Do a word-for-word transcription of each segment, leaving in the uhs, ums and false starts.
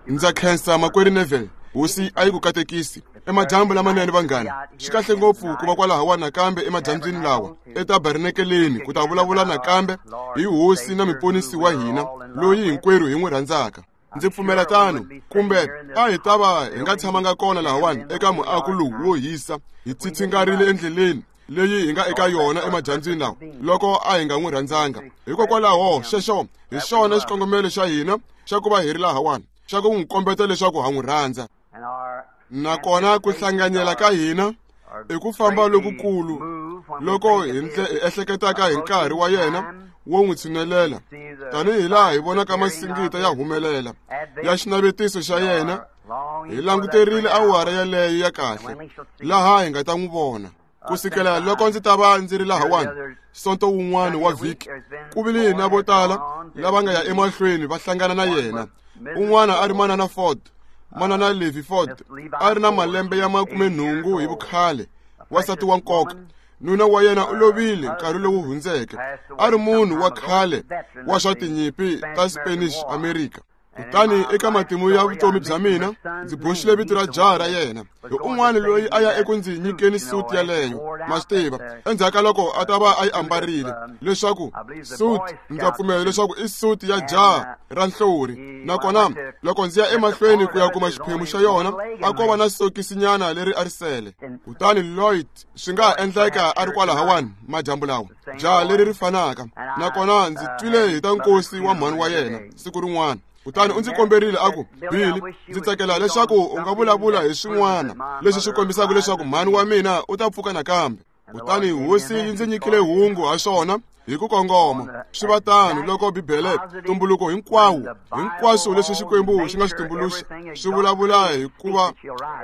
Ndza khensa makwerhu Neville, hosi a yi ku katekisi. Emadyambu lamanene vanghana, swi kahle ngopfu ku va kwalahawa nakambe emadyambyini lawa etabernakeleni ku ta vulavula nakambe hi hosi na muponisi wa hina loyi hinkwerhu hi n'wi rhandzaka. Ndzi pfumela tano, kumbe a hi ta va hi nga tshamanga kona lahawani eka muako lowu wo hisa hi tsitsingarile endleleni leyi hi nga eka yona emadyambyini lawa loko a hi nga n'wi rhandzanga. Hikokwalaho xexo hi xona xikongomelo xa hina xa ku va hi ri lahawani, xa ku n'wi kombeta leswaku ha n'wi rhandza. Nakona ku hlanganyela ka hina i ku famba lokukulu loko hi ehleketaka hi nkarhi wa yena wo n'wi tshinelela, tanihi laha hi vonaka masingita ya humelela ya xinavetiso xa yena. Hi languterile awara yaleyo ya kahle laha hi nga ta n'wi vona. Ku sukela loko ndzi ta va ndzi ri lahawani sonto wun'wana wa vhiki, ku vile na vo tala lava nga ya emahlweni va hlangana na yena. Un'wana a ri manana Ford, manana Levi Ford, a ri na malembe ya makumenhungu hi vukhale, wansati wa nkoka. Nuna wa yena u lovile nkarhi lowu hundzeke, a ri munhu wa khale wa swa tinyimpi ta Spanish America. Kutani eka matimu ya vutomi bya mina ndzi boxile vito ra jaha ra yena hi un'wana loyi a ya eku ndzi nyikeni suti yaleyo, ma swi tiva, endzhaku ka loko a ta va a yi ambarile, leswaku suti, ndza pfumela leswaku i suti ya jaha ra nhlori. Nakona loko ndzi ya emahlweni ku ya kuma xiphemu xa yona, a ko va na sokisinyana leri a ri sele. Kutani Lloyd swi nga ha endleka a ri kwalahawani madyambu lawa, jaha leri ri fanaka. Nakona ndzi twile hi ta nkosi wa mhani wa yena siku rin'wana. Kutani u ndzi komberile a ku, Billy, ndzi tsakela leswaku u nga vulavula hi swin'wana leswi swi kombisaka leswaku mhani wa mina u ta pfuka nakambe. Kutani hosi yi ndzi nyikile hungu ha swona hi ku kongoma. Swi va tano loko Bibele, tumbuluko hinkwawo, hinkwaswo leswi Xikwembu xi nga swi tumbuluxa swi vulavula hikuva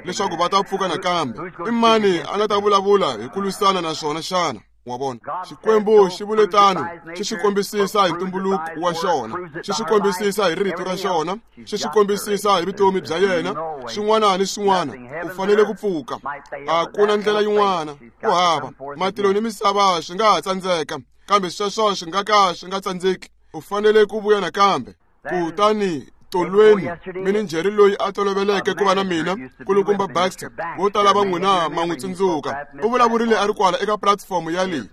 leswaku va ta pfuka nakambe. I mani a nga ta vulavula hi ku lwisana na swona xana? Wa vona, Xikwembu xi vule tano, xi swi kombisisa hi ntumbuluko wa xona, xi swi kombisisa hi rito ra xona, xi swi kombisisa hi vutomi bya yena. Swin'wana ni swin'wana u fanele ku pfuka, a ku na ndlela yin'wana, ku hava. Matilo ni misava swi nga ha tsandzeka, kambe sweswo swi nga ka swi nga tsandzeki. U fanele ku vuya nakambe. Kutani tolweni mininjheri loyi a toloveleke ku va na mina, Nkulukumba Baxter, vo tala va n'wina ma n'wi tsundzuka, u vulavurile a ri kwala eka platform ya leyi.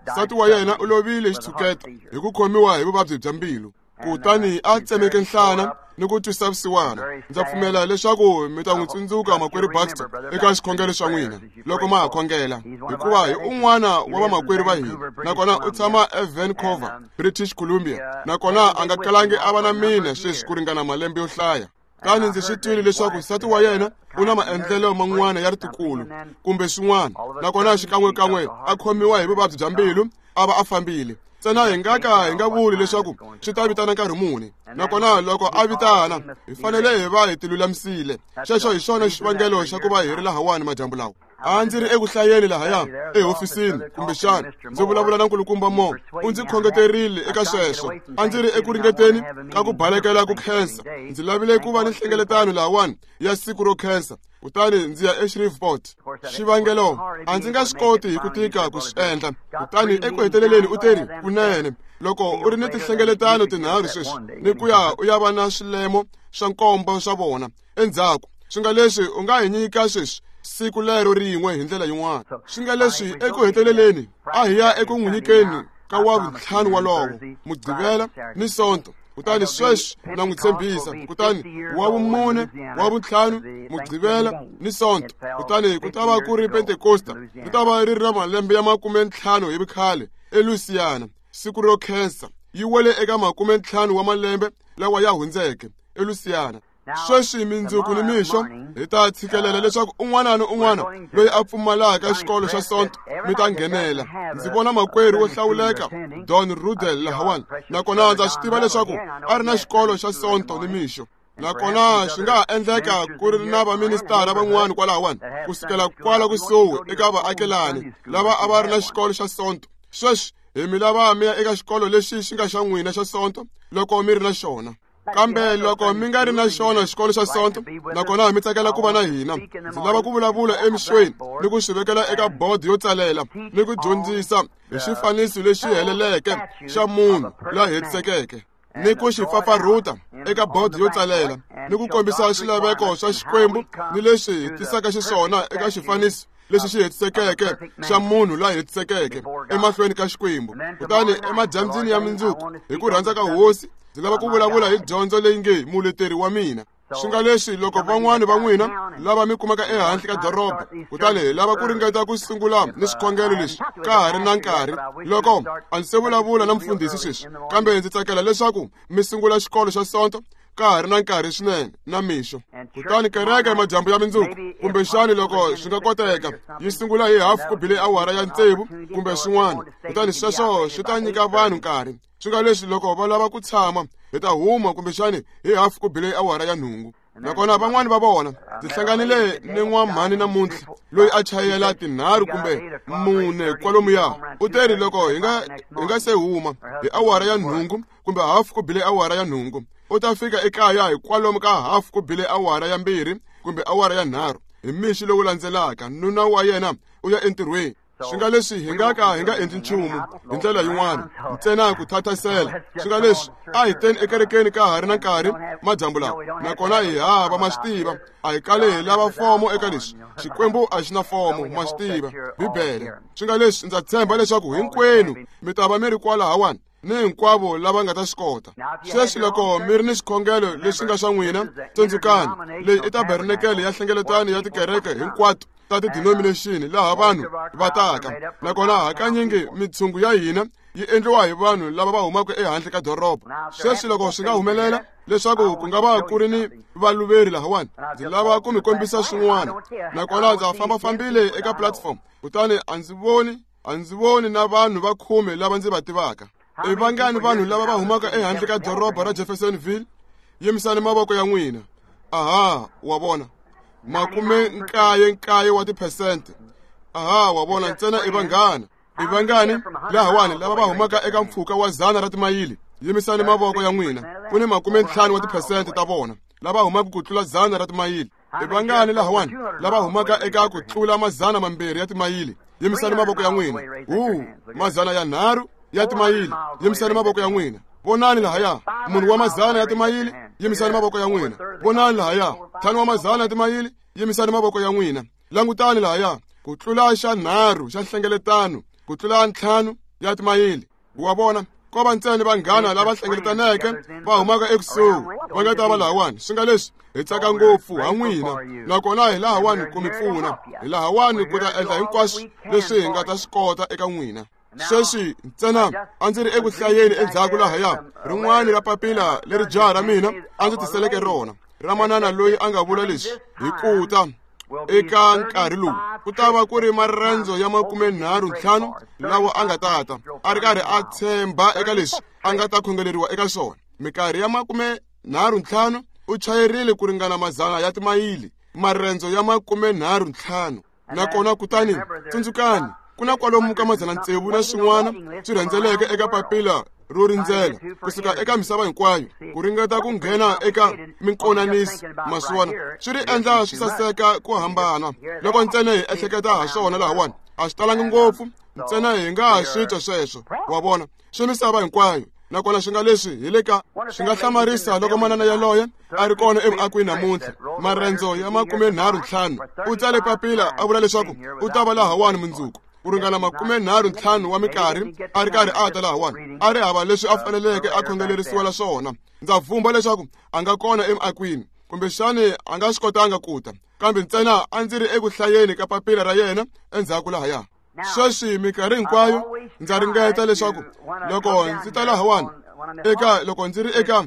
Nsati wa yena u lovile xitshuketa hi ku khomiwa hi vuvabyi bya mbilu, kutani a tsemeke nhlana ni ku twisa vusiwana. Ndza pfumela leswaku mi ta n'wi tsundzuka makwerhu Baxter eka xikhongelo xa n'wina loko ma ha khongela, hikuva hi un'wana wa vamakwerhu va hina, nakona u tshama eVancouver, British Columbia, nakona a nga kalangi a va na mina sweswi ku ringana malembe yo hlaya. Kutani ndzi swi twile leswaku nsati wa yena u na maendlelo man'wana ya ritikulu kumbe swin'wana, nakona xikan'wekan'we a khomiwa hi vuvabyi bya mbilu a va a fambile. Ntsena hi nga ka hi nga vuli leswaku swi ta vitana nkarhi muni, nakona loko a vitana hi fanele hi va hi tilulamisile. Xexo hi xona xivangelo xa ku va hi ri lahawani madyambu lawa. A ndzi ri eku hlayeni lahaya ehofisini, kumbexana ndzi vulavula na Nkulukumba Mo, u ndzi khongeterile eka sweswo. A ndzi ri eku ringeteni ka ku balekela ku khensa. Ndzi lavile ku va ni nhlengeletano lahawani ya siku ro khensa, kutani ndzi ya eShreveport. Xivangelo a ndzi nga swi koti hi ku tika ku swi endla. Kutani eku heteleleni u teri, kunene loko u ri ni tinhlengeletano tinharhu sweswi ni ku ya u ya va na swilemo swa nkombo swa vona endzhaku, swi nga leswi u nga hi nyika sweswi siku lero rin'we hi ndlela yin'wana. Swi nga leswi eku heteleleni a hi ya eku n'wi nyikeni ka wa vuntlhanu walowo, Mugqivela ni Sonto. Kutani sweswi na n'wi tshembisa. Kutani wa vumune, wa vuntlhanu, Mugqivela ni Sonto. Kutani ku ta va ku ri Pentekosta, ku ta va ri ri na malembe ya makumentlhanu hi vukhale eLouisiana. Siku ro khensa yi wele eka makumentlhanu wa malembe lawa ya hundzeke eLouisiana. Sweswi mindzuku ni mixo hi ta tshikelela leswaku un'wana ni un'wana loyi a pfumalaka xikolo xa Sonto mi ta nghenela. Ndzi vona makwerhu wo hlawuleka Don Rudel lahawani, nakona ndza swi tiva leswaku a ri na xikolo xa Sonto ni mixo. Nakona swi nga ha endleka ku ri na vaministara van'wana kwalahawani kusukela kwala kusuhi eka vaakelani lava a va ri na xikolo xa Sonto. Sweswi hi mi lava mi ya eka xikolo lexi xi nga xa n'wina xa Sonto loko mi ri na xona. Kambe loko mi nga ri na xona xikolo xa Sonto, nakona mi tsakela ku va na hina, ndzi lava ku vulavula emixweni ni ku swi vekela eka bodo yo tsalela ni ku dyondzisa hi xifaniso lexi heleleke xa munhu la hetisekeke, ni ku xi pfapfarhuta eka bodo yo tsalela ni ku kombisa swilaveko swa Xikwembu ni leswi hi tisaka xiswona eka xifaniso lexi xi hetisekeke xa munhu la hetisekeke emahlweni ka Xikwembu. Kutani emadyambyini ya mundzuku hi ku rhandza ka Hosi ndzi lava ku vulavula hi dyondzo leyi nge muleteri wa mina. Swi nga leswi loko van'wani va n'wina lava mi kumaka ehandle ka doroba, kutani hi lava ku ringeta ku sungula ni swikhongelo leswi ka ha ri na nkarhi. Loko a ndzi se vulavula na mfundhisi sweswi, kambe ndzi tsakela leswaku mi sungula xikolo xa Sonto ka ha ri na nkarhi swinene na mixo. Kutani kereke emadyambu ya mundzuku, kumbexani loko swi nga koteka, yi sungula hi hafu ku bile awara ya tsevu kumbe swin'wana. Kutani sweswo swi ta nyika vanhu nkarhi. Swi nga leswi loko va lava ku tshama, hi ta huma kumbexani hi hafu ku bile awara ya nhungu. Nakona van'wani va vona ndzi hlanganile ni n'wamhani namuntlha loyi a chayela tinharhu kumbe mune kwalomuya. U teri loko hi nga hi nga se huma hi awara ya nhungu kumbe hafu ku bile awara ya nhungu, u ta fika ekaya hi kwalomu ka hafu ku bile awara ya mbirhi kumbe awara ya nharhu hi mixi lowu landzelaka. Nuna wa yena u ya entirhweni. Swi nga leswi hi nga ka hi nga endli nchumu hi ndlela yin'wana ntsena ku thathasela. Swi nga leswi a hi teni ekerekeni ka ha ri na nkarhi madyambu lawa, nakona hi hava ma swi tiva a hi kale hi lava fomo eka leswi. Xikwembu a xi na fomo, ma swi tiva Bibele. Swi nga leswi ndza tshemba leswaku hinkwenu mi ta va mi ri kwalahawani ni hinkwavo lava nga ta swi kota. Sweswi loko mi ri ni swikhongelo leswi nga swa n'wina, tsundzukani leyi i tabernakele ya nhlengeletano ya tikereke hinkwato ta ti-denomination laha vanhu va taka. Nakona hakanyingi mitshungu ya hina yi endliwa hi vanhu lava va humaka ehandle ka doroba. Sweswi loko swi nga humelela leswaku ku nga va ku ri ni valuveri lahawani, ndzi lava ku mi kombisa swin'wana. Nakona ndza fambafambile eka platform, kutani a ndzi voni a ndzi voni na vanhu va khume lava ndzi va tivaka. I vangani vanhu lava va humaka ehandle ka doroba ra Jeffersonville? Yimisani mavoko ya n'wina. Aha, wa vona, makume nkaye nkaye wa tiphesente. Aha, wa vona, ntsena i vanghana. I vangani lahawani lava va humaka eka mpfhuka wa dzana ra timayili? Yimisani mavoko ya n'wina. Ku ni makume ntlhanu wa tiphesente ta vona lava humaka ku tlula dzana ra timayili. I vangani lahawani lava humaka eka ku tlula mazana mambirhi ya timayili? Yimisani mavoko ya n'wina. Hu, mazana ya nharhu ya timayili. Yimisani mavoko ya n'wina. Vonani lahaya, munhu wa mazana ya timayili, yimisani mavoko ya n'wina. Vonani lahaya, ntlhanu wa mazana ya timayili, yimisani mavoko ya n'wina. Langutani lahaya, ku tlula xa nharhu xa nhlengeletano, ku tlula ntlhanu ya timayili. Wa vona, ko va ntsena vanghana lava hlengeletaneke va humaka ekusuhi va nga ta va lahawani. Swi nga leswi hi tsaka ngopfu ha n'wina, nakona hi lahawani ku mi pfuna, hi lahawani ku ta endla hinkwaswo leswi hi nga ta swi kota eka n'wina. Sweswi ntsena a ndzi ri eku hlayeni endzhaku lahaya rin'wana ra papila leri jaha ra mina a ndzi tiseleke rona ra manana loyi a nga vula leswi hi ku ta eka nkarhi lowu ku ta va ku ri marendzo ya makumenharhu ntlhanu lawa a nga tata a ri karhi a tshemba eka leswi a nga ta khongeleriwa eka swona. Minkarhi ya makumenharhu ntlhanu u chayerile ku ringana mazana ya timayili, marendzo ya makumenharhu ntlhanu. Nakona kutani tsundzukani ku na kwalomu ka madzana tsevu na swin'wana swi rhendzeleke eka papila ro rindzela kusuka eka misava hinkwayo ku ringeta ku nghena eka minkonaniso. Maswona swi ri endla swi saseka ku hambana loko ntsena hi ehleketa ha swona lahawani. A swi talangi ngopfu, ntsena hi nga ha swi twa sweswo, wa vona, swi misava hinkwayo. Nakona swi nga leswi hi le ka swi nga hlamarisa loko manana yaloye a ri kona evuakweni namuntlha. Marendzo ya makumenharhu ntlhanu u tsale papila a vula leswaku u ta va lahawani mundzuku ku ringana makumenharhu ntlhanu wa minkarhi a ri karhi a ta lahawani, a ri hava leswi a faneleke a khongelerisiwela swona. Ndza vumba leswaku a nga kona emuakweni, kumbexani a nga swi kotanga ku ta, kambe ntsena a ndzi ri eku hlayeni ka papila ra yena endzhaku lahaya. Sweswi minkarhi hinkwayo ndza ringeta leswaku loko ndzi ta lahawani eka loko ndzi ri eka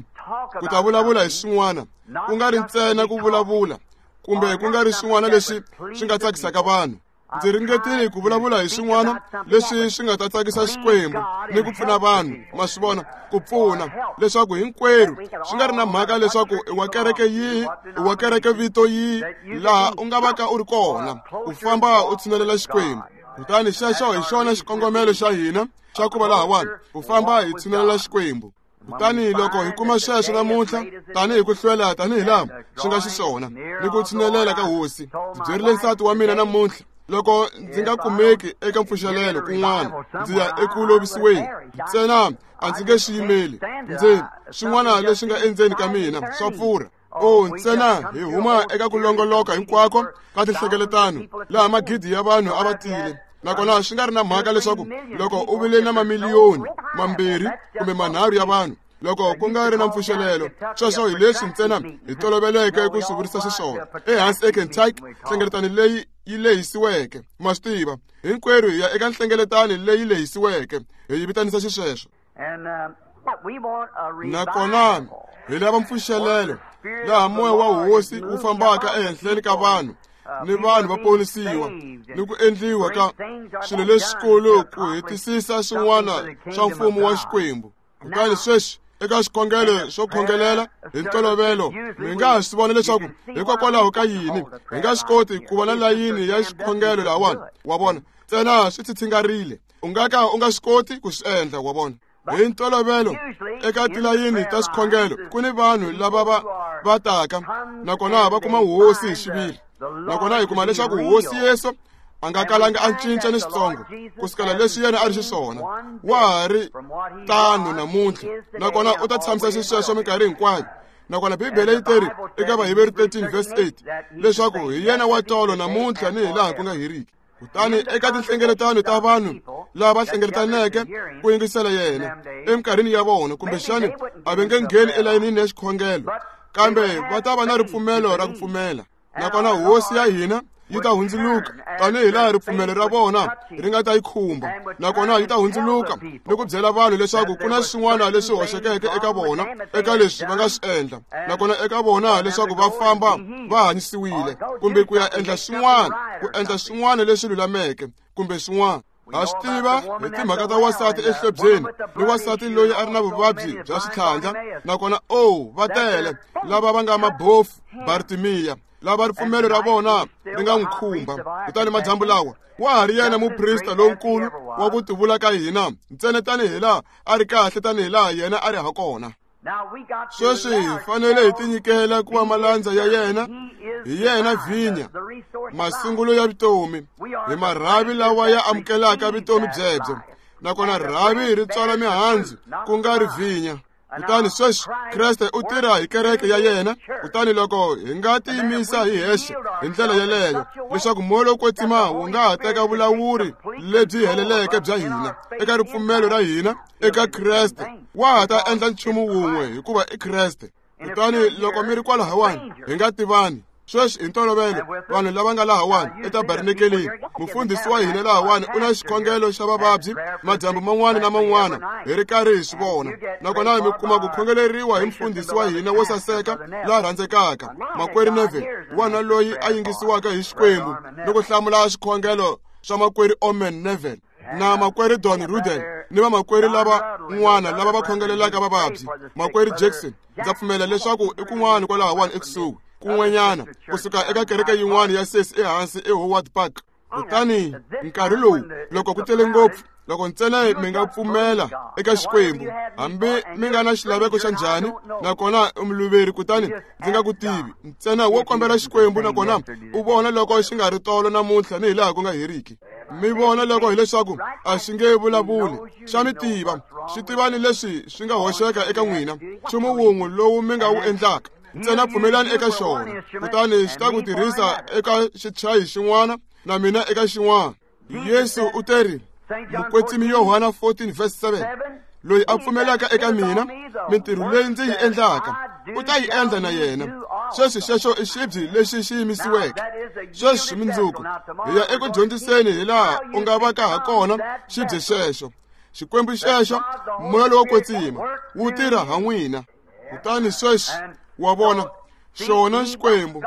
ku ta vulavula hi swin'wana, ku nga ri ntsena ku vulavula kumbe ku nga ri swin'wana leswi swi nga tsakisaka vanhu. Ndzi ringetile ku vulavula hi swin'wana leswi swi nga ta tsakisa Xikwembu ni ku pfuna vanhu, ma swi vona, ku pfuna leswaku hinkwerhu swi nga ri na mhaka leswaku i wa kereke yihi, i wa kereke vito yihi, laha u nga va ka u ri kona, u famba u tshinelela Xikwembu. Kutani xexo hi xona xikongomelo xa hina xa ku va lahawani, ku famba hi tshinelela Xikwembu. Kutani loko hi kuma sweswo namuntlha tanihi ku hlwela tanihi laha swi nga xiswona ni ku tshinelela ka Hosi. Ndzi byerile nsati wa mina namuntlha loko ndzi nga kumeki eka mpfuxelelo kun'wana ndzi ya eku lovisiweni, ntsena a ndzi nge xi yimeli. Ndzi swin'wana leswi nga endzeni ka mina swa pfurha. O ntsena hi huma eka ku longoloka hinkwako ka tinhlengeletano laha magidi ya vanhu a va tile nakona swi nga ri na mhaka leswaku loko u vile na mamiliyoni mambirhi kumbe manharhu ya vanhu loko ku nga ri na mpfuxelelo sweswo hi leswi ntsena hi toloveleke ku swi vurisa xiswona ehansi eKentucky nhlengeletano leyi yi lehisiweke ma swi tiva hinkwerhu hi ya eka nhlengeletano leyi lehisiweke hi yi vitanisa xisweswo nakona hi lava mpfuxelelo laha moya wa hosi wu fambaka ehenhleni ka vanhu ni vanhu va ponisiwa ni ku endliwa ka swilo leswikulu ku hetisisa swin'wana swa mfumo wa Xikwembu. Kutani sweswi eka xikhongelo xo khongelela hi ntolovelo mi nga ha swi vona leswaku hikokwalaho ka yini hi nga swi koti ku va na layini ya xikhongelo lahawani wa vona ntsena swi tshitshingarile u nga ka u nga swi koti ku swi endla wa vona. Hi ntolovelo eka tilayini ta swikhongelo ku ni vanhu lava va va taka nakona va kuma hosi hi xiviri nakona hi kuma leswaku hosi Yesu a nga kalanga a cinca ni xitsongo ku sukela leswi yena a ri xiswona wa ha ri tano namuntlha nakona u ta tshamisa xisweswo minkarhi hinkwayo. Nakona Bibele yi teri eka Vaheberi thirteen verse eight leswaku hi yena wa tolo namuntlha ni hi laha ku nga heriki. Kutani eka tinhlengeletano ta vanhu lava hlengeletaneke ku yingisela yena eminkarhini ya vona kumbexani a va nge ngheni elayinini ya xikhongelo kambe va ta va na ripfumelo ra ku pfumela nakona hosi ya hina yi ta hundzuluka tanihi laha ripfumelo ra vona ri nga ta yi khumba nakona yi ta hundzuluka ni ku byela vanhu leswaku ku na swin'wana leswi hoxekeke eka vona eka leswi va nga swi endla nakona eka vona leswaku va famba va hanyisiwile kumbe ku ya endla swin'wana ku endla swin'wana leswi lulameke kumbe swin'wana. Ha swi tiva hi timhaka ta wansati ehlobyeni ni wansati loyi a ri na vuvabyi bya switlhandla nakona o va tele lava va nga mabofu Bartimiya lava ripfumelo ra vona ri nga n'wi khumba. Kutani madyambu lawa wa ha ri yena muprista lonkulu wa ku tivula ka hina ntsena tanihi laha a ri kahle tanihi laha yena a ri ha kona. Sweswi hi fanele hi tinyikela ku va malandza ya yena hi yena vhinya masungulo ya vutomi hi marhavi lawa ya amukelaka vutomi byebyo nakona rhavi ri tswala mihandzu ku nga ri vhinya. Kutani sweswi Kreste u tirha hi kereke ya yena kutani loko hi nga tiyimisa hi hexe hi ndlela yeleyo leswaku moya lowo kwetsima wu nga ha teka vulawuri lebyi heleleke bya hina eka ripfumelo ra hina eka Kreste wa ha ta endla nchumu wun'we hikuva i Kreste. Kutani loko mi ri kwalahawani hi nga tivani sweswi hi ntolovelo vanhu lava nga lahawani etabernakeleni mufundhisi wa hina lahawani u na xikhongelo xa vavabyi madyambu man'wana na man'wana hi ri karhi hi swi vona nakona mi kuma ku khongeleriwa hi mufundhisi wa hina wo saseka la rhandzekaka makwerhu Neville wana loyi a yingisiwaka hi Xikwembu ni ku hlamula xikhongelo swa makwerhu Omen Neville na makwerhu Don Rudel ni vamakwerhu lava n'wana lava va khongelelaka vavabyi makwerhu Jackson ndza pfumela leswaku i kun'wana kwalahawani ekusuhi kun'wanyana kusuka eka kereke yin'wana ya sesi ehansi eHoward Park. Kutani nkarhi lowu loko ku tele ngopfu loko ntsena mi nga pfumela eka Xikwembu hambi mi nga na xilaveko xa njhani nakona u muluveri kutani ndzi nga ku tivi ntsena wo kombela Xikwembu nakona u vona loko xi nga ri tolo namuntlha ni hi laha ku nga heriki. Mi vona loko hileswaku a xi nge vulavuli xa mi tiva xi tiva ni leswi swi nga hoxeka eka n'wina nchumu wun'we lowu mi nga wu endlaka ntsena pfumelani eka xona kutani xi ta ku tirhisa eka xichayi xin'wana na mina eka xin'wana. Yesu u teri Mukwetsimi Yohana fourteen verse seven loyi a pfumelaka eka mina mintirho leyi ndzi yi endlaka u ta yi endla na yena. Sweswi xexo i xibye lexi xi yimisiweke. Sweswi mundzuku hi ya eku dyondziseni hi laha u nga va ka ha kona xibye xexo. Xikwembu xexo moya lowo kwetsima wu tirha ha n'wina. Kutani sweswi wa vona xona Xikwembu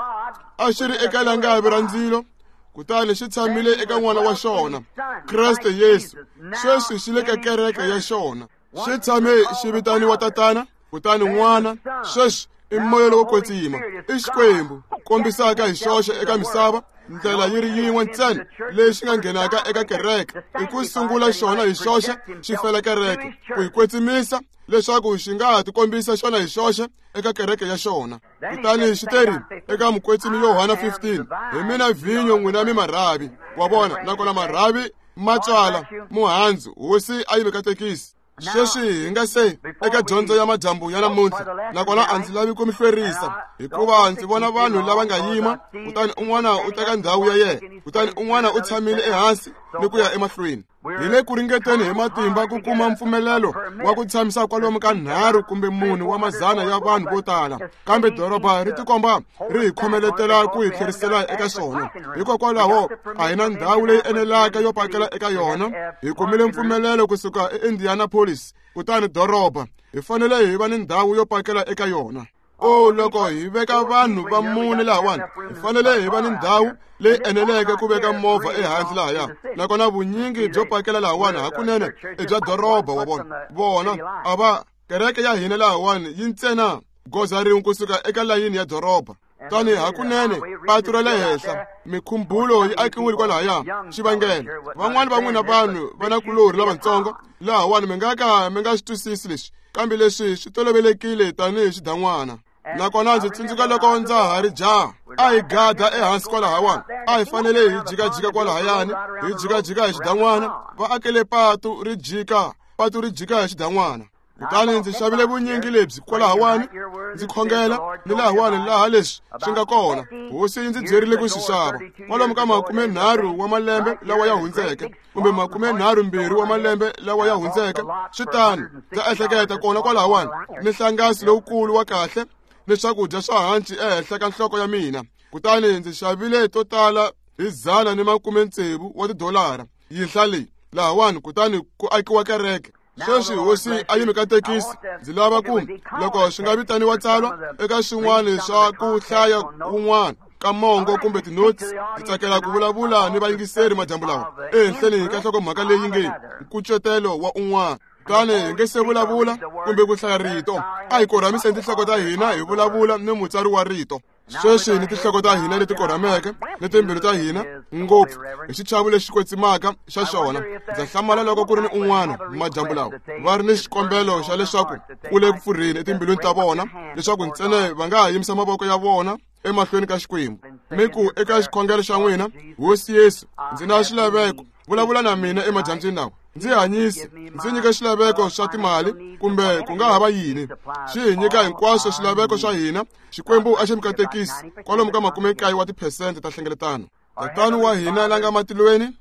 a xi ri eka langavi ra ndzilo kutani xi tshamile eka n'wana wa xona Kreste Yesu. Sweswi xi le ka kereke ya xona xi tshame xi vitaniwa Tatana kutani N'wana. Sweswi i moya lowo kwetsima i Xikwembu kombisaka hi xoxe eka misava ndlela yi ri yin'we ntsena leyi xi nga nghenaka eka kereke i ku sungula xona hi xoxe xi fela kereke ku yi kwetsimisa leswaku xi nga ha tikombisa xona hi xoxe eka kereke ya xona. Kutani xi teri eka mukwetsimi Yohana fifteen hi mina vhinyo n'wina mi marhavi wa vona nakona marhavi ma tswala muhandzu hosi a yi mi katekisi. Sweswi hi nga se eka dyondzo ya madyambu ya namuntlha, nakona a ndzi lavi ku mi hlwerisa, hikuva ndzi vona vanhu lava nga yima, kutani un'wana u teka ndhawu ya yena, kutani un'wana u tshamile ehansi ni ku ya emahlweni. Hi le ku ringeteni hi matimba ku kuma mpfumelelo wa ku tshamisa kwalomu ka nharhu kumbe mune wa mazana ya vanhu vo tala, kambe doroba ri tikomba ri hi khomeletela ku hi tlherisela eka swona. Hikokwalaho a hi na ndhawu leyi enelaka yo pakela eka yona. Hi kumile mpfumelelo kusuka eIndianapolis, kutani doroba hi fanele hi va ni ndhawu yo pakela eka yona. O loko hi veka vanhu va mune lahawani, hi fanele hi va ni ndhawu leyi eneleke ku veka movha ehansi lahaya. Nakona vunyingi byo pakela lahawani hakunene i bya doroba wa vona. Vona a va kereke ya hina lahawani yi ntsena goza rin'we kusuka eka layini ya doroba. Tani hakunene patu ra le henhla mikhumbulo yi akiwile kwalahaya. Xivangelo van'wani va n'wina vanhu va na kulorhi lavatsongo lahawani mi nga ka mi nga swi twisisi leswi, kambe leswi swi tolovelekile tanihi xidan'wana. Nakona ndzi tsundzuka loko ndza ha ri jaha, a hi gada ehansi kwalahawani, a hi fanele hi jikajika kwalahayani, hi jikajika hi xidan'wana. Va akele patu ri jika, patu ri jika hi xidan'wana. Kutani ndzi xavile vunyingi lebyi kwalahawani, ndzi khongela ni lahawani laha leswi swi nga kona. Hosi yi ndzi byerile ku swi xava kwalomu ka makume nharhu wa malembe lawa ya hundzeke, kumbe makume nharhu mbirhi wa malembe lawa ya hundzeke. Swi tano, ndza ehleketa kona kwalahawani ni nhlangasi lowukulu wa kahle ni swakudya swa hanci ehenhla ka nhloko ya mina. Kutani ndzi xavile to tala hi dzana ni makume tsevu wa tidolara yinhla leyi lahawani, kutani ku akiwa kereke. Sweswi hosi a yi mi katekisi. Ndzi lava ku loko swi nga vitaniwa tsalwa eka swin'wana swa ku hlaya kun'wana ka mongo kumbe tinotsi, ndzi tsakela ku vulavula ni vayingiseri madyambu lawa ehenhleni ka nhlokomhaka leyi nge nkucetelo wa un'wana. Kutani hi nge se vulavula kumbe ku hlaya rito, a hi korhamiseni tinhloko ta hina hi vulavula ni mutsari wa rito. Sweswi ni tinhloko ta hina leti korhameke ni timbilu ta hina ngopfu hi xichavo lexi kwetsimaka xa xona. Ndza hlamala loko ku ri ni un'wana madyambu lawa va ri ni xikombelo xa leswaku ku le ku pfurheni etimbilwini ta vona, leswaku ntsena va nga ha yimisa mavoko ya vona emahlweni ka Xikwembu, mi ku eka xikhongelo xa n'wina: Hosi Yesu, ndzi na xilaveko, vulavula na mina emadyambyini lawa, ndzi hanyisi, ndzi nyika xilaveko swa timali kumbe ku nga ha va yini. Xi hi nyika hinkwaswo swilaveko swa hina. Xikwembu a xi mi katekisi kwalomu ka makume nkaye wa tiphesente ta hlengeletano. Tatana wa hina la nga matilweni,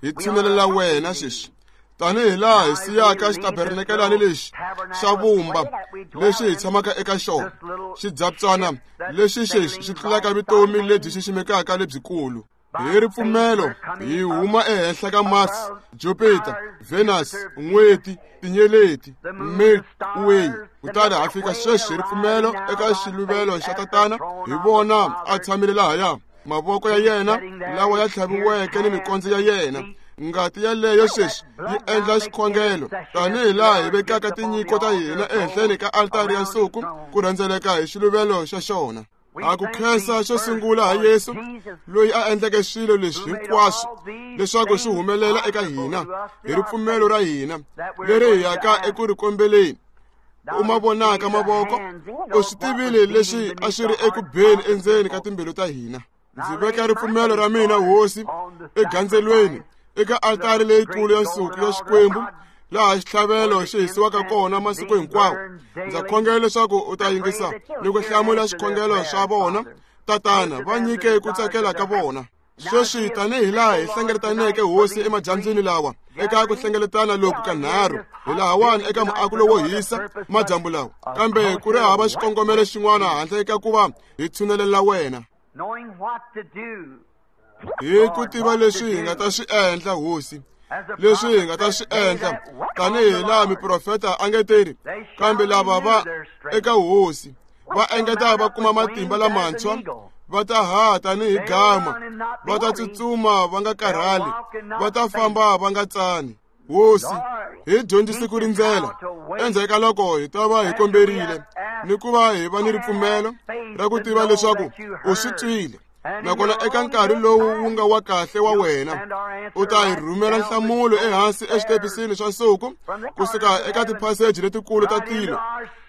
hi tshinelela wena sweswi tanihi laha hi siyaka xitabernakelani lexi xa vumba lexi hi tshamaka eka xona, xidzabtswana lexi xexi xi tlulaka vutomi lebyi xiximekaka lebyikulu. Hi ripfumelo hi huma ehenhla ka Mars, Jupiter, Venus, n'weti, tinyeleti, Milky Way, kutani ha fika sweswi hi ripfumelo eka xiluvelo xa Tatana. Hi vona a tshamile lahaya, mavoko ya yena lawa ya tlhaviweke ni mikondzo ya yena. Ngati yaleyo sweswi yi endla xikhongelo tanihi laha hi vekaka tinyiko ta hina ehenhleni ka altari ya nsuku ku rhendzeleka hi xiluvelo xa xona. A ku khensa xo sungula ha Yesu loyi a endleke swilo leswi hinkwaswo leswaku swi humelela eka hina hi ripfumelo ra hina leri hi yaka eku ri kombeleni. U ma vonaka mavoko, u swi tivile leswi a swi ri eku beni endzeni ka timbilu ta hina. Ndzi veka ripfumelo ra mina Hosi egandzelweni eka altari leyikulu ya nsuku ya Xikwembu laha xitlhavelo xi hisiwaka kona masiku hinkwawo. Ndza khongela leswaku u ta yingisa ni ku hlamula swikhongelo swa vona. Tatana, va nyike ku tsakela ka vona. Sweswi tanihi laha hi hlengeletaneke Hosi emadyambyini lawa eka ku hlengeletana loku ka nharhu, hi lahawani eka muako lowo hisa madyambu lawa, kambe ku ri hava xikongomelo xin'wana handle ka ku va hi tshunelela wena. Hi ku tiva leswi hi nga ta swi endla Hosi, leswi hi nga ta swi endla tanihi laha miprofeta a nge teri, kambe lava va eka Hosi va engeta va kuma matimba lamantshwa, va ta haha tanihi gama, va ta tsutsuma va nga karhali, va ta famba va nga tsani. Hosi, hi dyondzise ku rindzela endzhaku ka loko hi ta va hi komberile ni ku va hi va ni ripfumelo ra ku tiva leswaku u swi twile, nakona eka nkarhi lowu wu nga wa kahle wa wena u ta hi rhumela nhlamulo ehansi eswitepisini swa nsuku kusuka eka tiphaseji letikulu ta tilo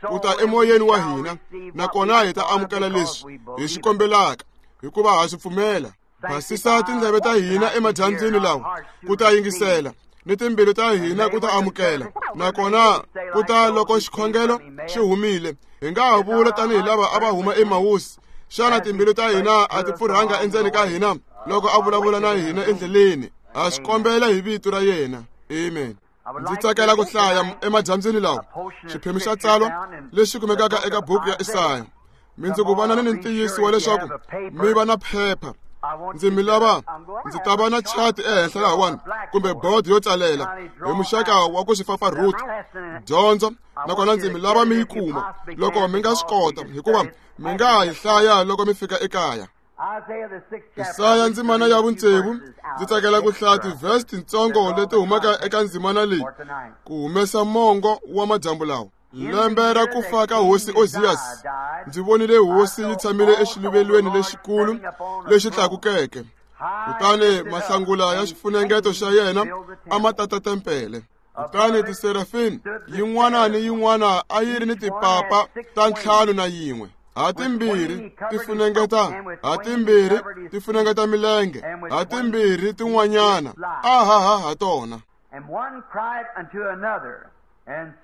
ku ta emoyeni wa hina, nakona hi ta amukela leswi hi swi kombelaka hikuva ha swi pfumela. Basisa tindleve ta hina emadyambyini lawa ku ta yingisela ni timbilu ta hina ku ta amukela. Nakona ku ta loko xikhongelo xi humile, hi nga ha vula tanihi lava a va huma eMawusi, xana timbilu ta hina a ti pfurhanga endzeni ka hina loko a vulavula na hina endleleni? Ha swi kombela hi vito ra yena. Amen. Ndzi tsakela ku hlaya emadyambyini lawa xiphemu xa tsalwa lexi kumekaka eka buku ya Isaya. Mi ndzi ku vonani ni ntiyiso wa leswaku mi va na phepha. Ndzi mi lava ndzi ta va na chati ehenhla lahawani kumbe board yo tsalela hi muxaka wa ku swi fafarhuta dyondzo, nakona ndzi mi lava mi yi kuma loko mi nga swi kota, hikuva mi nga ha yi hlaya loko mi fika ekaya. Isaya ndzimana ya vutsevu, ndzi tsakela ku hlaya tivhesi tintsongo leti humaka eka ndzimana leyi ku humesa mongo wa madyambu lawa. Lembe ra ku fa ka hosi Ozias, ndzi vonile hosi yi tshamile exiluvelweni lexikulu lexi tlakukeke, kutani mahlangula ya xifunengeto xa yena a ma tata tempele. Kutani tiserafini yin'wana ni yin'wana a yi ri ni tipapa ta ntlhanu na yin'we, ha timbirhi ti funengeta ha timbirhi ti funengeta milenge, ha timbirhi tin'wanyana a haha ha tona.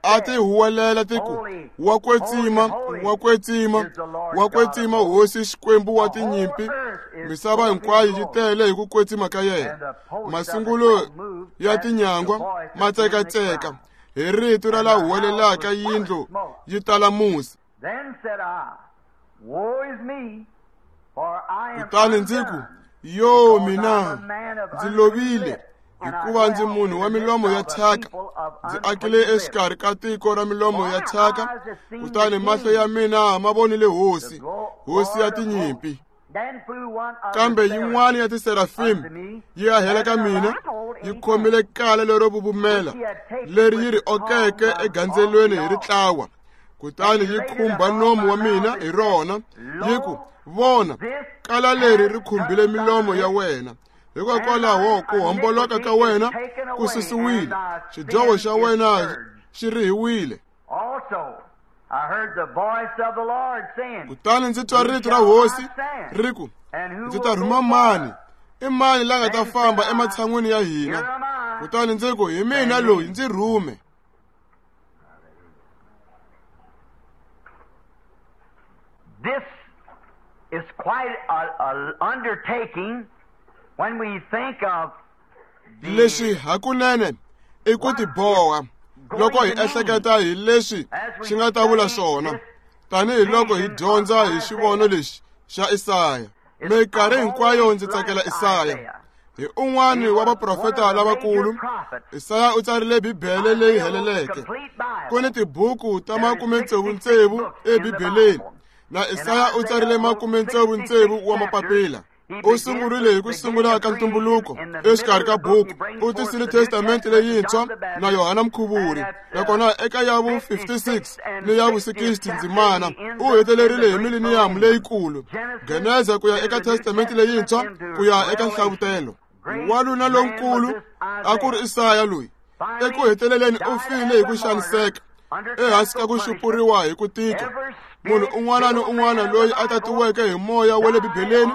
A ti huwelela ti ku, wa kwetsima, wa kwetsima, wa kwetsima hosi Xikwembu wa tinyimpi, misava hinkwayo yi tele hi ku kwetsima ka yena. Masungulo ya tinyangwa ma tsekatseka hi rito ra la huwelelaka, yindlu yi tala musi. Kutani ndzi ku, yo mina ndzi lovile, hikuva ndzi munhu wa milomo ya thyaka, ndzi akile exikarhi ka tiko ra milomo ya thyaka, kutani mahlo ya mina ma vonile hosi, hosi ya tinyimpi. Kambe yin'wana ya tiserafimi yi ahela ka mina, yi khomile kala lero vuvumela leri yi ri okeke egandzelweni hi ritlawa, kutani yi khumba nomu wa mina hi rona, yi ku, vona, kala leri ri khumbile milomo ya wena, hikokwalaho ku homboloka ka wena ku susiwile, xidyoho xa wena xi rihiwile. Kutani ndzi twa rito ra hosi ri ku, ndzi ta rhuma mani? I mani la nga ta famba ematshan'wini ya hina? Kutani ndzi ku, hi mina loyi, ndzi rhume. This is quite an undertaking when we think of leswi hakunene i ku tiboha loko hi ehleketa hi leswi xi nga ta vula swona, tanihiloko hi dyondza hi xivono lexi xa Isaya. Minkarhi hinkwayo ndzi tsakela Isaya. Hi un'wana wa vaprofeta lavakulu, Isaya u tsarile Bibele leyi heleleke. Ku ni tibuku ta makume tsevu tsevu eBibeleni, na Isaya u tsarile makume tsevu tsevu wa mapapila. U sungurile hi ku sungula ka ntumbuluko exikarhi ka buku, u tisile testamente leyintshwa na Yohana Mkhuvuri, nakona eka ya vu fifty-six ni ya vu sixty ndzimana u hetelerile hi mileniyamu leyikulu, Geneza ku ya eka testamente leyintshwa ku ya eka Nhlavutelo. Wanuna lonkulu a ku ri Isaya loyi eku heteleleni u file hi ku xaniseka, ehansi ka ku xupuriwa hi ku tika. Munhu un'wana ni un'wana loyi a tatiweke hi moya wa le Bibeleni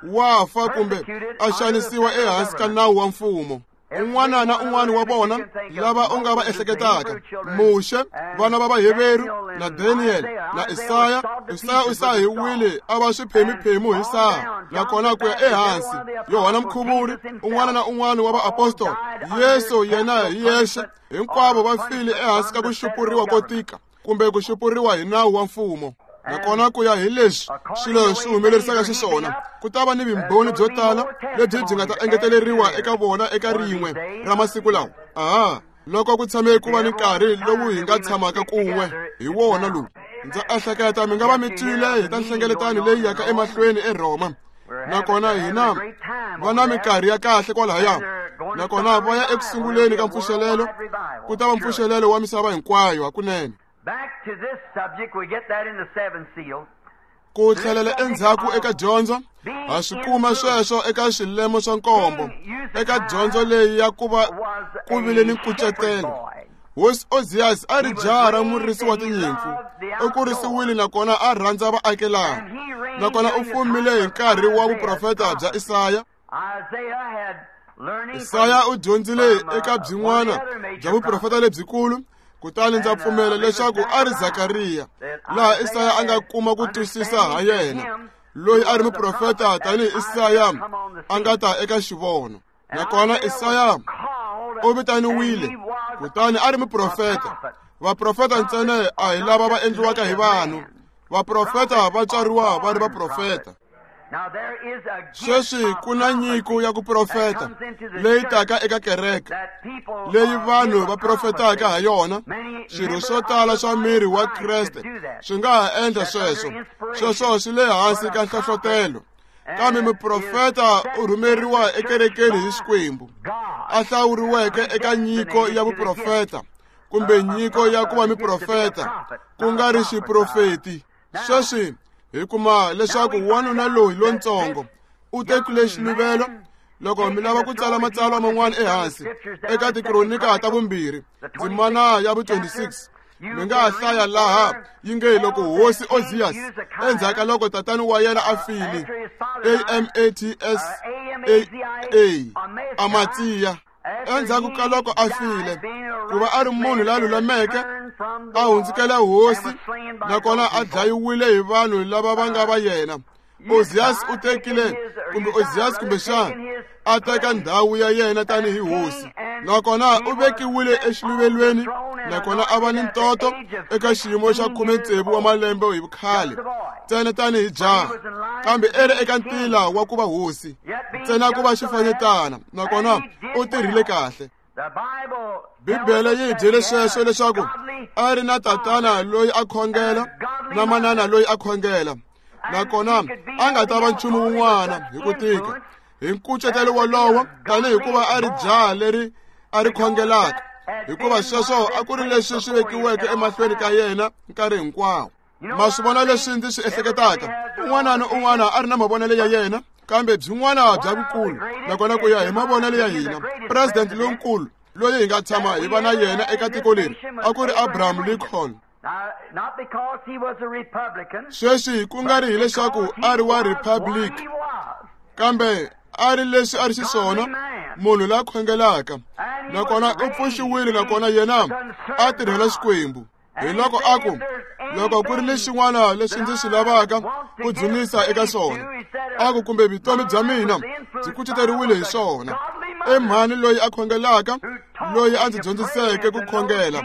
wa fa kumbe a xanisiwa ehansi ka nawu wa mfumo. Un'wana na un'wana wa vona lava u nga va ehleketaka, Muxe, vana va Vaheveru, na Daniel, na Isaya. Isaya u sahiwile a va swiphemiphemu hi saha, nakona ku ya ehansi Yohana Mkhuvuri, un'wana na un'wana wa vaapostola, Yesu yena hi yexe, hinkwavo va file ehansi ka ku xupuriwa ko tika kumbe ku xupuriwa hi nawu wa mfumo. Nakona ku ya hi leswi swilo swi humelerisaka xiswona, ku ta va ni vumbhoni byo tala lebyi byi nga ta engeteleriwa eka vona eka rin'we ra masiku lawa. Aha, loko ku tshame ku va ni nkarhi lowu hi nga tshamaka kun'we hi wona lowu. Ndza ehleketa mi nga va mi twile hi ta nhlengeletano leyi yaka emahlweni eRhoma, nakona hina va na minkarhi ya kahle kwalahaya, nakona va ya ekusunguleni ka mpfuxelelo, ku ta va mpfuxelelo wa misava hinkwayo hakunene. Back to this subject, we get that in the seven seals. Ku tlhelela endzhaku eka dyondzo, ha swi kuma sweswo eka swilemo swa nkombo, eka dyondzo leyi ya ku va ku vile ni nkucetelo. Hosi Ozias a ri jaha ra murisi wa tinyimpfu, u kurisiwile nakona a rhandza vaakelani, nakona u fumile hi nkarhi wa vuprofeta bya Isaya. Isaya u dyondzile eka byin'wana bya vuprofeta lebyikulu, kutani ndza pfumela leswaku a ri Zakariya, laha Isaya a nga kuma ku twisisa ha yena, loyi a ri muprofeta tanihi Isaya a nga ta eka xivono. Nakona Isaya u vitaniwile, kutani a ri muprofeta. Vaprofeta ntsena a hi lava va endliwaka hi vanhu. Vaprofeta va tswariwa va ri vaprofeta. Sweswi ku na nyiko ya ku profeta leyi taka eka kereke, leyi vanhu va profetaka ha yona. Swirho swo tala swa miri wa Kreste swi nga ha endla sweswo. Sweswo swi le hansi ka nhlohlotelo. Kambe muprofeta u rhumeriwa ekerekeni hi Xikwembu, a hlawuriweke eka nyiko ya vuprofeta kumbe nyiko ya ku va muprofeta, ku nga ri xiprofeti. Sweswi hi kuma leswaku wanuna loyi lontsongo u tekile xiluvelo. Loko mi lava ku tsala matsalwa man'wana ehansi eka tikronika ta vumbirhi ndzimana ya vu twenty-six, mi nga ha hlaya laha yi nge loko hosi Ozias endzhaku ka loko tatani wa yena a file, A M A T S A A, Amatsiya, endzhaku ka loko a file, ku va a ri munhu la lulameke, a hundzukela hosi, nakona a dlayiwile hi vanhu lava va nga va yena. Ozias u tekile, kumbe Ozias kumbexana a teka ndhawu ya yena tanihi hosi, nakona u vekiwile exiluvelweni, nakona a va ni ntoto eka xiyimo xa khume tsevu wa malembe hi vukhale, ntsena tanihi jaha, kambe e ri eka ntila wa ku va hosi, ntsena ku va xifanyetana, nakona u tirhile kahle. Bibele yi hi byele sweswo leswaku a ri na tatana loyi a khongela na manana loyi a khongela, nakona a nga ta va nchumu wun'wana hi ku tika hi nkucetelo wolowo, tanihi hikuva a ri jaha leri a ri khongelaka, hikuva sweswo a ku ri leswi swi vekiweke emahlweni ka yena nkarhi hinkwawo. Ma swi vona leswi ndzi swi ehleketaka? Un'wana na un'wana a ri na mavonelo ya yena, kambe byin'wana bya vukulu, nakona ku ya hi mavonelo ya hina, president lonkulu loyi hi nga tshama hi va na yena eka tiko leri a ku ri Abraham Lincoln. Sweswi ku nga ri hileswaku a ri wa Republic, kambe a ri leswi a ri xiswona, munhu la khongelaka, nakona u pfuxiwile, nakona yena a tirhela Xikwembu. Hi loko a ku, loko ku ri ni xin'wana leswi ndzi swi lavaka ku dzunisa eka swona, a ku kumbe vutomi bya mina byi kuceteriwile hi swona, i mhani loyi a khongelaka, loyi a ndzi dyondziseke ku khongela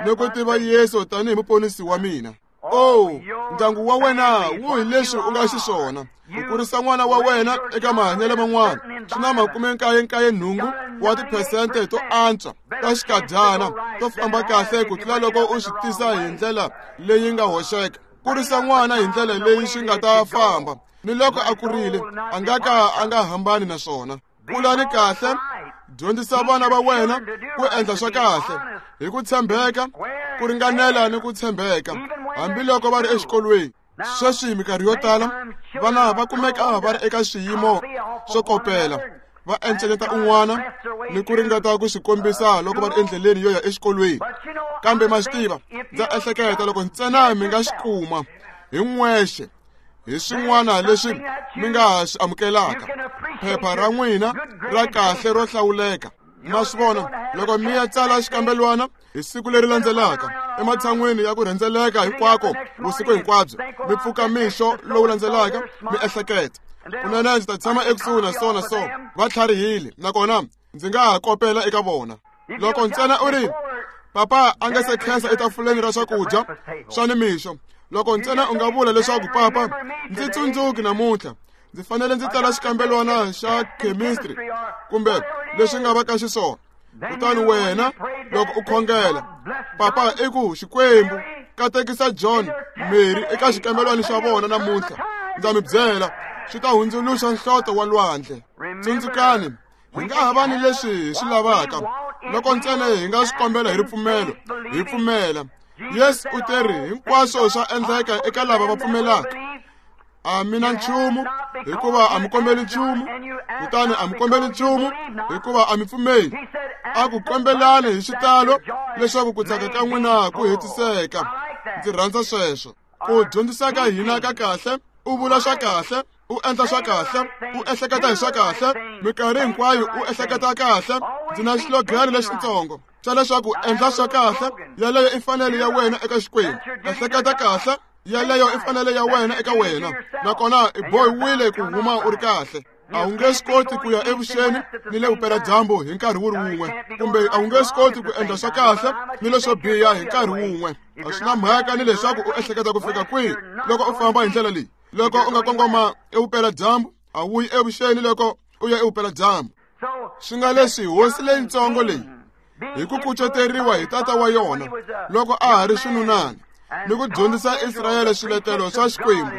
ni ku tiva Yesu tanihi muponisi wa mina. Oh, ndyangu wa wena wu hi leswi u nga xiswona. Ku kurisa n'wana wa wena eka mahanyelo man'wana swi na makume nkaye nkaye nhungu wa tiphesente to antswa ta xikadyana to famba kahle ku tlula loko u swi tisa hi ndlela leyi nga hoxeka. Kurisa n'wana hi ndlela leyi swi nga ta famba, ni loko a kurile a nga ka a nga hambani na swona. Kulani kahle, dyondzisa vana va wena ku endla swa kahle hi ku tshembeka, ku ringanela ni ku tshembeka, hambiloko va ri exikolweni. Sweswi minkarhi yo tala vana va kumeka va ri eka swiyimo swo kopela, va encenyeta un'wana ni ku ringeta ku swi kombisa loko va ri endleleni yo ya exikolweni. Kambe ma swi tiva, ndza ehleketa loko ntsena mi nga xi kuma hi n'wexe hi swin'wana leswi mi nga ha swi amukelaka, phepha ra n'wina ra kahle ro hlawuleka. Ma swi vona, loko mi ya tsala xikambelwana hi siku leri landzelaka, ematshan'wini ya ku rhendzeleka hinkwako vusiku hinkwabyo, mi pfuka mixo lowu landzelaka mi ehleketa, kunene ndzi ta tshama ekusuhi na so na so, va tlharihile, nakona ndzi nga ha kopela eka vona. Loko ntsena u ri, papa a nga se khensa etafuleni ra swakudya swa nimixo, loko ntsena u nga vula leswaku papa ndzi tsundzuki namuntlha, ndzi fanele ndzi tsala xikambelwana xa chemistry kumbe leswi nga va ka xiswona, kutani wena loko u khongela, papa i ku Xikwembu katekisa John, Mary eka xikambelwana xa vona namuntlha, ndza mi byela swi ta hundzuluxa nhloto wa lwandle. Tsundzukani, hi nga ha va ni leswi hi swi lavaka loko ntsena hi nga swi kombela hi ripfumelo, hi pfumela. Yesu u teri hinkwaswo swa endleka eka lava va pfumelaka. A mi na nchumu hikuva a mi kombeli nchumu, kutani a mi kombeli nchumu hikuva a mi pfumeli. A ku kombelani hi xitalo leswaku ku tsaka ka n'wina ku hetiseka. Ndzi rhandza sweswo. Ku dyondzisa ka hina ka kahle U vula swa kahle, u endla swa kahle, u ehleketa hi swa kahle, minkarhi hinkwayo u ehleketa kahle. Ndzi na xilogani lexitsongo xa leswaku endla swa kahle, yaleyo i fanele ya wena eka Xikwembu. Ehleketa kahle, yaleyo i fanele ya wena eka wena, nakona i bohiwile ku huma u ri kahle. A wu nge swi koti ku ya evuxeni ni le vupeladyambu hi nkarhi wu ri wun'we, kumbe a wu nge swi koti ku endla swa kahle ni leswo biha hi nkarhi wun'we. A swi na mhaka ni leswaku u ehleketa ku fika kwihi loko u famba hi ndlela leyi. Loko u nga kongoma evupeladyambu, a wu yi evuxeni loko u ya evupeladyambu. Swi nga leswi hosi leyitsongo leyi hi ku kuceteriwa hi tata wa yona loko a ha ri xinunana ni ku dyondzisa Israyele swiletelo swa Xikwembu,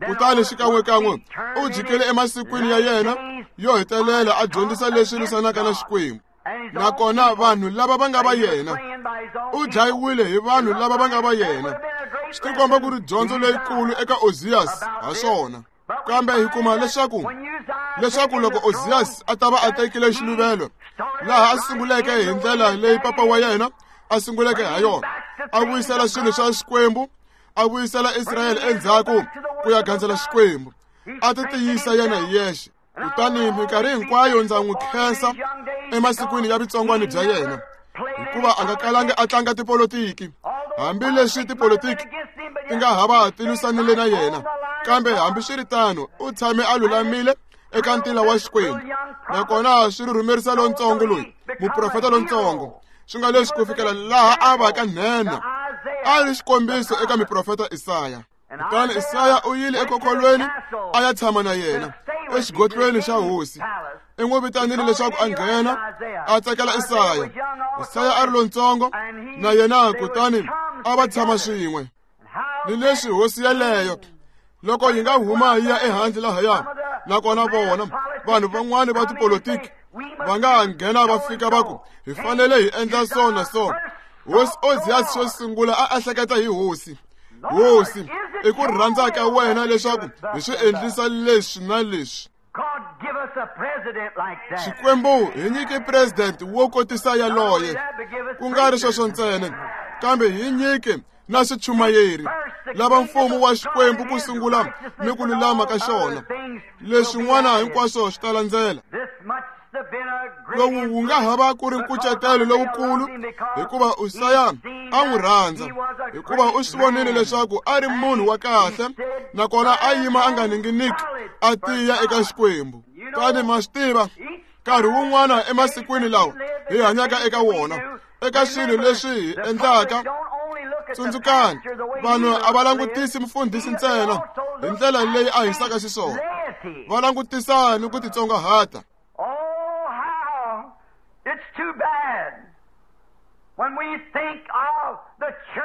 kutani xikan'wekan'we u jikile emasikwini ya yena yo hetelela a dyondzisa leswi lwisanaka na Xikwembu. Nakona vanhu lava va nga va yena, u dlayiwile hi vanhu lava va nga va yena. Swi tikomba ku ri dyondzo leyikulu eka Ozias ha swona. Kambe hi kuma leswaku leswaku loko Ozias a ta va a tekile xiluvelo laha a sunguleke hi ndlela leyi papa wa yena a sunguleke ha yona, a vuyisela swilo swa Xikwembu, a vuyisela Israyele endzhaku ku ya gandzela Xikwembu, a ti tiyisa yena hi yexe. Kutani minkarhi hinkwayo ndza n'wi khensa emasikwini ya vutsongwana bya yena, hikuva a nga kalanga a tlanga tipolotiki, hambileswi tipolotiki ti nga hava ti lwisanile na yena, kambe hambiswiritano u tshame a lulamile eka ntila wa Xikwembu. Nakona swi rhurhumerisa lontsongo loyi, muprofeta lontsongo, swi nga leswi ku fikela laha a va ka nhenha, a ri xikombiso eka muprofeta Isaya. Kutani Isaya u yile ekhokolweni a ya tshama na yena exigodlweni xa hosi. I n'wi vitanile leswaku a nghena, a tsakela Isaya. Isaya a ri lontsongo na yena, kutani a va tshama swin'we. Ni leswi hosi yaleyo loko yi nga huma yi ya ehandle lahaya, nakona vona vanhu van'wani va tipolotiki va nga nghena va fika va ku hi fanele hi endla so na so. Hosi Ozias xo sungula a ehleketa hi hosi. Hosi, i ku rhandza ka wena leswaku hi swi endlisa leswi na leswi. Xikwembu hi nyike president wo kotisa yaloye, ku nga ri sweswo ntsena, kambe hi nyike na swichumayeri lava mfumo wa Xikwembu ku sungula ni ku lulama ka xona, leswin'wana hinkwaswo swi ta landzela. Lowu wu nga hava ku ri nkucetelo lowukulu, hikuva Usaya a n'wi rhandza, hikuva u swi vonile leswaku a ri munhu wa kahle, nakona a yima a nga ninginiki, a tiya eka Xikwembu. Kutani ma swi tiva, nkarhi wun'wana emasikwini lawa hi hanyaka eka wona, eka swilo leswi hi endlaka, tsundzukani, vanhu a va langutisi mufundhisi ntsena hi ndlela leyi a hisaka xiswona, va langutisa ni ku titsongahata.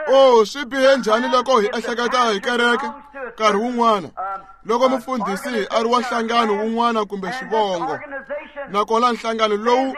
Oh, swi bihe njhani loko hi ehleketa hi kereke nkarhi wun'wana, loko mufundhisi a ri wa nhlangano wun'wana kumbe xivongo, nakona nhlangano lowu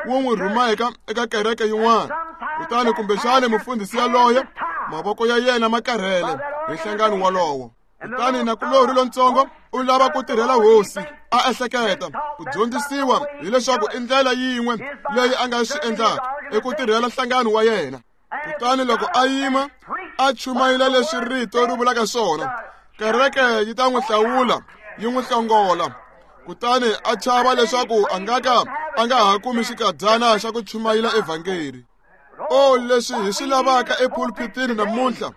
wu n'wi rhumaka eka kereke yin'wana, kutani kumbexana mufundhisi yaloye mavoko ya yena ma karhele hi nhlangano walowo. Kutani nakulorhi lontsongo u lava ku tirhela hosi, a ehleketa ku dyondzisiwa hileswaku i ndlela yin'we leyi a nga swi endlaka i ku tirhela nhlangano wa yena. Kutani loko a yima a chumayela leswi rito ri vulaka swona, kereke yi ta n'wi hlawula yi n'wi hlongola. Kutani a chava leswaku a nga ka a nga ha kumi xikadyana xa ku chumayela evhangeli. O leswi hi swi lavaka epulpitini namuntlha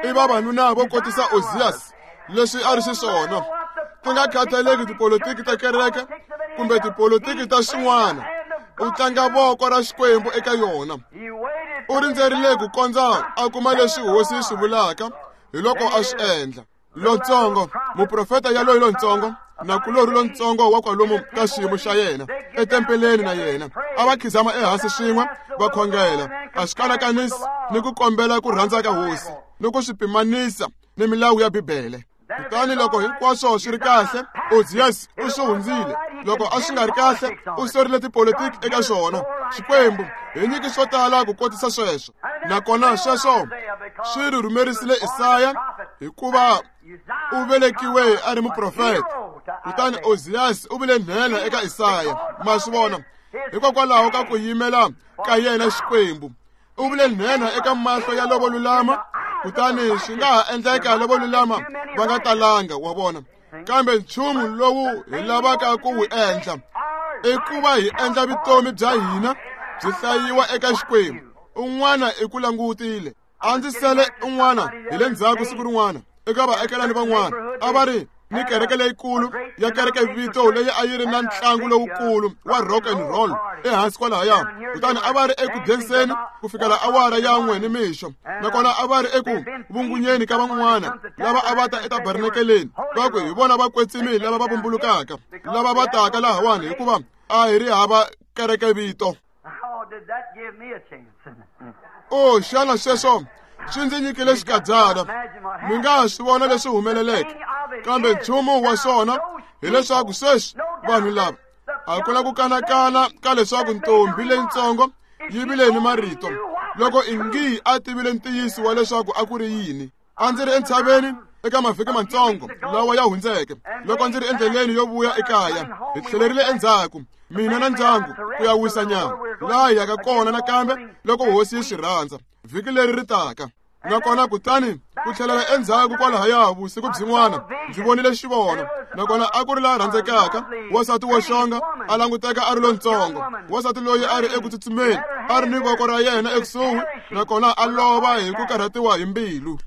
i vavanuna vo kotisa Ozias leswi a ri xiswona, ku nga khathaleki tipolotiki ta kereke kumbe tipolotiki ta swin'wana, u tlanga voko ra Xikwembu eka yona. U rindzerile ku kondza a kuma leswi hosi yi swi vulaka, hi loko a swi endla. Lontsongo, muprofeta yaloyi lontsongo, nakulorhi lontsongo wa kwalomu ka xiyimo xa yena etempeleni na yena, a va khizama ehansi swin'we va khongela, a swi kanakanisi ni ku kombela ku rhandza ka hosi ni ku swi pimanisa ni milawu ya Bibele. Kutani loko hinkwaswo swi ri kahle, Ozias u swi hundzile. Loko a swi nga ri kahle, u sorile tipolotiki eka swona. Xikwembu hi nyiki swo tala ku kotisa sweswo. Nakona sweswo swi rhurhumerisile Isaya, hikuva u velekiwe a ri muprofeta. Kutani Ozias u vile nhenha eka Isaya. Ma swi vona, hikokwalaho ka ku yimela ka yena Xikwembu, u vile nhenha eka mahlo ya lovo lulama, Kutani swi nga ha endleka lavo lulama va nga talanga, wa vona. Kambe nchumu lowu hi lavaka ku wu endla i ku va hi endla vutomi bya hina byi hlayiwa eka Xikwembu. Un'wana i ku langutile. A ndzi sele un'wana hi le ndzhaku siku rin'wana eka vaakelani van'wana a va ri ni kereke leyikulu ya kereke vito leyi a yi ri na ntlangu lowukulu wa rock and roll ehansi kwalahaya. Kutani a va ri eku denseni ku fikela awara ya n'we ni mixo, nakona a va ri eku vungunyeni ka van'wana lava a va ta etabernakeleni va ku hi vona vakwetsimi lava va vumbulukaka lava va taka lahawani, hikuva a hi ri hava kereke vito. O xana sweswo swi ndzi nyikile xikadyana. Mi nga swi vona leswi humeleleke, kambe nchumu wa swona hileswaku sweswi vanhu lava a ku na ku kanakana ka leswaku ntombi leyitsongo yi vile ni marito loko ingi a tivile ntiyiso wa leswaku a ku ri yini. A ndzi ri entshaveni eka mavhiki matsongo lawa ya hundzeke loko ndzi ri endleleni yo vuya ekaya. Hi tlhelerile endzhaku mina na ndyangu ku ya wisa nyama laha hi yaka kona nakambe loko hosi yi swi rhandza vhiki leri ri taka. Nakona kutani ku tlhelela endzhaku kwalahaya vusiku byin'wana ndzi vonile xivono, nakona a ku ri laha rhandzekaka wansati wo xonga a languteka a ri lontsongo, wansati loyi a ri eku tsutsumeni a ri ni voko ra yena ekusuhi, nakona a lova hi ku karhatiwa hi mbilu.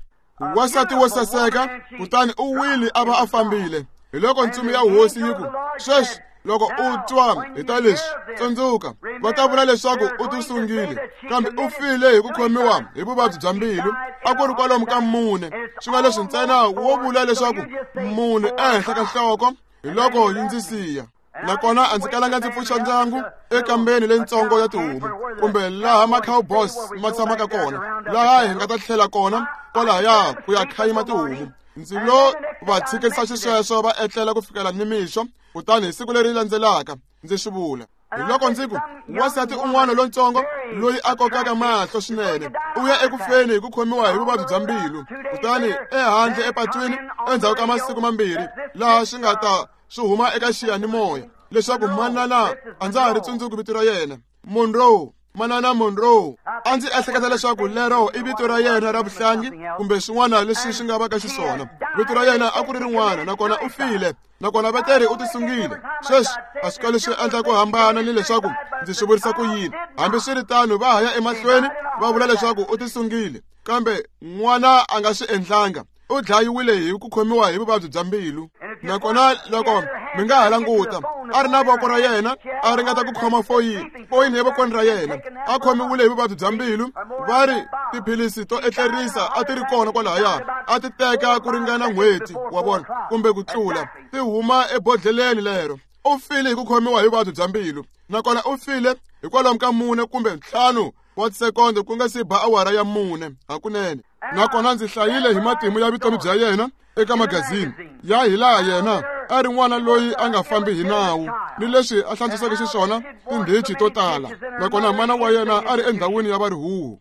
Wansati wo saseka, kutani u wile a va a fambile. Hi loko ntsumi ya hosi yi ku, sweswi loko u twa hi ta leswi, tsundzuka va ta vula leswaku u tisungile, kambe u file hi ku khomiwa hi vuvabyi bya mbilu. A ku ri kwalomu ka mune, swi nga leswi ntsena wo vula leswaku mune ehenhla ka nhloko. Hi loko yi ndzi siya, nakona a ndzi kalanga ndzi pfuxa ndyangu ekambeni leyitsongo ya tihomu kumbe laha ma-cowboys ma tshamaka kona, laha hi nga ta tlhela kona kwalahaya ku ya khayima tihomu. Ndzi lo va tshikisa xisweswo va etlela ku fikela nimixo, kutani hi siku leri landzelaka ndzi swi vula. Hi loko ndzi ku, wansati un'wana lontsongo loyi a kokaka mahlo swinene u ya eku feni hi ku khomiwa hi vuvabyi bya mbilu. Kutani ehandle epatwini endzhaku ka masiku mambirhi laha swi nga ta swi huma eka xiyanimoya leswaku manana a ndza ha ri tsundzuki vito ra yena, Monroe, manana Monroe. A ndzi ehleketa leswaku lero i vito ra yena ra vuhlangi kumbe swin'wana leswi swi nga va ka xiswona. Vito ra yena a ku ri rin'wana, nakona u file, nakona veteri u tisungile. Sweswi a swi kali swi endla ku hambana ni leswaku ndzi swi vurisa ku yini. Hambiswiritano va ha ya emahlweni va vula leswaku u tisungile, kambe n'wana a nga swi endlanga. U dlayiwile hi ku khomiwa hi vuvabyi bya mbilu. Nakona loko mi nga ha languta, a ri na voko ra yena a ringeta ku khoma foyini foyini evokweni ra yena, a khomiwile hi vuvabyi bya mbilu. Va ri tiphilisi to etlerisa a ti ri kona kwalahaya, a ti teka ku ringana n'hweti wa vona kumbe ku tlula, ti huma ebodhleleni lero. U file hi ku khomiwa hi vuvabyi bya mbilu, nakona u file hikwalomu ka mune kumbe ntlhanu wa tisekonde ku nga si ba awara ya mune hakunene. Nakona ndzi hlayile hi matimu ya vutomi bya yena eka magazini ya hilaha yena a ri n'wana loyi a nga fambi hi nawu ni leswi a hlantswiseke xiswona tindhichi to tala, nakona mana wa yena a ri endhawini ya varihuhu.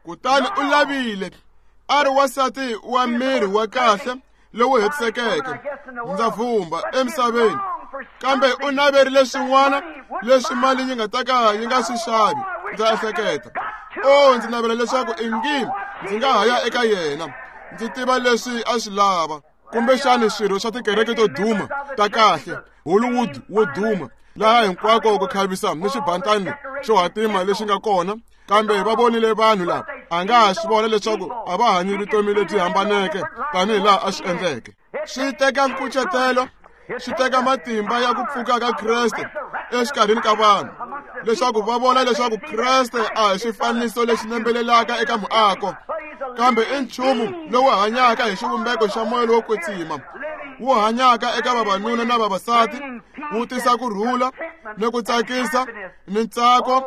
Kutani u lavile a ri wansati wa miri wa kahle lowu hetisekeke, ndza vumba emisaveni, kambe u naverile swin'wana leswi mali yi nga ta ka yi nga swi xavi. Ndza ehleketa, o ndzi navela leswaku ingi ndzi nga ha ya eka yena, ndzi tiva leswi a swi lava. Kumbexani swirho swa tikereke to duma ta kahle, Hollywood wo duma, laha hinkwako ku khavisa ni xibantani xo hatima lexi nga kona, kambe va vonile vanhu lava a nga ha swi vona leswaku a va hanyi vutomi lebyi hambaneke tanihi laha a swi endleke. Swi teka nkucetelo, swi teka matimba ya ku pfuka ka Kreste exikarhini ka vanhu leswaku va vona leswaku Kreste a hi xifaniso lexi nembelelaka eka muako, kambe i nchumu lowu hanyaka hi xivumbeko xa moya lowo kwetsima, wu hanyaka eka vavanuna na vavasati, wu tisa ku rhula ni ku tsakisa ni ntsako.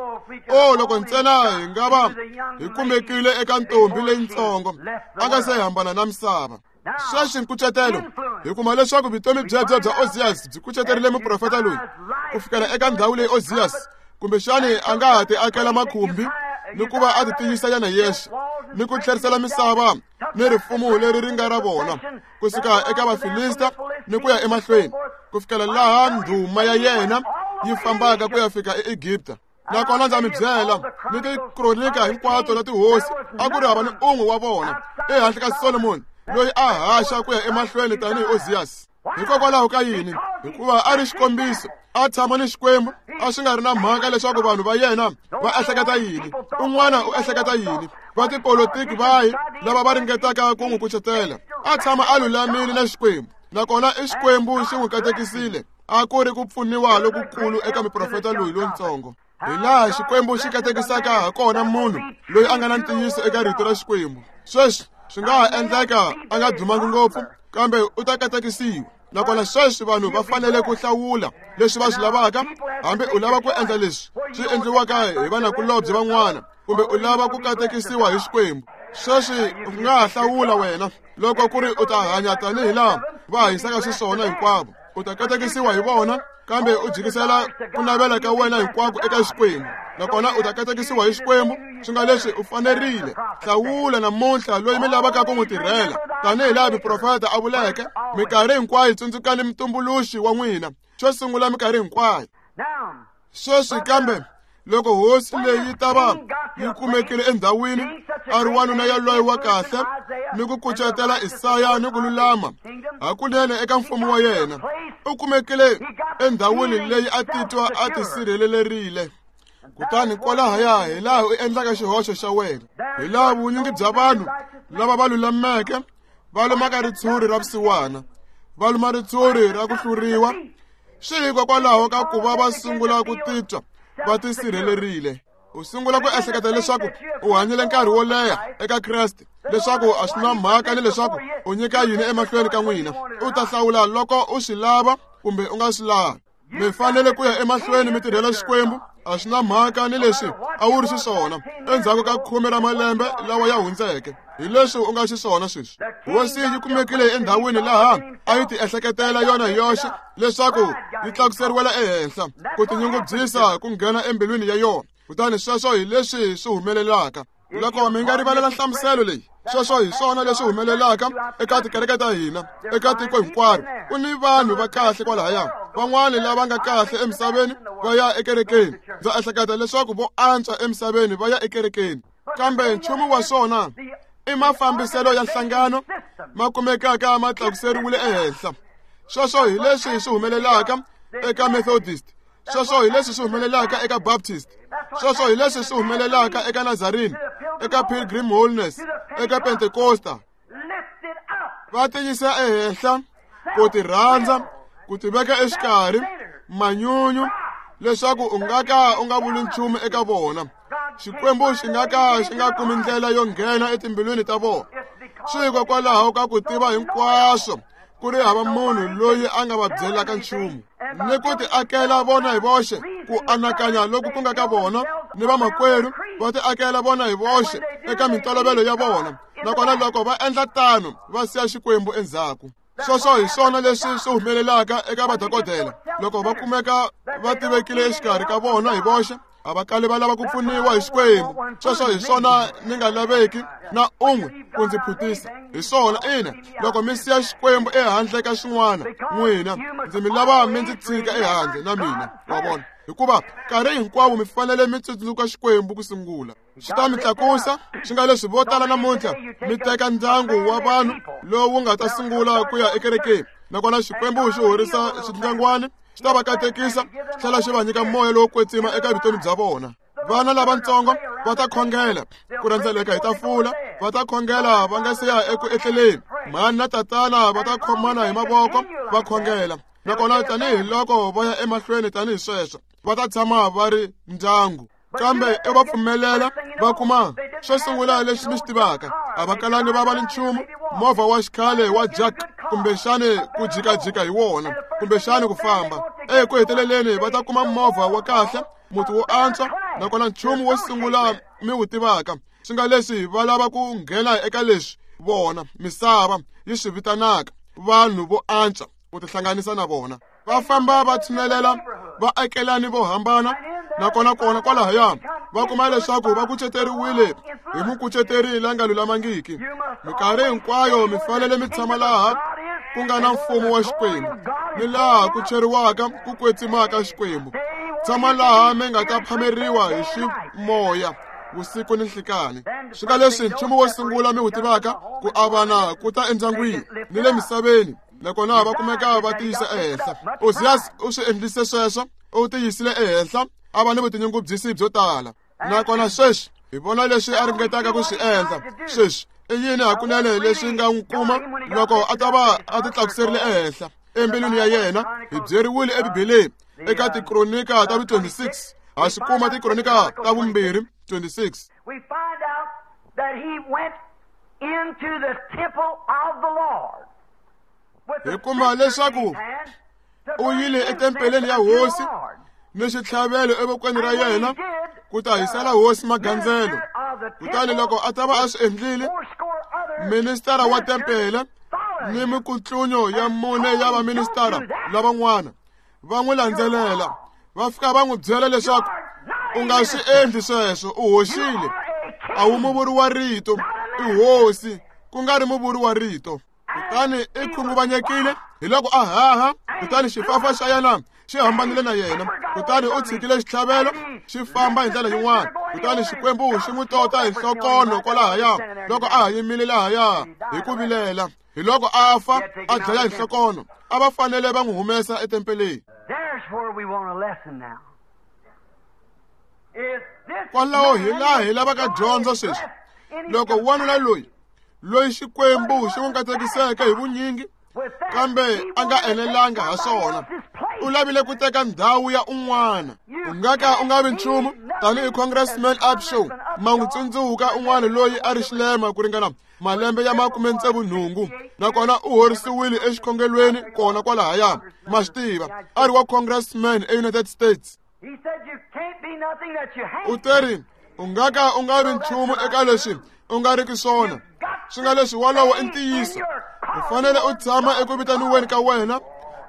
O loko ntsena hi nga va hi kumekile eka ntombi leyitsongo a nga se hambana na misava. Sweswi nkucetelo, hi kuma leswaku vutomi byebyo bya Ozias byi kuceterile muprofeta loyi ku fikela eka ndhawu leyi Ozias kumbexani a nga ha ti akela makhumbi ni ku va a ti tiyisa yena yexe ni ku tlherisela misava ni rifumo leri ri nga ra vona kusuka eka Vafilista ni ku ya emahlweni ku fikela laha ndhuma ya yena yi fambaka ku ya fika eEgipta. Nakona ndza mi byela ni tikronika hinkwato na tihosi a ku ri hava ni un'we wa vona ehandle ka Solomoni loyi a haxa ku ya emahlweni tanihi Ozias. Hikokwalaho ka yini? Hikuva a ri xikombiso, a tshama ni Xikwembu, a swi nga ri na mhaka leswaku vanhu va yena va ehleketa yini, un'wana u ehleketa yini, va tipolotiki vahi lava va ringetaka ku n'wi kucetela. A tshama a lulamile na Xikwembu, nakona i Xikwembu xi n'wi katekisile. A ku ri ku pfuniwa lokukulu eka muprofeta loyi lontsongo. Hi laha Xikwembu xi katekisaka ha kona munhu loyi a nga na ntiyiso eka rito ra Xikwembu. Sweswi swi nga ha endleka a nga dumangi ngopfu, kambe u ta katekisiwa. Nakona sweswi vanhu va fanele ku hlawula leswi va swi lavaka, hambi u lava ku endla leswi swi endliwaka hi vanakulobye van'wana, kumbe u lava ku katekisiwa hi Xikwembu. Sweswi u nga ha hlawula wena loko ku ri u ta hanya tanihi laha va hanyisaka xiswona hinkwavo, u ta katekisiwa hi vona, kambe u jikisela ku navela ka wena hinkwako eka Xikwembu, nakona u ta katekisiwa hi Xikwembu. Swi nga leswi u fanerile hlawula namuntlha loyi mi lavaka ku n'wi tirhela, tanihi laha muprofeta a vuleke, minkarhi hinkwayo tsundzukani mutumbuluxi wa n'wina xo sungula minkarhi hinkwayo. Sweswi kambe loko hosi leyi ta va yi kumekile endhawini, a ri wanuna yaloye wa kahle ni ku kucetela Isaya ni ku lulama hakunene eka mfumo wa yena, u kumekile endhawini leyi a titwa a tisirhelelerile. Kutani kwalahaya hi laha u endlaka xihoxo xa wena, hi laha vunyingi bya vanhu lava va lulameke va lumaka ritshuri ra vusiwana, va luma ritshuri ra ku hluriwa, swi hikokwalaho ka ku va va sungula ku titwa va tisirhelerile. U sungula ku ehleketa leswaku u hanyile nkarhi wo leha eka Kreste, leswaku a swi na mhaka ni leswaku u nyika yini emahlweni ka n'wina. U ta hlawula loko u swi lava kumbe u nga swi lavi. Mi fanele ku ya emahlweni mi tirhela Xikwembu, a swi na mhaka ni leswi a wu ri xiswona endzhaku ka khume ra malembe lawa ya hundzeke, hi leswi u nga xiswona sweswi. Hosi yi kumekile endhawini laha a yi ti ehleketela yona hi yoxe leswaku yi tlakuseriwela ehenhla, ku tinyungubyisa ku nghena embilwini ya yona. Kutani sweswo hi leswi swi humelelaka. Loko mi nga rivalela nhlamuselo leyi, sweswo hi swona leswi humelelaka eka tikereke ta hina eka tiko hinkwaro. Ku ni vanhu va kahle kwalahaya, van'wani lava nga kahle emisaveni va ya ekerekeni. Ndza ehleketa leswaku vo antswa emisaveni va ya ekerekeni, kambe nchumu wa swona i mafambiselo ya nhlangano ma kumekaka ma tlakuseriwile ehenhla. Sweswo hi leswi swi humelelaka eka Methodist, sweswo hi leswi swi humelelaka eka Baptist, sweswo hi leswi swi humelelaka eka Nazarene, eka Pilgrim Holiness, eka Pentecosta. Va tiyisa ehenhla ku ti rhandza, ku ti veka exikarhi, manyunyu, leswaku u nga ka u nga vuli nchumu eka vona. Xikwembu xi nga ka xi nga kumi ndlela yo nghena etimbilwini ta vona. Swi hikokwalaho ka ku tiva hinkwaswo ku ri hava munhu loyi a nga va byelaka nchumu, ni ku ti akela vona hi voxe ku anakanya loku ku nga ka vona ni vamakwerhu va ti akela vona hi voxe eka mintolovelo ya vona. Nakona loko va endla tano va siya Xikwembu endzhaku. Sweswo hi swona leswi swi humelelaka eka vadokodela loko va kumeka va tivekile exikarhi ka vona hi voxe, a va kali va lava ku pfuniwa hi Xikwembu. Sweswo hi swona ni nga laveki na un'we ku ndzi phutisa hi swona. Ina, loko mi siya Xikwembu ehandle ka xin'wana, n'wina ndzi mi lava mi ndzi tshika ehandle na mina, wa vona, hikuva nkarhi hinkwawo mi fanele mi tsundzuka Xikwembu ku sungula. Xi ta mi tlakusa. Swi nga leswi vo tala namuntlha mi teka ndyangu wa vanhu lowu nga ta sungula ku ya ekerekeni, nakona Xikwembu xi horisa xindyangwani, xi ta va katekisa, xi tlhela xi va nyika moya lowo kwetsima eka vutomi bya vona. Vana lavatsongo va ta khongela ku rhendzeleka hi tafula, va ta khongela va nga se ya eku etleleni. Mhani na tatana va ta khomana hi mavoko va khongela, nakona tanihiloko va ya emahlweni tanihi sweswo va ta tshama va ri ndyangu. Kambe i va pfumelela va kuma xo sungula lexi mi xi tivaka, a va kalangi va va ni nchumu, movha wa xikhale wa jack, kumbexani ku jikajika hi wona, kumbexani ku famba. Eku heteleleni va ta kuma movha wa kahle, muti wo antswa, nakona nchumu wo sungula mi wu tivaka, swi nga leswi va lava ku nghena eka leswi vona misava yi swi vitanaka vanhu vo antswa, ku tihlanganisa na vona. Va famba va tshinelela vaakelani vo hambana, nakona kona kwalahaya va kuma leswaku va kuceteriwile hi mukuceteri la nga lulamangiki. Minkarhi hinkwayo mi fanele mi tshama laha ku nga na mfumo wa Xikwembu ni laha ku cheriwaka ku kwetsimaka Xikwembu. Tshama laha mi nga ta phameriwa hi ximoya vusiku ni nhlikani. Swi nga leswi nchumu wo sungula mi wu tivaka ku avana ku ta endyangwini ni le misaveni, nakona va kumeka va tiyisa ehenhla. Ozias u swi endlise sweswo, u tiyisile ehenhla, a va ni vutinyungubyisi byo tala. Nakona sweswi hi vona leswi a ringetaka ku swi endla. Sweswi i yini hakunene leswi nga n'wi kuma loko a ta va a ti tlakuserile ehenhla embilwini ya yena? Hi byeriwile eBibeleni eka Tikronika ta vu twenty-six, ha swi kuma Tikronika ta vumbirhi twenty-six. We find out that he went into the temple of the Lord. Hi kuma leswaku u yile etempeleni ya Hosi ni xitlhavelo evokweni ra yena ku ta hisela Hosi magandzelo. Kutani loko a ta va a swi endlile, ministara wa tempele ni mikutlunyo ya mune ya vaministara lavan'wana va n'wi landzelela, va fika va n'wi byela leswaku u nga swi endli sweswo, u hoxile, a wu muvuri wa rito, i hosi ku nga ri muvuri wa rito. Kutani i khunguvanyekile, hi loko a haha, kutani xifafa xa yena xi hambanile na yena, kutani u tshikile xitlhavelo xi famba hi ndlela yin'wana. Kutani Xikwembu xi n'wi tota hi nhlokono kwalahaya loko a ha yimile lahaya hi ku vilela. Hi loko a fa a dlaya hi nhlokono, a va fanele va n'wi humesa etempeleni. Kwalaho hi laha hi lavaka dyondzo sweswi. Loko wanuna loyi loyi Xikwembu xi n'wi katekiseke hi vunyingi, kambe a nga enelanga ha swona, u lavile ku teka ndhawu ya un'wana. U nga ka u nga vi nchumu tanihi Congressman Upshaw, ma n'wi tsundzuka un'wana loyi a ri xilema ku ringana malembe ya makume tsevu nhungu, nakona u horisiwile exikhongelweni kona kwalahaya. Ma swi tiva, a ri wa Congressman eUnited States. U teri u nga ka u nga vi nchumu eka leswi u nga riki swona. Swi nga leswi wolowo i ntiyiso. U fanele u tshama eku vitaniweni ka wena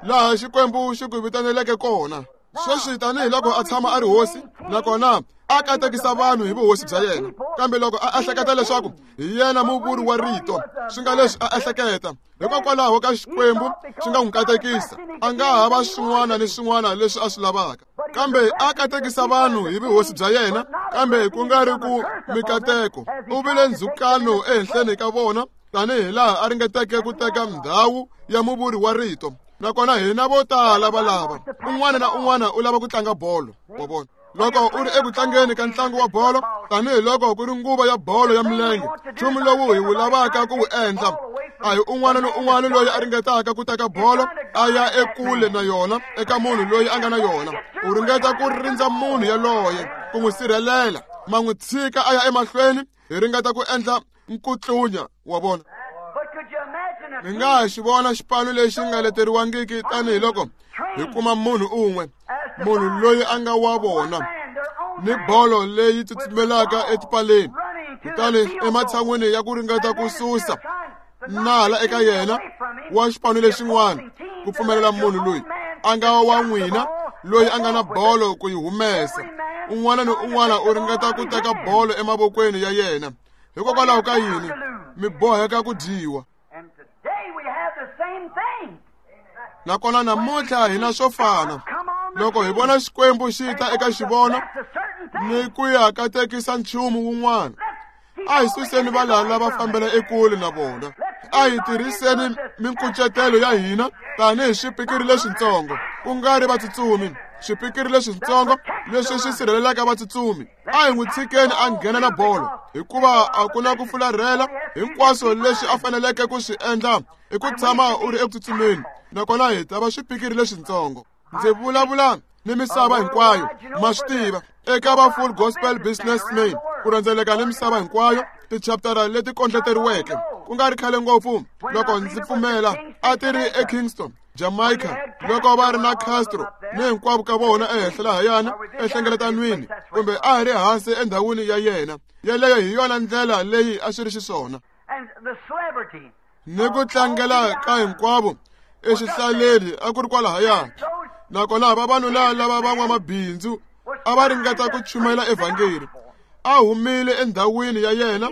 laha Xikwembu xi ku vitaneleke kona. Sweswi tanihiloko a tshama a ri hosi, nakona a katekisa vanhu hi vuhosi bya yena, kambe loko a ehleketa leswaku hi yena muvuri wa rito, swi nga leswi a ehleketa hikokwalaho ka Xikwembu xi nga n'wi katekisa, a nga ha va swin'wana ni swin'wana leswi a swi lavaka. Kambe a katekisa vanhu hi vuhosi bya yena, kambe ku nga ri ku mikateko. U vile ndzhukano ehenhleni ka vona tanihi laha a ringeteke ku teka ndhawu ya muvuri wa rito. Nakona hina vo tala va lava un'wana na un'wana u lava ku tlanga bolo, wa vona. Loko u ri eku tlangeni ka ntlangu wa bolo, tanihiloko ku ri nguva ya bolo ya milenge, nchumu lowu hi wu lavaka ku wu endla a hi un'wana ni un'wana loyi a ringetaka ku teka bolo a ya ekule na yona eka munhu loyi a nga na yona. U ringeta ku rindza munhu yaloye ku n'wi sirhelela, ma n'wi tshika a ya emahlweni. Hi ringeta ku endla nkutlunya, wa vona. Mi nga ha xi vona xipano lexi nga leteriwangiki tanihiloko hi kuma munhu un'we, munhu loyi a nga wa vona, ni bolo leyi tsutsumelaka etipaleni. Kutani ematshan'wini ya ku ringeta ku susa nala eka yena wa xipano lexin'wana, ku pfumelela munhu loyi a nga wa n'wina loyi a nga na bolo ku yi humesa, un'wana ni un'wana u ringeta ku teka bolo emavokweni ya yena. Hikokwalaho ka yini mi boheka ku dyiwa? Nakona namuntlha hi na swo fana. Loko hi vona Xikwembu xi ta eka xivono ni ku ya katekisa nchumu wun'wana, a hi suseni valala va fambela ekule na vona. A hi tirhiseni minkucetelo ya hina tanihi swipikiri leswitsongo, ku nga ri vatsutsumi, swipikiri leswitsongo leswi swi sirhelelaka vatsutsumi. A hi n'wi tshikeni a nghena na bolo, hikuva a ku na ku fularhela. Hinkwaswo leswi a faneleke ku swi endla i ku tshama u ri eku tsutsumeni, nakona hi ta va swipikiri leswitsongo. Ndzi vulavula ni misava hinkwayo, ma swi tiva, eka va Full Gospel Businessmen ku rhendzeleka ni misava hinkwayo, tichaptara leti kondleteriweke ku nga ri khale ngopfu loko ndzi pfumela a ti ri eKingston, Jamaica, loko va ri na Castro ni hinkwavo ka vona ehenhla lahayana enhlengeletanweni, kumbe a hi ri hansi endhawini ya yena. Yeleyo hi yona ndlela leyi a swi ri xiswona. Ni ku tlangela ka hinkwavo exihlaleni a ku ri kwalahaya. Nakona vavanuna lava van'wamabindzu a va ringeta ku chumayela evhangeli. A humile endhawini ya yena.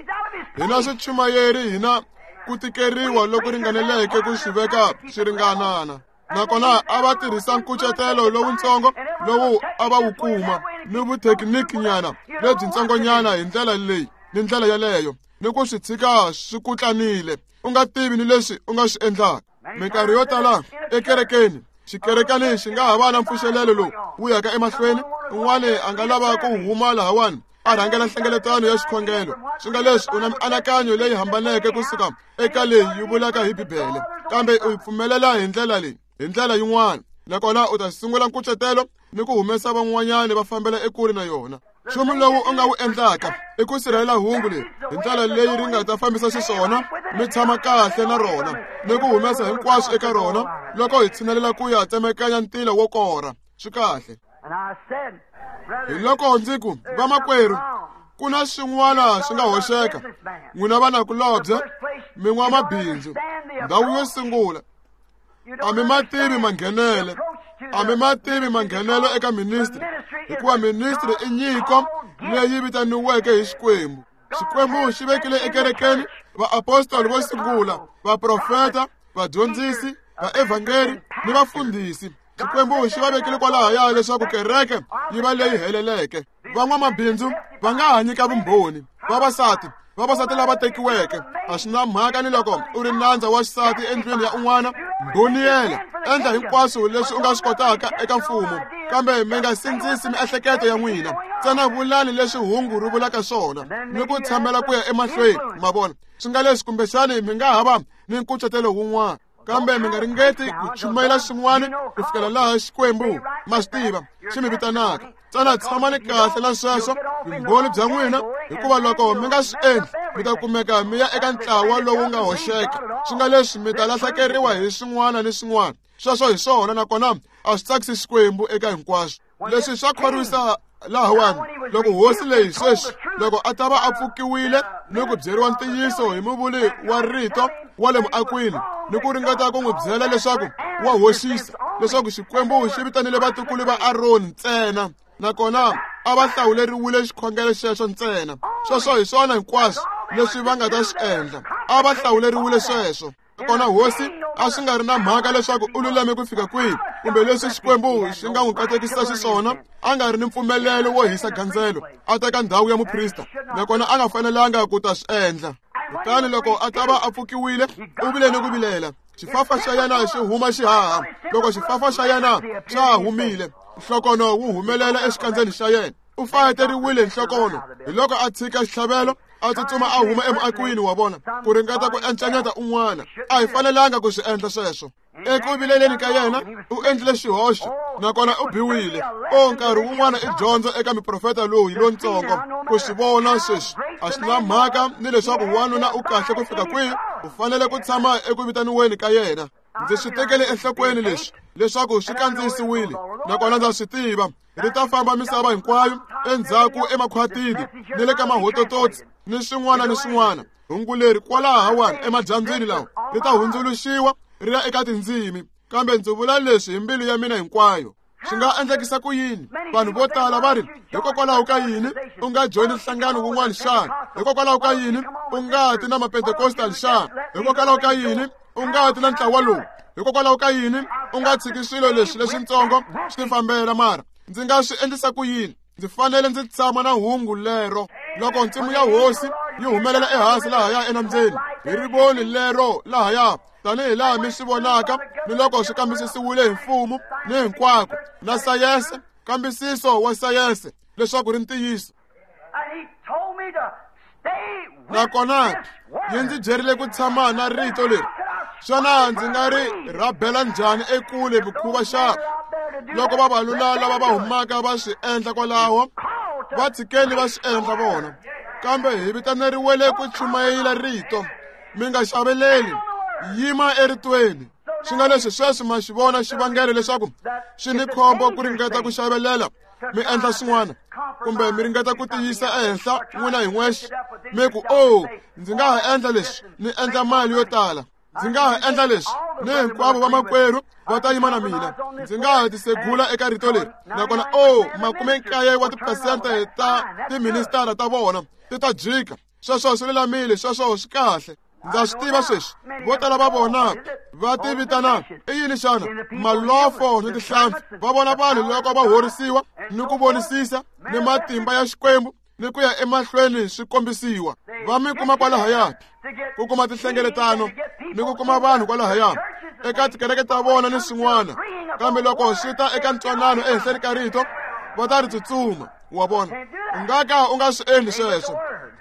Hina swichumayeri hina ku tikeriwa loku ringaneleke ku swi veka swi ringanana. Nakona a va tirhisa nkucetelo lowutsongo lowu a va wu kuma ni vuthekiniki-nyana lebyintsongonyana hi ndlela leyi ni ndlela yaleyo ni ku swi tshika swi kutlanile u nga tivi ni leswi u nga swi endlaka. Minkarhi yo tala ekerekeni xikerekani xi nga ha va na mpfuxelelo lowu wu yaka emahlweni, un'wana a nga lava ku huma lahawani a rhangela nhlengeletano ya xikhongelo, swi nga leswi u na mianakanyo leyi hambaneke kusuka eka leyi yi vulaka hi Bibele, kambe u yi pfumelela hi ndlela leyi hi ndlela yin'wana, nakona u ta sungula nkucetelo ni ku humesa van'wanyana va fambela ekule na yona. Nchumu lowu u nga wu endlaka i ku sirhelela hungu leri hi ndlela leyi ri nga ta fambisa xiswona, mi tshama kahle na rona ni ku humesa hinkwaswo eka rona loko hi tshinelela ku ya tsemekanya ntila wo korha. Swi kahle. Hi loko ndzi ku, vamakwerhu, ku na swin'wana swi nga hoxeka. N'wina vanakulobye, mi n'wamabindzu, ndhawu yo sungula a mi ma tivi manghenele, a mi ma tivi manghenelo eka ministry, hikuva ministry i nyiko leyi vitaniweke hi Xikwembu. Xikwembu xi vekile ekerekeni vaapostoli vo sungula, vaprofeta, vadyondzisi, vaevhangeri ni vafundhisi. Xikwembu xi va vekile kwalahaya leswaku kereke yi va leyi heleleke. Van'wamabindzu va nga ha nyika vumbhoni, vavasati vavasati lava tekiweke, a swi na mhaka ni loko u ri nandza wa xisati endlwini ya un'wana, mbhoniyela, endla hinkwaswo leswi u nga swi kotaka eka mfumo, kambe mi nga sindzisi miehleketo ya n'wina, ntsena vulani leswi hungu ri vulaka swona ni ku tshamela ku ya emahlweni. Ma vona, swi nga leswi kumbexani mi nga ha va ni nkucetelo wun'wana, kambe mi nga ringeti ku chumayela swin'wana ku fikela laha Xikwembu ma swi tiva xi mi vitanaka. Ntsena tshamani kahle na sweswo vumbhoni bya n'wina, hikuva loko mi nga swi endli mi ta kumeka mi ya eka ntlawa lowu nga hoxeka, swi nga leswi mi ta lahlekeriwa hi swin'wana ni swin'wana. Sweswo hi swona, nakona a swi tsakisi Xikwembu eka hinkwaswo. Leswi swa khorwisa lahawani loko hosi leyi sweswi loko a ta va a pfukiwile ni ku byeriwa ntiyiso hi muvuli wa rito wa le muakwini ni ku ringeta ku n'wi byela leswaku wa hoxisa, leswaku Xikwembu xi vitanile vatukulu va Aroni ntsena, nakona a va hlawuleriwile xikhongelo xexo ntsena. Sweswo hi swona hinkwaswo leswi va nga ta swi endla, a va hlawuleriwile sweswo. Nakona hosi a swi nga ri na mhaka leswaku u lulame ku fika kwihi kumbe leswi Xikwembu xi nga n'wi katekisa xiswona, a nga ri ni mpfumelelo wo hisa gandzelo a teka ndhawu ya muprista, nakona a nga fanelanga ku ta swi endla. Kutani loko a ta va a pfukiwile, u vile ni ku vilela. Xifafa xa yena xi huma xihaha. Loko xifafa xa yena xa ha humile, nhlokono wu humelela exikandzeni xa yena. U fayeteriwile nhlokono, hi loko a tshika xitlhavelo a tsutsuma a huma emuakwini wa vona ku ringeta ku encanyeta un'wana. A hi fanelanga ku swi endla sweswo. Eku vileleni ka yena u endlile xihoxo, nakona u biwile. O nkarhi wun'wana i dyondzo eka miprofeta loyi lontsongo ku swi vona sweswi. A swi na mhaka ni leswaku wanuna u kahle ku fika kwihi, u fanele ku tshama eku vitaniweni ka yena. Ndzi swi tekele enhlokweni leswi leswaku swi kandziyisiwile, nakona ndza swi tiva ri ta famba misava hinkwayo endzhaku emakhwatini ni le ka mahotototsi ni swin'wana ni swin'wana. Hungu leri kwalahawani emadyambyini lawa ri ta hundzuluxiwa ri ya eka tindzimi, kambe ndzi vula leswi hi mbilu ya mina hinkwayo. Swi nga endlekisa ku yini? Vanhu vo tala va ri, hikokwalaho ka yini u nga joyini nhlangano wun'wana xana? Hikokwalaho ka yini u nga ti na mapentekostal xana? Hikokwalaho ka yini u nga ti na ntlawa lowu? Hikokwalaho ka yini u nga tshiki swilo leswi leswintsongo swi tifambela? Mara ndzi nga swi endlisa ku yini? Ndzi fanele ndzi tshama na hungu lero. Loko nsimu ya hosi yi humelela ehansi lahaya enambyeni hi rivoni lero lahaya, tanihi laha mi swi vonaka ni loko swi kambisisiwile hi mfumo ni hinkwako na sayense, kambisiso wa sayense leswaku ri ntiyiso. Nakona yi ndzi byerile ku tshama na rito leri. Xana ndzi nga ri rhabela njhani ekule mikhuva xana? Loko vavanuna lava va humaka va swi endla kwalaho, va tshikeni va swi endla vona, kambe hi vitaneriwele ku chumayela rito. Mi nga xaveleli, yima eritweni. Swi nga leswi sweswi ma xi vona xivangelo leswaku swi ni khombo ku ringeta ku xavelela mi endla swin'wana, kumbe mi ringeta ku tiyisa ehenhla n'wina hi n'wexe, mi ku, o ndzi nga ha endla leswi ni endla mali yo tala, ndzi nga ha endla leswi ni hinkwavo vamakwerhu va ta yima na mina, ndzi nga ha tisegula eka rito leri. Nakona o makume nkaye wa tiphesente ta tiministara ta vona ti ta jika. Sweswo swi lulamile, sweswo swi kahle. Ndza swi tiva sweswi vo tala va vona va ti vitana i yini xana malofo ni tihlampfi. Va vona vanhu loko va horisiwa ni ku vonisisa ni matimba ya Xikwembu ni ku ya emahlweni swi kombisiwa. Va mi kuma kwalahaya ku kuma tinhlengeletano ni ku kuma vanhu kwalahaya eka tikereke ta vona ni swin'wana, kambe loko swi ta eka ntwanano ehenhleni ka rito va ta ri tsutsuma. Wa vona, u nga ka u nga swi endli sweswo.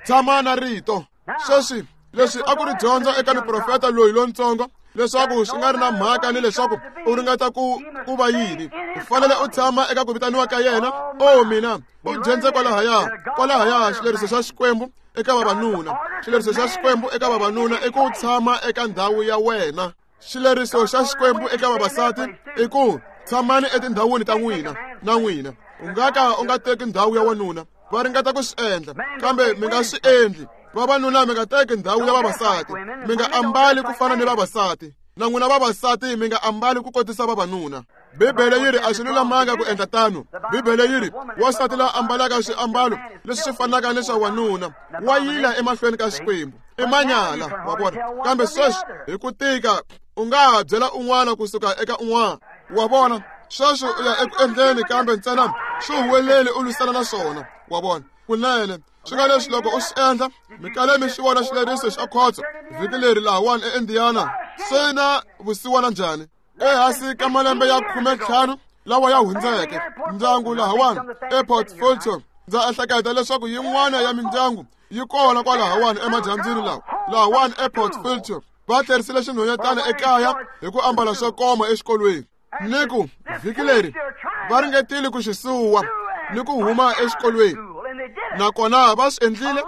Tshama na rito. Sweswi leswi a ku ri dyondzo eka muprofeta loyi lontsongo leswaku swi nga ri na mhaka ni leswaku u ringeta ku ku va yini, u fanele u tshama eka ku vitaniwa ka yena. O mina, u dyondze kwalahaya kwalahaya xileriso xa Xikwembu eka vavanuna. Xileriso xa Xikwembu eka vavanuna i ku tshama eka ndhawu ya wena. Xileriso xa Xikwembu eka vavasati i ku tshamani etindhawini ta n'wina na n'wina. U nga ka u nga teki ndhawu ya wanuna. Va ringeta ku swi endla, kambe mi nga swi endli. Vavanuna mi nga teki ndhawu ya vavasati, mi nga ambali ku fana ni vavasati, na n'wina vavasati mi nga ambali ku kotisa vavanuna. Bibele yi ri a swi lulamanga ku endla tano. Bibele yi ri wansati la ambalaka swiambalo leswi swi fanaka ni swa wanuna wa yila emahlweni ka Xikwembu, i manyala. Wa vona? Kambe sweswi hi ku tika u nga ha byela un'wana kusuka eka un'wana. Wa vona? Sweswi u ya eku endleni, kambe ntsena swi huweleli u lwisana na swona. Wa vona? Kunene swi nga leswi loko u swi endla, mi kale mi xi vona xileriso xa khotso vhiki leri lahawani eIndiana swi na vusiwana njhani? Ehansi ka malembe ya khume ntlhanu lawa ya hundzeke, ndyangu lahawani ePort Fulton, ndza ehleketa leswaku yin'wana ya mindyangu yi kona kwalahawani emadyambyini lawa lahawani ePort Fulton, va tlherisile xinhwanyetana ekaya hi ku ambala swo koma exikolweni. Ni ku vhiki leri va ringetile ku xi suwa ni ku huma exikolweni, nakona va swi endlile.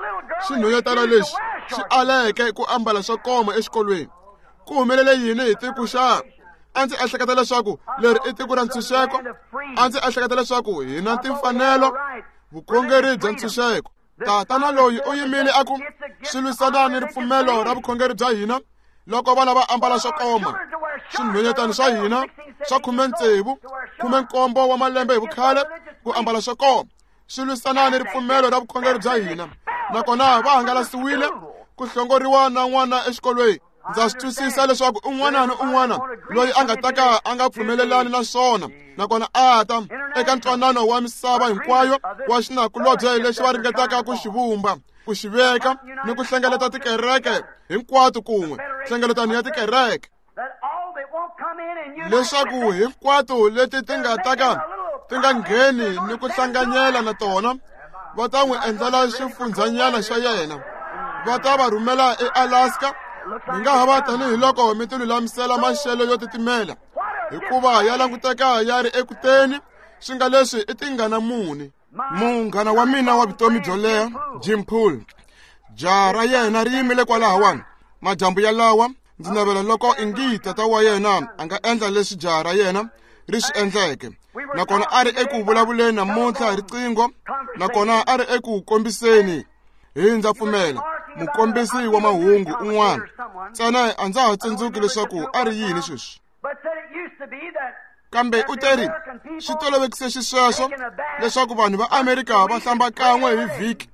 Xinhwanyetana lexi xi aleke ku ambala swo koma exikolweni. Ku humelele yini hi tiko xa? A ndzi ehleketa leswaku leri i tiko ra ntshunxeko. A ndzi ehleketa leswaku hi na timfanelo, vukhongeri bya ntshunxeko. Tatana loyi u yimile a ku swi lwisana ni ripfumelo ra vukhongeri bya hina loko vana va ambala swo koma. Swinhwanyetana swa hina swa khume tsevu, khume nkombo wa malembe hi vukhale ku ambala swo koma swi lwisana ni ripfumelo ra vukhongeri bya hina, nakona va hangalasiwile ku hlongoriwa na n'wana exikolweni. Ndza swi twisisa leswaku un'wana ni un'wana loyi a nga ta ka a nga pfumelelani na swona, nakona a ta eka ntwanano wa misava hinkwayo wa xinakulobye lexi va ringetaka ku xi vumba, ku xi veka ni ku hlengeleta tikereke hinkwato kun'we, nhlengeletano ya tikereke, leswaku hinkwato leti ti nga ta ka ti nga ngheni ni ku hlanganyela na tona, va ta n'wi endlela xifundzanyana xa yena. Va ta va rhumela eAlaska. Mi nga ha va tanihiloko mi ti lulamisela maxelo yo titimela, hikuva ya languteka ya ri ekuteni. Swi nga leswi i tingana muni. Munghana wa mina wa vutomi byo leha, Jim Poole, jaha ra yena ri yimile kwalahawani madyambu yalawa. Ndzi navela loko ingi tata wa yena a nga endla leswi jaha ra yena ri swi endleke. Nakona a ri eku vulavuleni namuntlha hi riqingho, nakona a ri eku kombiseni hi ndza pfumela mukombisi wa mahungu un'wana. Ntsena a ndza ha tsundzuki leswaku a ri yini sweswi, kambe u teri swi tolovekise xisweswo leswaku vanhu va Amerika va hlamba kan'we hi vhiki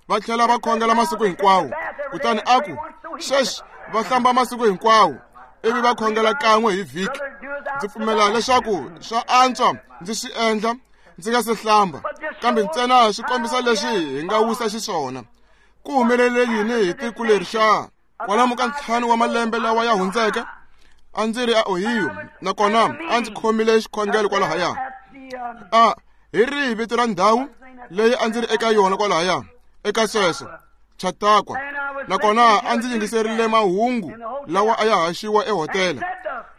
va tlhela va khongela masiku hinkwawo. Kutani a ku sweswi va hlamba masiku hinkwawo ivi va khongela kan'we hi vhiki. Ndzi pfumela leswaku swa antswa ndzi swi endla ndzi nga se hlamba, kambe ntsena swi kombisa leswi hi nga wisa xiswona. Ku humelele yini hi tiko leri xa? Kwalomu ka ntlhanu wa malembe lawa ya hundzeke, a ndzi ri a Ohio, nakona a ndzi khomile xikhongelo kwalahaya. A hi rihi vito ra ndhawu leyi a ndzi ri eka yona kwalahaya eka sweswo? Chautauqua. Nakona a ndzi yingiserile mahungu lawa a ya haxiwa ehotela.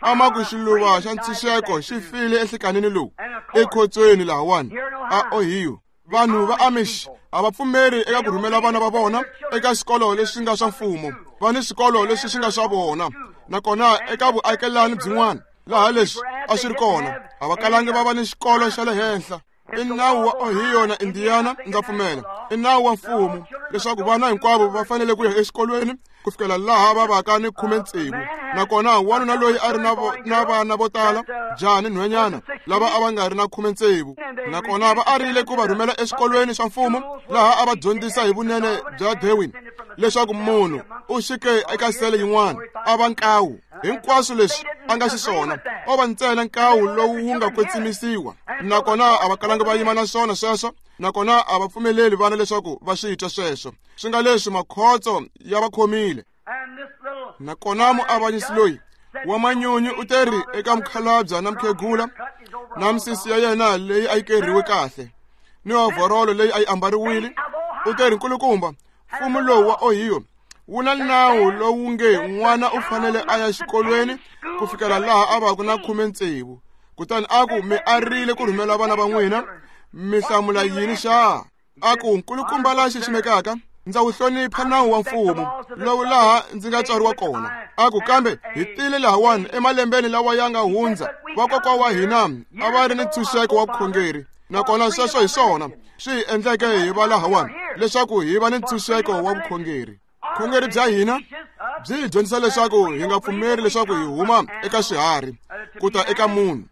A ma ku xiluva xa ntshunxeko xi file enhlikanini lowu ekhotsweni lahawani a Ohio. Vanhu va Amish a va pfumeri eka ku rhumela vana va vona eka swikolo leswi nga swa mfumo. Va ni swikolo leswi swi nga swa vona, nakona eka vuakelani byin'wana laha leswi a swi ri kona a va kalangi va va ni xikolo xa le henhla. I nawu wa Ohio na Indiana, ndza pfumela, i nawu wa mfumo leswaku vana hinkwavo va fanele ku ya exikolweni ku fikela laha va vaka ni khume tsevu, Nakona wanuna loyi a ri na na vana vo tala, jaha ni nhwenyana, lava a va nga ri na khume tsevu. Nakona va arile ku va rhumela eswikolweni swa mfumo laha a va dyondzisa hi vunene bya Darwin, leswaku munhu u xike eka sele yin'wana a va nkawu. Hinkwaswo leswi a nga xiswona o va ntsena nkawu lowu wu nga kwetsimisiwa. Nakona a va kalanga va yima na swona sweswo, nakona a va pfumeleli vana leswaku va swi twa sweswo. Swi nga leswi makhotso ya va khomile. Nakona muavanyisi loyi wa manyunyu u teri eka mukhalabya na mukhegula na misisi ya yena leyi a yi kerhiwe kahle ni ovhorolo leyi a yi ambariwile, u teri, nkulukumba, mfumo lowu wa Ohio wu na nawu lowu nge n'wana u fanele a ya xikolweni ku fikela laha a vaku na khume tsevu. Kutani a ku, mi arile ku rhumela vana va n'wina, mi hlamula yini xa? A ku, nkulukumba la xiximekaka, ndza wu hlonipha nawu wa mfumo lowu laha ndzi nga tswariwa kona. A ku, kambe hi tile lahawani emalembeni lawa ya nga hundza, vakokwa wa hina a va ri ni ntshunxeko wa vukhongeri, nakona sweswo hi swona swi hi endleke hi va lahawani, leswaku hi va ni ntshunxeko wa vukhongeri. Vukhongeri bya hina byi hi dyondzisa leswaku hi nga pfumeri leswaku hi huma eka swiharhi ku ta eka munhu,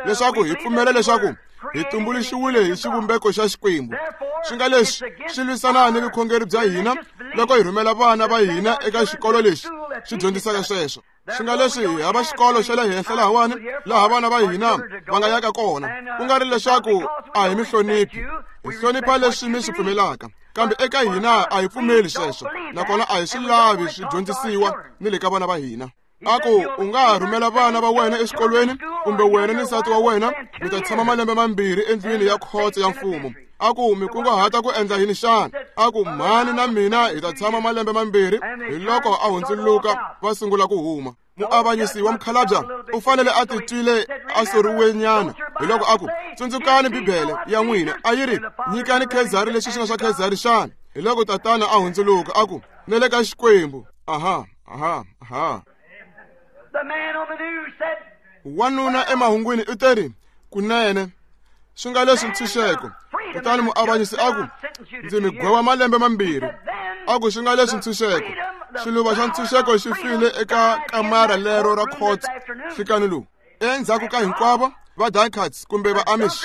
leswaku hi pfumela leswaku hi tumbuluxiwile hi xivumbeko xa Xikwembu. Swi nga leswi swi lwisana ni vukhongeri bya hina loko hi rhumela vana va hina eka xikolo lexi xi dyondzisaka sweswo. Swi nga leswi hi hava xikolo xa le henhla lahawani laha vana va hina va nga yaka kona, ku nga ri leswaku a hi mi hloniphi, hi hlonipha leswi mi swi pfumelaka, kambe eka hina a hi pfumeli sweswo, nakona a hi swi lavi swi dyondzisiwa ni le ka vana va hina. A ku, u nga ha rhumela vana va wena exikolweni, kumbe wena ni nsati wa wena mi ta tshama malembe mambirhi endlwini ya khotso ya mfumo. A ku, mi kunguhata ku endla yini xana? A ku, mhani na mina hi ta tshama malembe mambirhi. Hi loko a hundzuluka va sungula ku huma. Muavanyisi wa mukhalabya u fanele a titwile a soriwenyana. Hi loko a ku, tsundzukani Bibele ya n'wina a yi ri, nyikani Khezari leswi swi nga swa Khezari xana? Hi loko tatana a hundzuluka a ku, ni le ka Xikwembu. Aha, aha, aha. Wanuna emahungwini u teri, kunene swi nga leswi ntshunxeko. Kutani muavanyisi a ku, ndzi mi gweva malembe mambirhi. A ku, swi nga leswi ntshunxeko. Xiluva xa ntshunxeko xi file eka kamara lero ra khotso nhlikani lowu. Endzhaku ka hinkwavo va Dunkards kumbe va Amish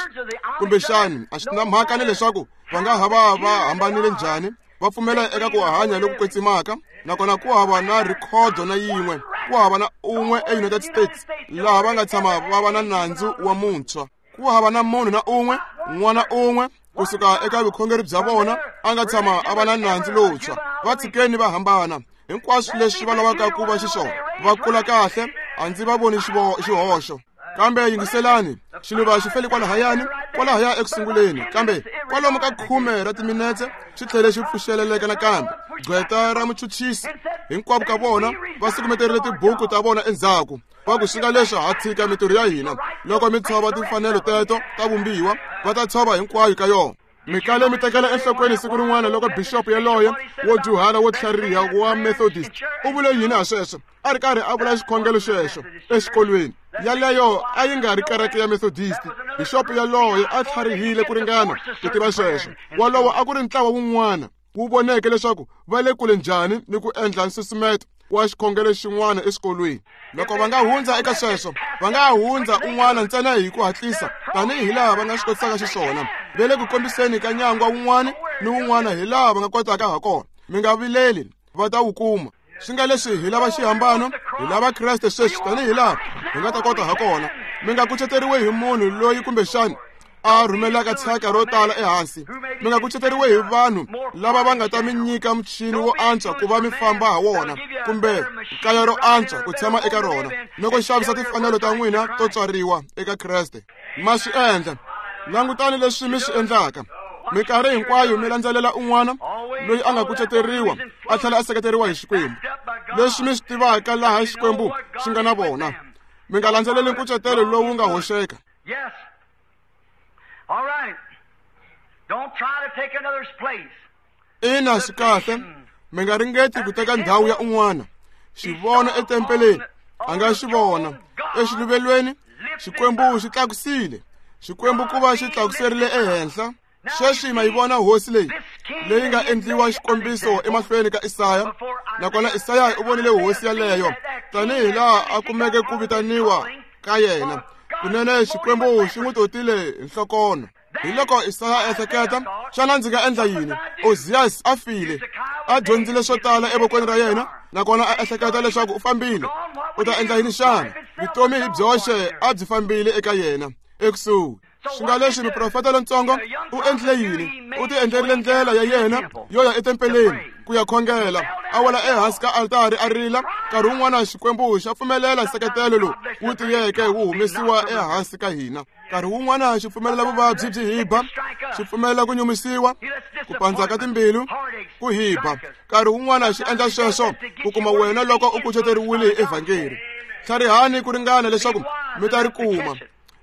kumbexani a swi na mhaka ni leswaku va nga ha va va hambanile njhani, va pfumela eka ku hanya loku kwetsimaka, nakona ku hava na rhikhodo na yin'we, ku hava na un'we eUnited States laha va nga tshama va va na nandzu wa muntshwa. Ku hava na munhu na un'we, n'wana un'we kusuka eka vukhongeri bya vona a nga tshama a va na nandzu lowuntshwa. Va tshikeni va hambana hinkwaswo leswi va lavaka ku va xiswona, va kula kahle, a ndzi va voni xihoxo. Kambe yingiselani, xiluva xi fele kwalahayani, kwalahaya ekusunguleni, kambe kwalomu ka khume ra timinetse xi tlhele xi pfuxeleleka nakambe. Gqweta ra muchuchisi hinkwavo ka vona va sukumeterile tibuku ta vona endzhaku, va ku, swi nga leswi ha tshika mintirho ya hina. Loko mi tshova timfanelo teto ta vumbiwa, va ta tshova hinkwayo ka yona. Mi kale mi tekela enhlokweni siku rin'wana loko bixopo yaloye wo dyuhala wo tlhariha wa Methodist u vule yini ha sweswo, a ri karhi a vula xikhongelo xexo exikolweni. Yaleyo a yi nga ri kereke ya Methodist. Bixopo yaloye a tlharihile ku ringana ku tiva sweswo. Walowo a ku ri ntlawa wun'wana wu voneke leswaku va le kule njhani ni ku endla nsusumeto wa xikhongelo xin'wana exikolweni. Loko va nga hundza eka sweswo, va nga hundza un'wana ntsena hi ku hatlisa tanihi laha va nga swi kotisaka xiswona. Va le ku kombiseni ka nyangwa wun'wana ni wun'wana hi laha va nga kotaka ha kona. Mi nga vileli, va ta wu kuma. Swi nga leswi hi lava xihambano, hi lava Kreste sweswi tanihi laha hi nga ta kota ha kona. Mi nga kuceteriwi hi munhu loyi kumbexani a rhumelaka thyaka ro tala ehansi. Mi nga kuceteriwi hi vanhu lava va nga ta mi nyika muchini wo antswa ku va mi famba ha wona, kumbe kaya ro antswa ku tshama eka rona, loko xavisa timfanelo ta n'wina to tswariwa eka Kreste. Ma swi endla. Langutani leswi mi swi endlaka. Minkarhi hinkwayo mi landzelela un'wana loyi a nga kuceteriwa a tlhela a seketeriwa hi Xikwembu, leswi mi swi tivaka laha Xikwembu xi nga na vona. Mi nga landzeleli nkucetelo lowu nga hoxeka. All right. Don't try to take another's place. Ina, swi kahle. Mi nga ringeti ku teka ndhawu ya un'wana. Xivono etempeleni a nga xi vona. Exiluvelweni Xikwembu xi tlakusile. Xikwembu ku va xi tlakuserile ehenhla. Sweswi ma yi vona hosi leyi leyi nga endliwa xikombiso emahlweni ka Isaya, nakona Isaya u vonile hosi yaleyo tanihi laha a kumeke ku vitaniwa ka yena. Kunene Xikwembu xi n'wi totile hi nhlokono. Hi loko Isaya a ehleketa, xana ndzi nga endla yini? Oziyasi a file, a dyondzile swo tala evokweni ra yena, nakona a ehleketa leswaku u fambile. U ta endla yini xana? Vutomi hi byoxe a byi fambile eka yena ekusuhi. Swi nga leswi muprofeta lontsongo u endlile yini? U ti endlerile ndlela ya yena yo ya etempeleni ku ya khongela, a wela ehansi ka altari a rila. Nkarhi wun'wana Xikwembu xa pfumelela nseketelo lowu wu tiyeke wu humesiwa ehansi ka hina. Nkarhi wun'wana xi pfumelela vuvabyi byi hi ba, xi pfumelela ku nyumisiwa, ku pandza ka timbilu, ku hi ba. Nkarhi wun'wana xi endla sweswo ku kuma wena loko u kuceteriwile hi evhangeli. Tlharihani ku ringana leswaku mi ta ri kuma.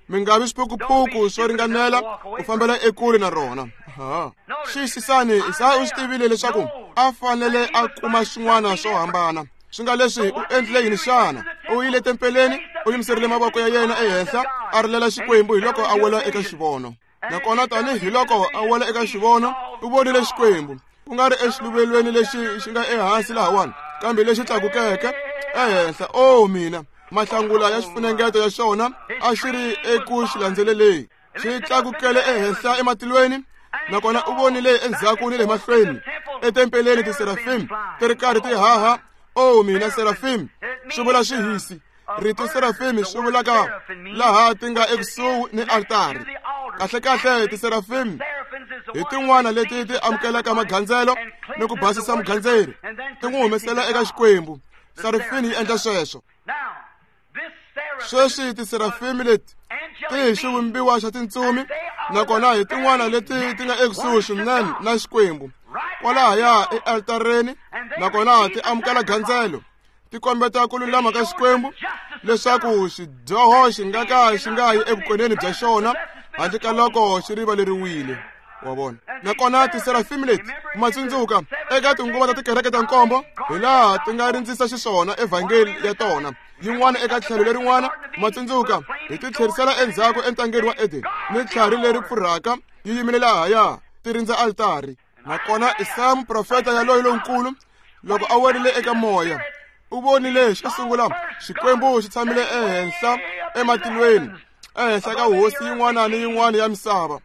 Mi nga vi swiphukuphuku swo ringanela ku fambela ekule na rona. Ha. Xiyisisani, Isaya u swi tivile leswaku a fanele a kuma swin'wana swo hambana. Swi nga leswi u endlile yini xana? U yile tempeleni, u yimiserile mavoko ya yena ehenhla, a rilela Xikwembu hi loko a wela eka xivono. Nakona tanihi loko a wela eka xivono, u vonile Xikwembu, ku nga ri exiluvelweni lexi xi nga ehansi lahawani, kambe lexi tlakukeke ehenhla. O mina, mahlangula ya xifunengeto ya xona a xi ri eku xi landzeleleni, xi tlakukele ehenhla ematilweni. Nakona u vonile endzhaku ni le mahlweni etempeleni tiserafim ti ri karhi ti haha. O mina, serafim swi vula xihisi. Rito serafim swi vulaka laha ti nga ekusuhi ni altari. Kahlekahle tiserafim hi tin'wana leti ti amukelaka magandzelo ni ku basisa mugandzeri, ti n'wi humesela eka Xikwembu. Serafini yi endla sweswo. Sweswi tiserafimi leti ti hi xivumbiwa xa tintsumi, nakona hi tin'wana leti ti nga ekusuhi swinene na Xikwembu kwalahaya ealtareni, nakona ti amukela gandzelo, ti kombeta ku lulama ka Xikwembu leswaku xidyoho xi nga ka xi nga yi evukoneni bya xona handle ka loko xi rivaleriwile. Wa vona? Nakona tiserafimi leti, ma tsundzuka eka tinguva ta tikereke ta nkombo, hi laha ti nga rindzisa xiswona evhangeli ya tona, yin'wana eka tlhelo lerin'wana. Ma tsundzuka hi ti tlherisela endzhaku entangeni wa Eden ni tlhari leri pfurhaka yi yimile lahaya ti rindza altari. Nakona Isaya muprofeta yaloye lonkulu, loko a werile eka moya, u vonile xo sungula Xikwembu xi tshamile ehenhla ematilweni, ehenhla ka hosi yin'wana ni yin'wana ya misava.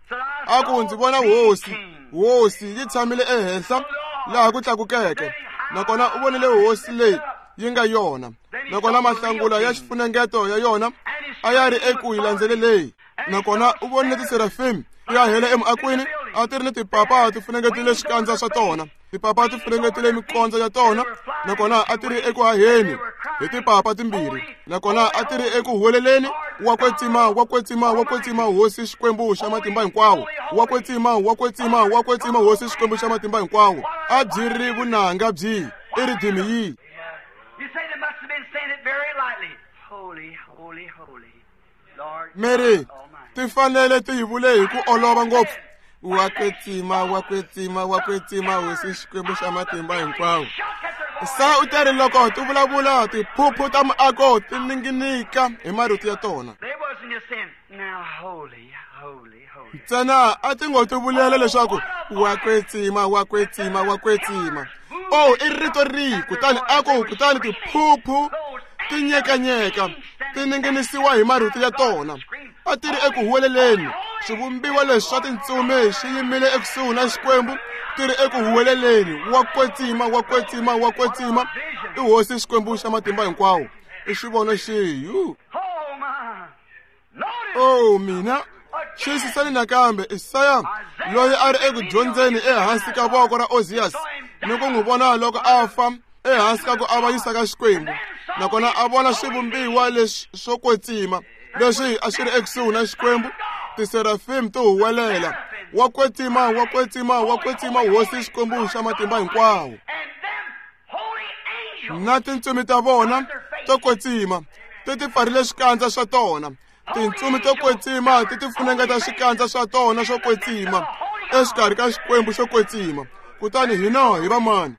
A ku, ndzi vona hosi, hosi yi tshamile ehenhla laha ku tlakukeke. Nakona u vonile hosi leyi yi nga yona, nakona mahlangula ya xifunengeto ya yona a ya ri eku yi landzeleleni. Nakona u vonile tiserafim ti hahela emuakweni, a ti ri ni tipapa ti funengetile swikandza swa tona, tipapa ti funengetile mikondzo ya tona, nakona a ti ri eku haheni hi tipapa timbirhi, nakona a ti ri eku huweleleni, wa kwetsima, wa kwetsima, wa kwetsima hosi Xikwembu xa matimba hinkwawo, wa kwetsima, wa kwetsima, wa kwetsima hosi Xikwembu xa matimba hinkwawo. A byi ri vunanga byi i ridimi yi. Mary, ti fanele ti yi vule hi ku olova ngopfu, wa kwetsima, wa kwetsima, wa kwetsima hosi Xikwembu xa matimba hinkwawo. Sa u teri loko ti vulavula tiphuphu ta muako ti ninginika hi marito ya tona. Ntsena a ti ngo ti vulela leswaku wa kwetsima, wa kwetsima, wa kwetsima. O i rito rihi? Kutani a ku, kutani tiphuphu ti nyekanyeka ti ninginisiwa hi marito ya tona. A ti ri eku huweleleni. Swivumbiwa leswi swa tintsumi swi yimile ekusuhi na Xikwembu, ti ri eku huweleleni, wa kwetsima, wa kwetsima, wa kwetsima i hosi Xikwembu xa matimba hinkwawo. I xivono xihi? O mina, xiyisisani nakambe Isaya loyi a ri eku dyondzeni ehansi ka voko ra Oziyasi ni ku n'wi vona loko a fa ehansi ka ku avanyisa ka Xikwembu, nakona a vona swivumbiwa leswi swo kwetsima leswi a swi ri ekusuhi na Xikwembu. Tiserafim ti huwelela, wa kwetsima, wa kwetsima, wa kwetsima hosi Xikwembu xa matimba hinkwawo. Na tintsumi ta vona to kwetsima ti ti pfarile swikandza swa tona. Tintsumi to kwetsima ti ti funengeta swikandza swa tona swo kwetsima exikarhi ka Xikwembu xo kwetsima. Kutani hina hi vamani?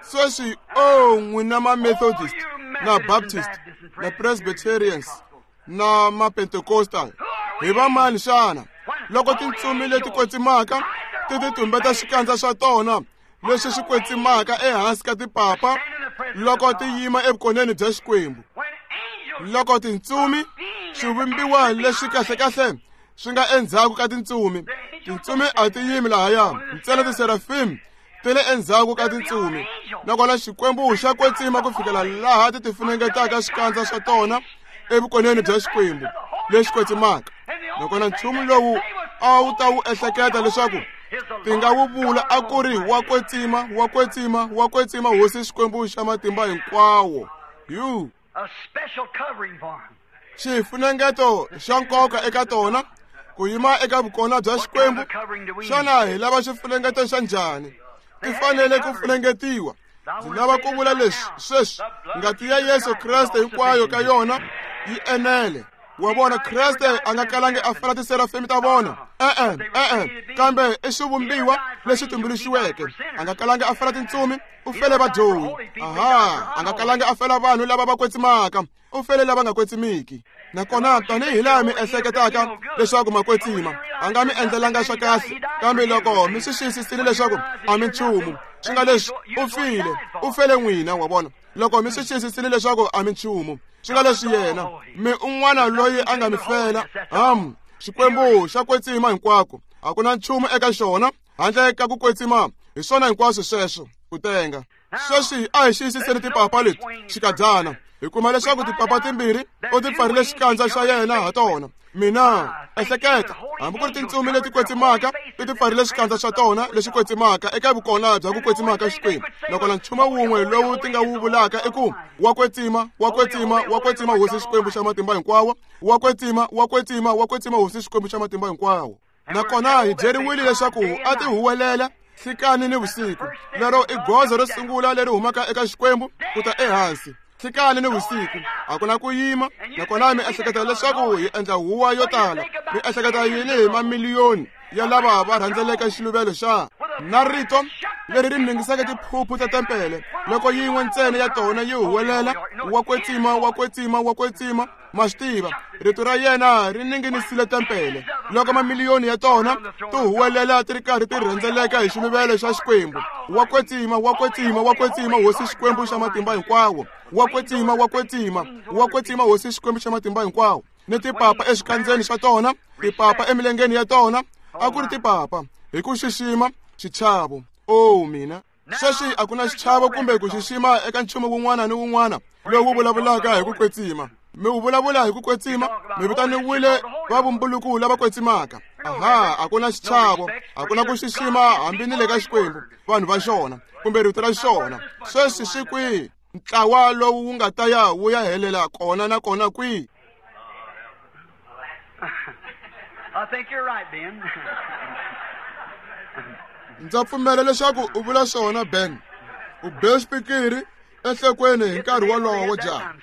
Sweswi, o n'wina ma-Methodist na Baptist na Presbyterians na ma-Pentecostal, hi vamani xana? Loko tintsumi leti kwetsimaka ti ti tumbeta xikandza xa tona leswi swi kwetsimaka ehansi ka tipapa loko ti yima evukoneni bya Xikwembu. Loko tintsumi swivumbiwa leswi kahlekahle swi nga endzhaku ka tintsumi, tintsumi a ti yimi lahaya, ntsena tiserafim ti le endzhaku ka tintsumi. Nakona Xikwembu xa kwetsima ku fikela laha ti ti funengetaka xikandza xa tona evukoneni bya Xikwembu lexi kwetsimaka. Nakona nchumu lowu a wu ta wu ehleketa leswaku ti nga wu vula a ku ri wa kwetsima, wa kwetsima, wa kwetsima Hosi Xikwembu xa matimba hinkwawo. Yu xifunengeto xa nkoka eka tona ku yima eka vukona bya Xikwembu. Xana hi lava xifunengeto xa njhani? Ti fanele ku funengetiwa. Ndzi lava ku vula leswi sweswi, ngati ya Yesu Kreste hinkwayo ka yona yi enele. Wa vona, Kreste a nga kalangi a fela tiserafimi ta vona, e-e, e-e, kambe i xivumbiwa lexi tumbuluxiweke. A nga kalangi a fela tintsumi, u fele vadyohi. Aha, a nga kalangi a fela vanhu lava va kwetsimaka, u fele lava nga kwetsimiki. Nakona tanihi laha mi ehleketaka leswaku ma kwetsima, a nga mi endlelanga swa kahle, kambe loko mi swi xiyisisile leswaku a mi nchumu, swi nga leswi u file, u fele n'wina, wa vona. Loko mi swi xiyisisile leswaku a mi nchumu, swi nga leswi yena mi un'wana loyi a nga mi fela. Ham, Xikwembu xa kwetsima hinkwako, a ku na nchumu eka xona handle ka ku kwetsima. Hi swona hinkwaswo sweswo ku tenga. Sweswi a hi xiyisiseni tipapa leti xikadyana, hi kuma leswaku tipapa timbirhi u ti pfarile xikandza xa yena ha tona. Mina ehleketa, hambi ku ri tintsumi leti kwetsimaka ti ti pfarile xikandza xa tona lexi kwetsimaka eka vukona bya ku kwetsimaka Xikwembu. Nakona nchumu wun'we lowu ti nga wu vulaka i ku wa kwetsima, wa kwetsima, wa kwetsima Hosi Xikwembu xa matimba hinkwawo, wa kwetsima, wa kwetsima, wa kwetsima Hosi Xikwembu xa matimba hinkwawo. Nakona hi byeriwile leswaku a ti huwelela nhlikani ni vusiku. Lero i goza ro sungula leri humaka eka Xikwembu ku ta ehansi. Nhlikani ni vusiku, a ku na ku yima. Nakona mi ehleketa leswaku hi endla huwa yo tala. Mi ehleketa yini hi mamiliyoni ya lava va rhandzeleka xiluvelo xa na rito leri ri ningisaka tiphuphu ta tempele loko yin'we ntsena ya tona yi huwelela wa kwetsima, wa kwetsima, wa kwetsima. Ma swi tiva, rito ra yena ri ninginisile tempele loko mamiliyoni ya tona ti huwelela ti ri karhi ti rhendzeleka hi xiluvelo xa Xikwembu. Wa kwetsima, wa kwetsima, wa kwetsima Hosi Xikwembu xa matimba hinkwawo, wa kwetsima, wa kwetsima, wa kwetsima Hosi Xikwembu xa matimba hinkwawo. Ni tipapa exikandzeni xa tona, tipapa emilengeni ya tona, a ku ri tipapa hi ku xixima xichavo. O mina, sweswi a ku na xichavo kumbe ku xixima eka nchumu wun'wana ni wun'wana lowu vulavulaka hi ku kwetsima. Mi wu vulavula hi ku kwetsima, mi vitaniwile va vumbuluku lava kwetsimaka. Aha, a ku na xichavo, a ku na ku xixima hambi ni le ka Xikwembu, vanhu va xona kumbe rito ra xona. Sweswi swi kwihi ntlawa lowu wu nga ta ya wu ya helela kona na kona kwihi? I think you're right, Ben. Ndza pfumela leswaku u vula swona, Ben. U be xipikiri enhlokweni hi nkarhi wolowo, jaha.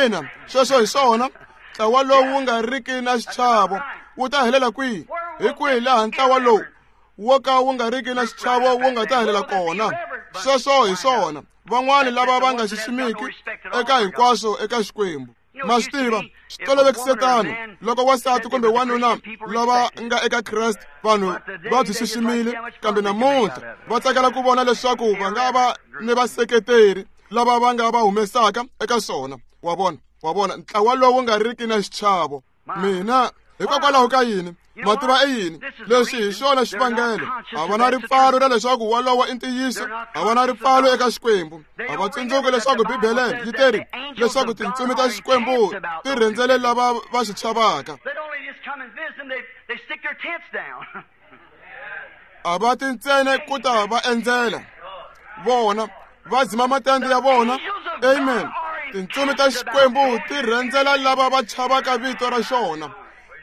Ina, sweswo hi swona. Ntlawa lowu wu nga riki na xichavo wu ta helela kwihi? Hi kwihi laha ntlawa lowu wo ka wu nga riki na xichavo wu nga ta helela kona? Sweswo hi swona. Van'wani lava va nga xiximiki eka hinkwaswo eka Xikwembu. Ma swi tiva, swi tolovekise tano loko wansati kumbe wanuna lava nga eka Kreste vanhu va byi xiximile, kambe namuntlha va tsakela ku vona leswaku va nga va ni vaseketeri lava va nga va humesaka eka swona. Wa vona, wa vona, ntlawa lowu nga riki na xichavo. Mina, hikokwalaho ka yini? Ma tiva i yini? Leswi hi xona xivangelo. A va na ripfalo ra leswaku wolowo i ntiyiso, a va na ripfalo eka Xikwembu. A va tsundzuki leswaku Bibele yi teri leswaku tintsumi ta Xikwembu ti rhendzele lava va xi chavaka. A va ti ntsena ku ta va endzela vona, va dzima matende ya vona. Amen. Tintsumi ta Xikwembu ti rhendzela lava va chavaka vito ra xona,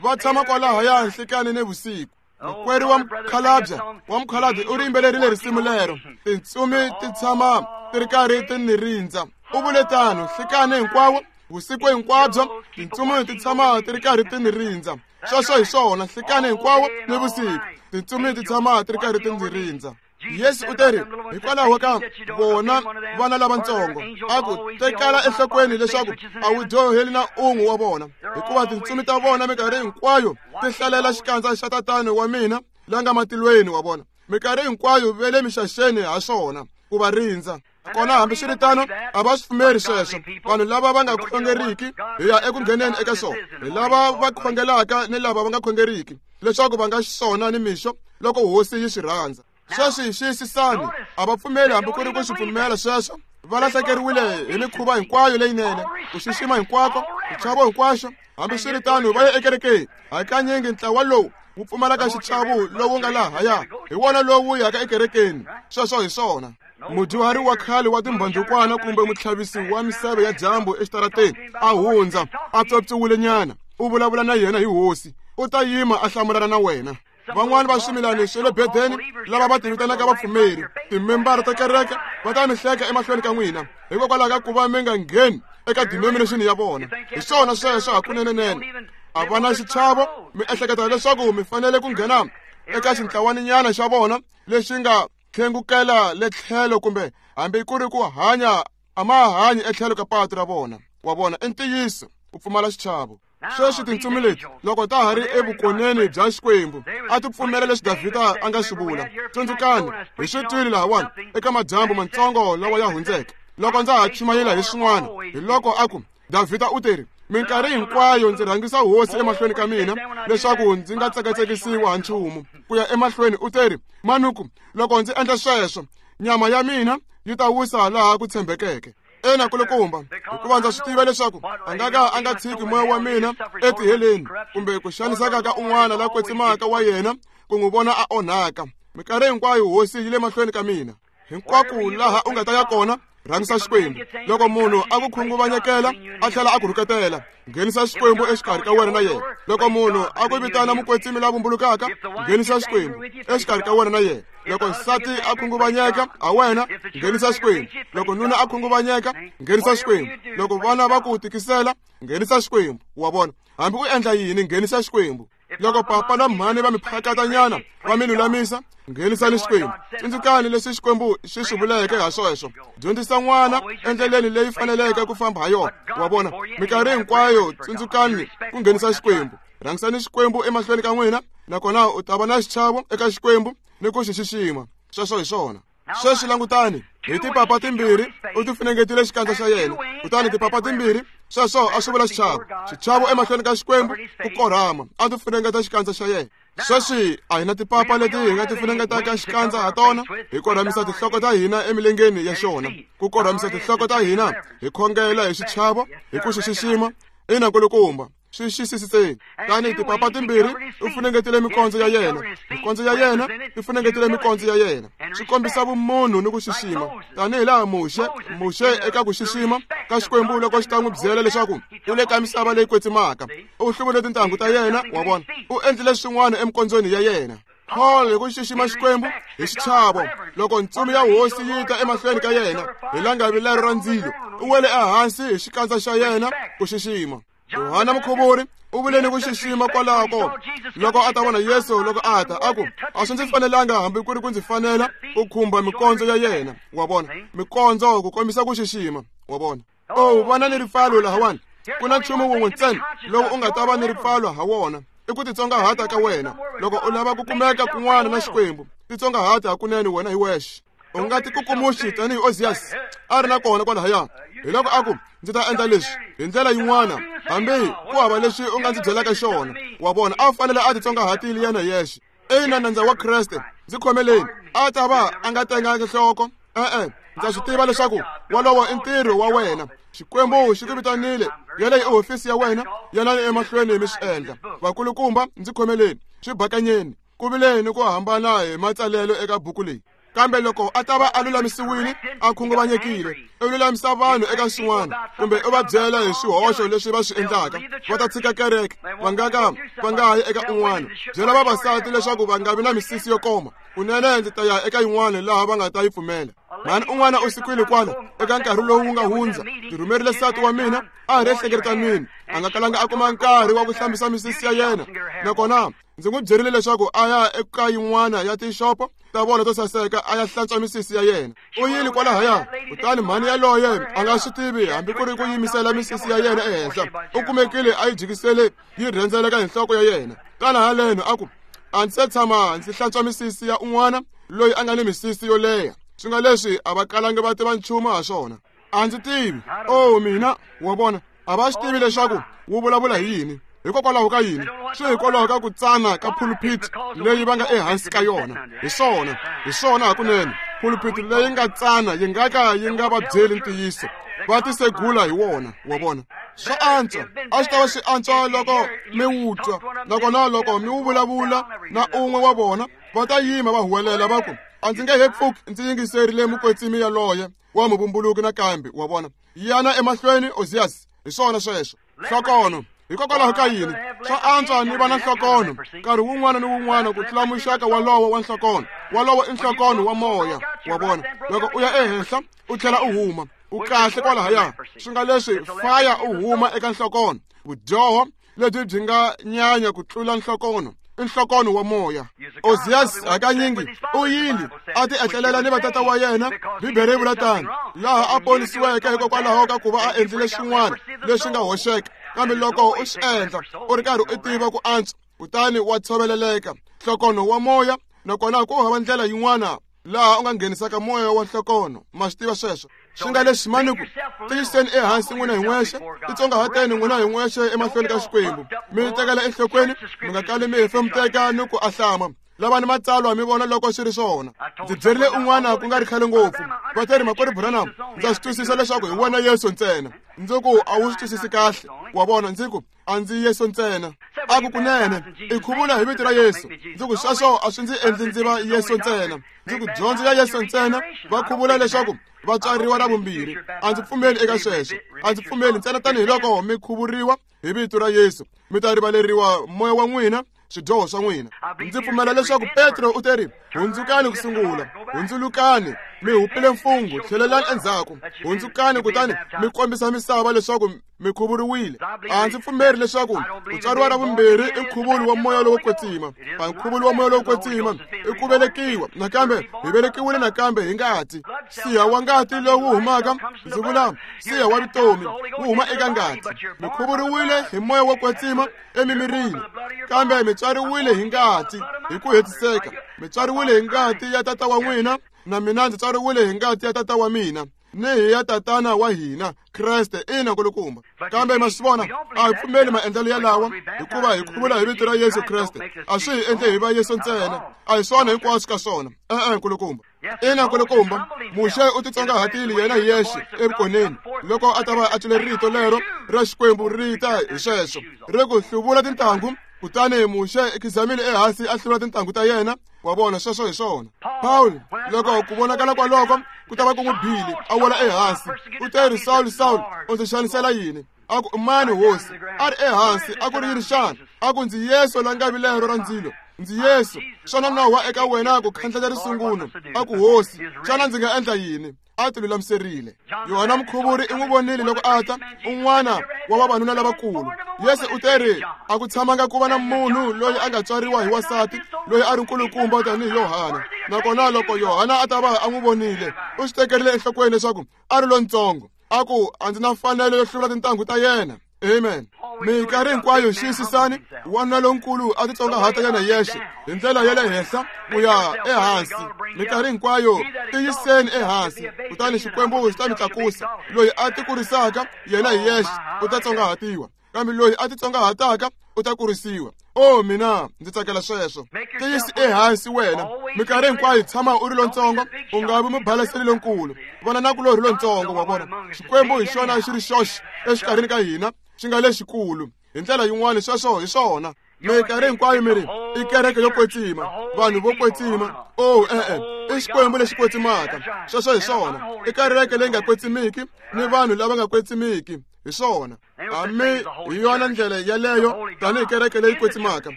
va tshama kwalahaya nhlikani ni vusiku. Makwerhu wa mukhalabye wa mukhalabye u ri yimbelerile risimu lero, tintsumi ti tshama ti ri karhi ti ni rindza. U vule tano nhlikani hinkwawo, vusiku hinkwabyo, tintsumi ti tshama ti ri karhi ti ni rindza. Sweswo hi swona, nhlikani hinkwawo ni vusiku, tintsumi ti tshama ti ri karhi ti ndzi rindza. Yesu u teri hikwalaho ka vona vana lavatsongo a ku tekala enhlokweni leswaku a wu dyoheli na un'we wa vona, hikuva tintsumi ta vona minkarhi hinkwayo ti hlalela xikandza xa tatana wa mina la nga matilweni wa vona. Minkarhi hinkwayo ve le mixaxeni ha swona ku va rindza. Kona hambiswiritano a va swi pfumeri sweswo. Vanhu lava va nga khongeriki hi ya eku ngheneni eka swona, hi lava va khongelaka ni lava va nga khongeriki, leswaku va nga xiswona ni mixo loko hosi yi swi rhandza. Sweswi xiyisisani, a va pfumeli hambi ku ri ku swi pfumela sweswo. Va lahlekeriwile hi mikhuva hinkwayo leyinene, ku xixima hinkwako, xichavo hinkwaxo. Hambiswiritano va ya ekerekeni. Hakanyingi ntlawa lowu wu pfumalaka xichavo lowu nga lahaya hi wona lowu yaka ekerekeni. Sweswo hi swona. Mudyuhari wa khale wa timbandukwana kumbe mutlhavisi wa miseve ya dyambu exitarateni a hundza a pyopyiwile nyana, u vulavula na yena hi hosi, u ta yima a hlamulana na wena. Van'wani va swimilani swa le bedeni lava va tivitanaka vapfumeri, timembara ta kereke, va ta mi hleka emahlweni ka n'wina hikokwalaho ka ku va mi nga ngheni eka denomination ya vona. Hi swona sweswo hakunenenene. A va na xichavo, mi ehleketa leswaku mi fanele ku nghena eka xintlawaninyana xa vona lexi nga tlhengukela le tlhelo, kumbe hambi ku ri ku hanya a ma hanyi etlhelo ka patu ra vona. Wa vona, i ntiyiso ku pfumala xichavo. Sweswi tintsumi leti loko ta ha ri evukoneni bya Xikwembu a ti pfumela leswi Davhida a nga swi vula. Tsundzukani, hi swi twile lahawani eka madyambu matsongo lawa ya hundzeke loko ndza ha chumayela hi swin'wana, hi loko a ku Davhida u teri, minkarhi hinkwayo ndzi rhangisa hosi emahlweni ka mina leswaku ndzi nga tsekatsekisiwa ha nchumu. Ku ya emahlweni u teri, manuku loko ndzi endla sweswo nyama ya mina yi ta wisa laha ku tshembekeke. Ena kulukumba, hikuva ndza swi tiva leswaku a nga ka a nga tshiki moya wa mina etiheleni, kumbe ku xaniseka ka un'wana la kwetsimaka wa yena ku n'wi vona a onhaka. Minkarhi hinkwayo hosi yi le mahlweni ka mina. Hinkwako laha u nga ta ya kona, rhangisa Xikwembu. Loko munhu a ku khunguvanyekela a tlhela a ku rhuketela, nghenisa Xikwembu exikarhi ka wena na yena. Loko munhu a ku vitana mukwetsimi la vumbulukaka, nghenisa Xikwembu exikarhi ka wena na yena. Loko nsati a khunguvanyeka ha wena, nghenisa Xikwembu. Loko nuna a khunguvanyeka, nghenisa Xikwembu. Loko vana va ku tikisela, nghenisa Xikwembu. Wa vona, hambi u endla yini, nghenisa Xikwembu. Loko papa na mhani va mi phakatanyana va mi lulamisa, nghenisani Xikwembu. Tsundzukani leswi Xikwembu xi swi vuleke ha sweswo. Dyondzisa n'wana endleleni leyi faneleke ku famba ha yona. Wa vona, minkarhi hinkwayo tsundzukani ku nghenisa Xikwembu. Rhangisani Xikwembu emahlweni ka n'wina, nakona u ta va na xichavo eka Xikwembu ni ku xi xixima. Sweswo hi swona. Sweswi langutani, hi tipapa timbirhi u ti funengetile xikandza xa yena, kutani tipapa timbirhi sweswo a swi vula xichavo. Xichavo emahlweni ka Xikwembu, ku korhama, a ti funengeta xikandza xa yena. Sweswi a hi na tipapa leti hi nga ti funengetaka xikandza ha tona, hi korhamisa tinhloko ta hina emilengeni ya xona, ku korhamisa tinhloko ta hina hi khongela hi xichavo, hi ku xi xixima. Ina kulukumba, swi xisisiseni. Tani tipapa timbirhi u funengetile mikondzo ya yena, mikondzo ya yena yi funengetile mikondzo ya yena. Swi kombisa vumunhu ni ku xixima, tanihi laha Muxe Muxe eka ku xixima ka Xikwembu loko xi ta n'wi byela leswaku u le ka misava leyi kwetsimaka, u hluvule tintangu ta yena. Wa vona, u endlile swin'wana emikondzweni ya yena. Paul hi ku xixima Xikwembu hi xichavo, loko ntsumi ya hosi yi ta emahlweni ka yena hi langavi lero ra ndzilo, u wele ehansi hi xikandza xa yena ku xixima. Yohana Mukhuvuri u vule ni ku xixima kwalako loko a ta vona Yesu loko a ta, a ku a swi ndzi fanelanga hambi ku ri ku ndzi fanela ku khumba mikondzo ya yena. Wa vona, mikondzo ku kombisa ku xixima. Wa vona, o vana ni ripfalo lahawani. Ku na nchumu wun'we ntsena lowu u nga ta va ni ripfalo ha wona, i ku titsongahata ka wena. Loko u lava ku kumeka kun'wana na Xikwembu, titsongahata hakunene wena hi wexe. U nga tikukumuxi tanihi Ozias a ri na kona kwalahaya. Hi loko a ku, ndzi ta endla leswi hi ndlela yin'wana, hambi ku hava leswi u nga ndzi byelaka xona. Wa vona, a fanele a titsongahatile yena yexe. Ina, nandza wa Kreste, ndzi khomeleni, a ta va a nga tenganga nhloko. E-e, ndza swi tiva leswaku wolowo i ntirho wa wena. Xikwembu xi ku vitanile, yeleyo i hofisi ya wena, yanani emahlweni mi swi endla. Vakulukumba, ndzi khomeleni, swi bakanyeni, ku vile ni ku hambana hi matsalelo eka buku leyi. Kambe loko a ta va a lulamisiwile, a khunguvanyekile, u lulamisa vanhu eka swin'wana, kumbe u va byela hi swihoxo leswi va swi endlaka, va ta tshika kereke, va nga ka va nga ha yi eka un'wana. Byela vavasati leswaku va nga vi na misisi yo koma, kunene ndzi ta ya eka yin'wana laha va nga ta yi pfumela. Mhani un'wana u sikwile kwala eka nkarhi lowu wu nga hundza, ndzi rhumerile nsati wa mina a ha ri ehlekeletanini, a nga kalanga a kuma nkarhi wa ku hlambisa misisi ya yena, nakona Ndzi n'wi byerile leswaku a ya eka yin'wana ya tixopo ta vona to saseka a ya hlantswa misisi ya yena. U yile kwalahaya, kutani mhani yaloye a nga swi tivi hambi ku ri ku yimisela misisi ya yena ehenhla. U kumekile a yi jikisele yi rhendzeleka hi nhloko ya yena. Tana haleno a ku, a ndzi se tshama ndzi hlantswa misisi ya un'wana loyi a nga ni misisi yo leha. Swi nga leswi a va kalangi va tiva nchumu ha swona. A ndzi tivi. Oh mina, wa vona, a va swi tivi leswaku wu vulavula hi yini. Hikokwalaho ka yini? Swi hikwalaho ka ku tsana ka pulpit leyi va nga ehansi ka yona. Hi swona, hi swona hakunene. Pulpit leyi nga tsana yi nga ka yi nga va byeli ntiyiso. Va tisegula hi wona, wa vona. Swa antswa, a swi ta va swi antswa loko mi wu twa, nakona loko mi wu vulavula na un'we wa vona, va ta yima va huwelela va ku, a ndzi nge he pfuki ndzi yingiserile mukwetsimi yaloye wa muvumbuluki nakambe, wa vona. Yana emahlweni Ozias, hi swona sweswo. Nhlokono. Hikokwalaho ka yini? Swa antswa ni va na nhlokono nkarhi wun'wana ni wun'wana ku tlula muxaka walowo wa nhlokono. Walowo i nhlokono wa moya, wa vona. Loko u ya ehenhla u tlhela u huma, u kahle kwalahaya. Swi nga leswi faya u huma eka nhlokono. Vudyoho lebyi byi nga nyanya ku tlula nhlokono i nhlokono wa moya. Ozias hakanyingi u yile a ti etlelela ni vatata wa yena, Bibele yi vula tano, laha a ponisiweke hikokwalaho ka ku va a endlile swin'wana leswi nga hoxeka. Kambe loko u swi endla u ri karhi u tiva ku antswa, kutani wa tshoveleleka nhlokono wa moya, nakona ku hava ndlela yin'wana laha u nga nghenisaka moya wa nhlokono. Ma swi tiva sweswo. Swi nga leswi mani ku tiyiseni ehansi n'wina hi n'wexe, titsongahateni n'wina hi n'wexe emahlweni ka Xikwembu, mi tekela enhlokweni, mi nga kali mi hefemuteka ni ku ahlama. Lavani matsalwa mi vona loko swi ri swona. Ndzi byerile un'wana ku nga ri khale ngopfu, va te ri makwerhu Branham, ndza swi twisisa leswaku hi wena Yesu ntsena. Ndzi ku a wu swi twisisi kahle, wa vona. Ndzi ku a ndzi Yesu ntsena. A ku kunene i khuvula hi vito ra Yesu. Ndzi ku sweswo a swi ndzi endli ndzi va Yesu ntsena. Ndzi ku dyondzo ya Yesu ntsena va khuvula leswaku va tswariwa ra vumbirhi. A ndzi pfumeli eka sweswo. A ndzi pfumeli ntsena tanihiloko mi khuvuriwa hi vito ra Yesu, mi ta rivaleriwa moya wa n'wina, swidyoho swa n'wina. Ndzi pfumela leswaku Petro u te ri, hundzukani ku sungula, hundzulukani, mi hupile mfungho, tlhelelani endzhaku, hundzukani kutani mi kombisa misava leswaku mi khuvuriwile. A ndzi pfumeri leswaku ku tswariwa ra vumbirhi i nkhuvulo wa moya lowo kwetsima. A nkhuvulo wa moya lowo kwetsima i ku velekiwa nakambe, hi velekiwile nakambe hi ngati. Siha wa ngati lowu humaka, ndzi vula siha wa vutomi wu huma eka ngati. Mi khuvuriwile hi moya wo kwetsima emimirini, kambe mi tswariwile hi ngati hi ku hetiseka. Mi tswariwile hi ngati ya tata wa n'wina, na mina ndzi tswariwile hi ngati ya tata wa mina ni hi ya tatana wa hina Kreste. Ina nkulukumba. Kambe ma swi vona, a hi pfumeli maendlelo yalawa, hikuva hi khuvula hi vito ra Yesu Kreste. A swi hi endle hi va Yesu ntsena, a hi swona hinkwaswo ka swona. E-e nkulukumba. Ina nkulukumba, Muxe u titsongahatile yena hi yexe evukoneni loko a ta va a twile rito lero ra Xikwembu ri ta hi sweswo ri ku hluvula tintangu. Kutani Muxe i khizamile ehansi a hluvula tintangu ta yena. Wa vona, sweswo hi swona. Pawulo loko ku vonakala kwaloko ku ta va ku n'wi bile, a wela ehansi. U te ri, Sawulo, Sawulo, u ndzi xanisela yini? A ku, mani hosi? A ri ehansi, a ku ri yini xana? A ku, ndzi Yesu la nga vilero ra ndzilo. Ndzi Yesu. Xana nowa eka wena ku khandleta risungulo? A ku, hosi, xana ndzi nga endla yini? A ti lulamiserile. Yohana Mukhuvuri i n'wi vonile loko a ta, un'wana wa vavanuna lavakulu. Yesu u te ri, a ku tshamanga ku va na munhu loyi a nga tswariwa hi wansati loyi a ri nkulukumba tanihi Yohana. Nakona loko Yohana a ta va a n'wi vonile, u swi tekerile enhlokweni leswaku a ri lontsongo. A ku, a ndzi na mfanelo yo hluvula tintangu ta yena. Amen. Minkarhi hinkwayo xiyisisani, wanuna lonkulu a titsongahata yena yexe hi ndlela ya le henhla ku ya ehansi. Minkarhi hinkwayo tiyiseni ehansi, kutani Xikwembu xi ta mi tlakusa. Loyi a tikurisaka yena hi yexe u ta tsongahatiwa, kambe loyi a titsongahataka u ta kurisiwa. Oh mina ndzi tsakela sweswo. Tiyisi ehansi wena. Minkarhi hinkwayo tshama u ri lontsongo, u nga vi mubalaseli lonkulu. Vona nakulorhi lontsongo, wa vona. Xikwembu hi xona xi ri xoxe exikarhini ka hina, xi nga lexikulu. Hi ndlela yin'wana sweswo hi swona. Minkarhi hinkwayo mi ri i kereke yo kwetsima, vanhu vo kwetsima. Oh e-e, i Xikwembu lexi kwetsimaka. Sweswo hi swona. I kereke leyi nga kwetsimiki ni vanhu lava nga kwetsimiki. Hi swona. Hambi hi yona ndlela yaleyo tanihi kereke leyi kwetsimaka.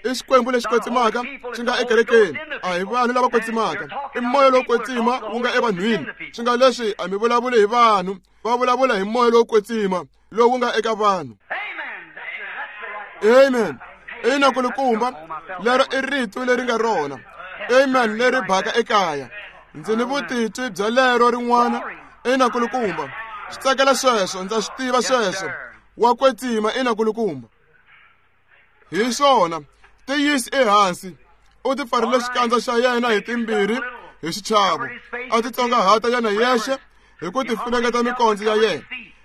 I Xikwembu lexi kwetsimaka xi nga ekerekeni, a hi vanhu lava kwetsimaka. I moya lowo kwetsima wu nga evanhwini. Swi nga leswi a mi vulavuli hi vanhu, va vulavula hi moya lowo kwetsima lowu nga eka vanhu. Amen. Ina kulukumba, lero i rito leri nga rona. Amen leri baka ekaya. Ndzi ni vutitwi bya lero rin'wana. Ina kulukumba. Swi tsakela sweswo, ndza swi tiva sweswo. Wa kwetsima ina kulukumba. Hi swona, tiyisi ehansi. U ti pfarile xikandza xa yena hi timbirhi hi xichavo. A titsongahata yena yexe hi ku tifunengeta mikondzo ya yena.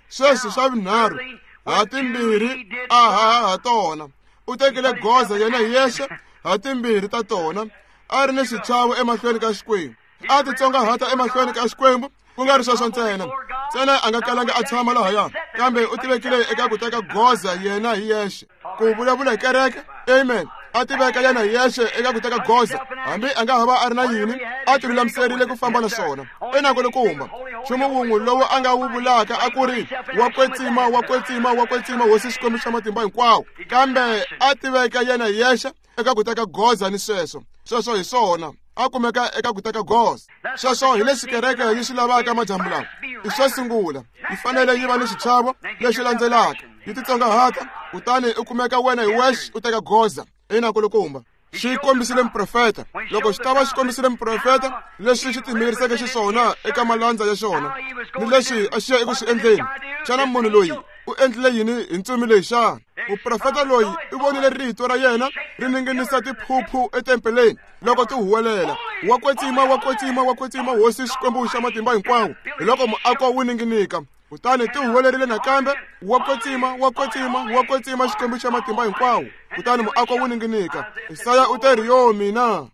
Sweswi xa vunharhu, ha timbirhi a haha ha tona. U tekile goza yena yexe ha timbirhi ta tona, a ri ni xichavo emahlweni ka Xikwembu. A titsongahata emahlweni ka Xikwembu, ku nga ri sweswo ntsena. Ntsena a nga kalanga a tshama lahaya, kambe u tivekile eka ku teka goza yena hi yexe. Ku vulavula hi kereke, amen. A tiveka yena hi yexe eka ku teka goza, hambi a nga ha va a ri na yini, a ti lulamiserile ku famba na swona. Ina kulukumba, nchumu wun'we lowu a nga wu vulaka a ku ri wa kwetsima, wa kwetsima, wa kwetsima, Hosi Xikwembu xa matimba hinkwawo. Kambe a tiveka yena hi yexe eka ku teka goza ni sweswo. Sweswo hi swona. A kumeka eka ku teka goza. Sweswo hi leswi kereke yi swi lavaka madyambu lawa. I swo sungula, yi fanele yi va ni xichavo lexi landzelaka, yi titsongahata, kutani u kumeka wena hi wexe u teka goza. Ina kulukumba. Xi kombisile muprofeta. Loko xi ta va xi kombisile muprofeta leswi xi timiriseke xiswona eka malandza ya xona ni leswi a xi ya eku swi endleni, xana munhu loyi u endlile yini hi ntsumi leyi xana? Muprofeta loyi u vonile rito ra yena ri ninginisa tiphuphu etempeleni loko ti huwelela, wa kwetsima, wa kwetsima, wa kwetsima, Hosi Xikwembu xa matimba hinkwawo. Hi loko muako wu ninginika. Kutani ti huwelerile nakambe, wa kwetsima, wa kwetsima, wa kwetsima, Xikwembu xa matimba hinkwawo. Kutani muako wu ninginika. Isaya u te ri, yo mina.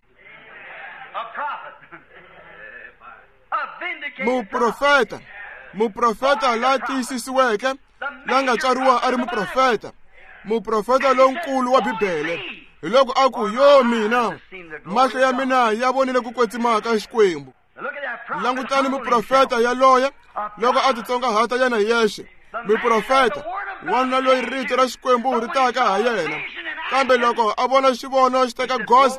Muprofeta, muprofeta la tiyisisiweke, la nga tswariwa a ri muprofeta, muprofeta lonkulu wa Bibele. Hi loko a ku, yo mina, mahlo ya mina ya vonile ku kwetsima ka Xikwembu. Langutani muprofeta yaloye loko a titsongahata yena hi yexe. Muprofeta, wanuna loyi rito ra Xikwembu ri taka ha yena. Kambe loko a vona xivono xi teka goza,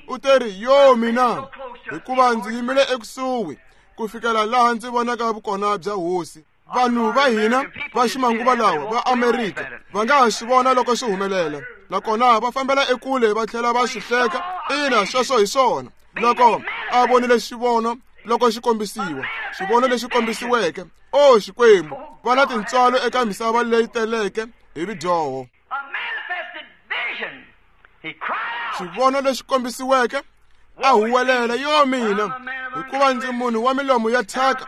u te ri, yo mina, hikuva ndzi yimile ekusuhi ku fikela laha ndzi vonaka vukona bya Hosi. Vanhu va hina va ximanguva lawa va Amerika va nga ha swi vona loko swi humelela, nakona va fambela ekule va tlhela va swi hleka. Ina, sweswo hi swona. Loko a vonile xivono loko xi kombisiwa, xivono lexi kombisiweke, o Xikwembu, va na tintswalo eka misava leyi teleke hi vidyoho. Xivono lexi kombisiweke, a huwelela, yo mina, hikuva ndzi munhu wa milomo ya thyaka,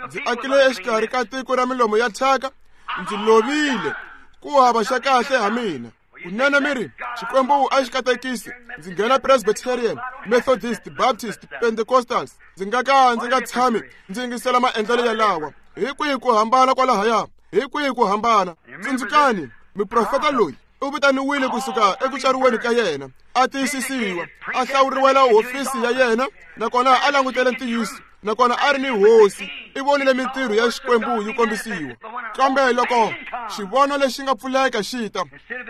ndzi akile exikarhi ka tiko ra milomo ya thyaka, ndzi lovile, ku hava xa kahle ha mina. Kunene mi ri, Xikwembu a xi katekisi, ndzi nghena Presbyterian, Methodist, Baptist, Pentecostals, ndzi nga ka ndzi nga tshami ndzi yingisela maendlelo yalawa. Hi kwihi ku hambana kwalahaya? Hi kwihi ku hambana? Tsundzukani, muprofeta loyi u vitaniwile kusuka eku tswariweni ka yena, a tiyisisiwa, a hlawuriwela hofisi ya yena, nakona a langutele ntiyiso, nakona a ri ni hosi, i vonile mintirho ya Xikwembu yi kombisiwa. Kambe loko xivono lexi nga pfuleka xi ta,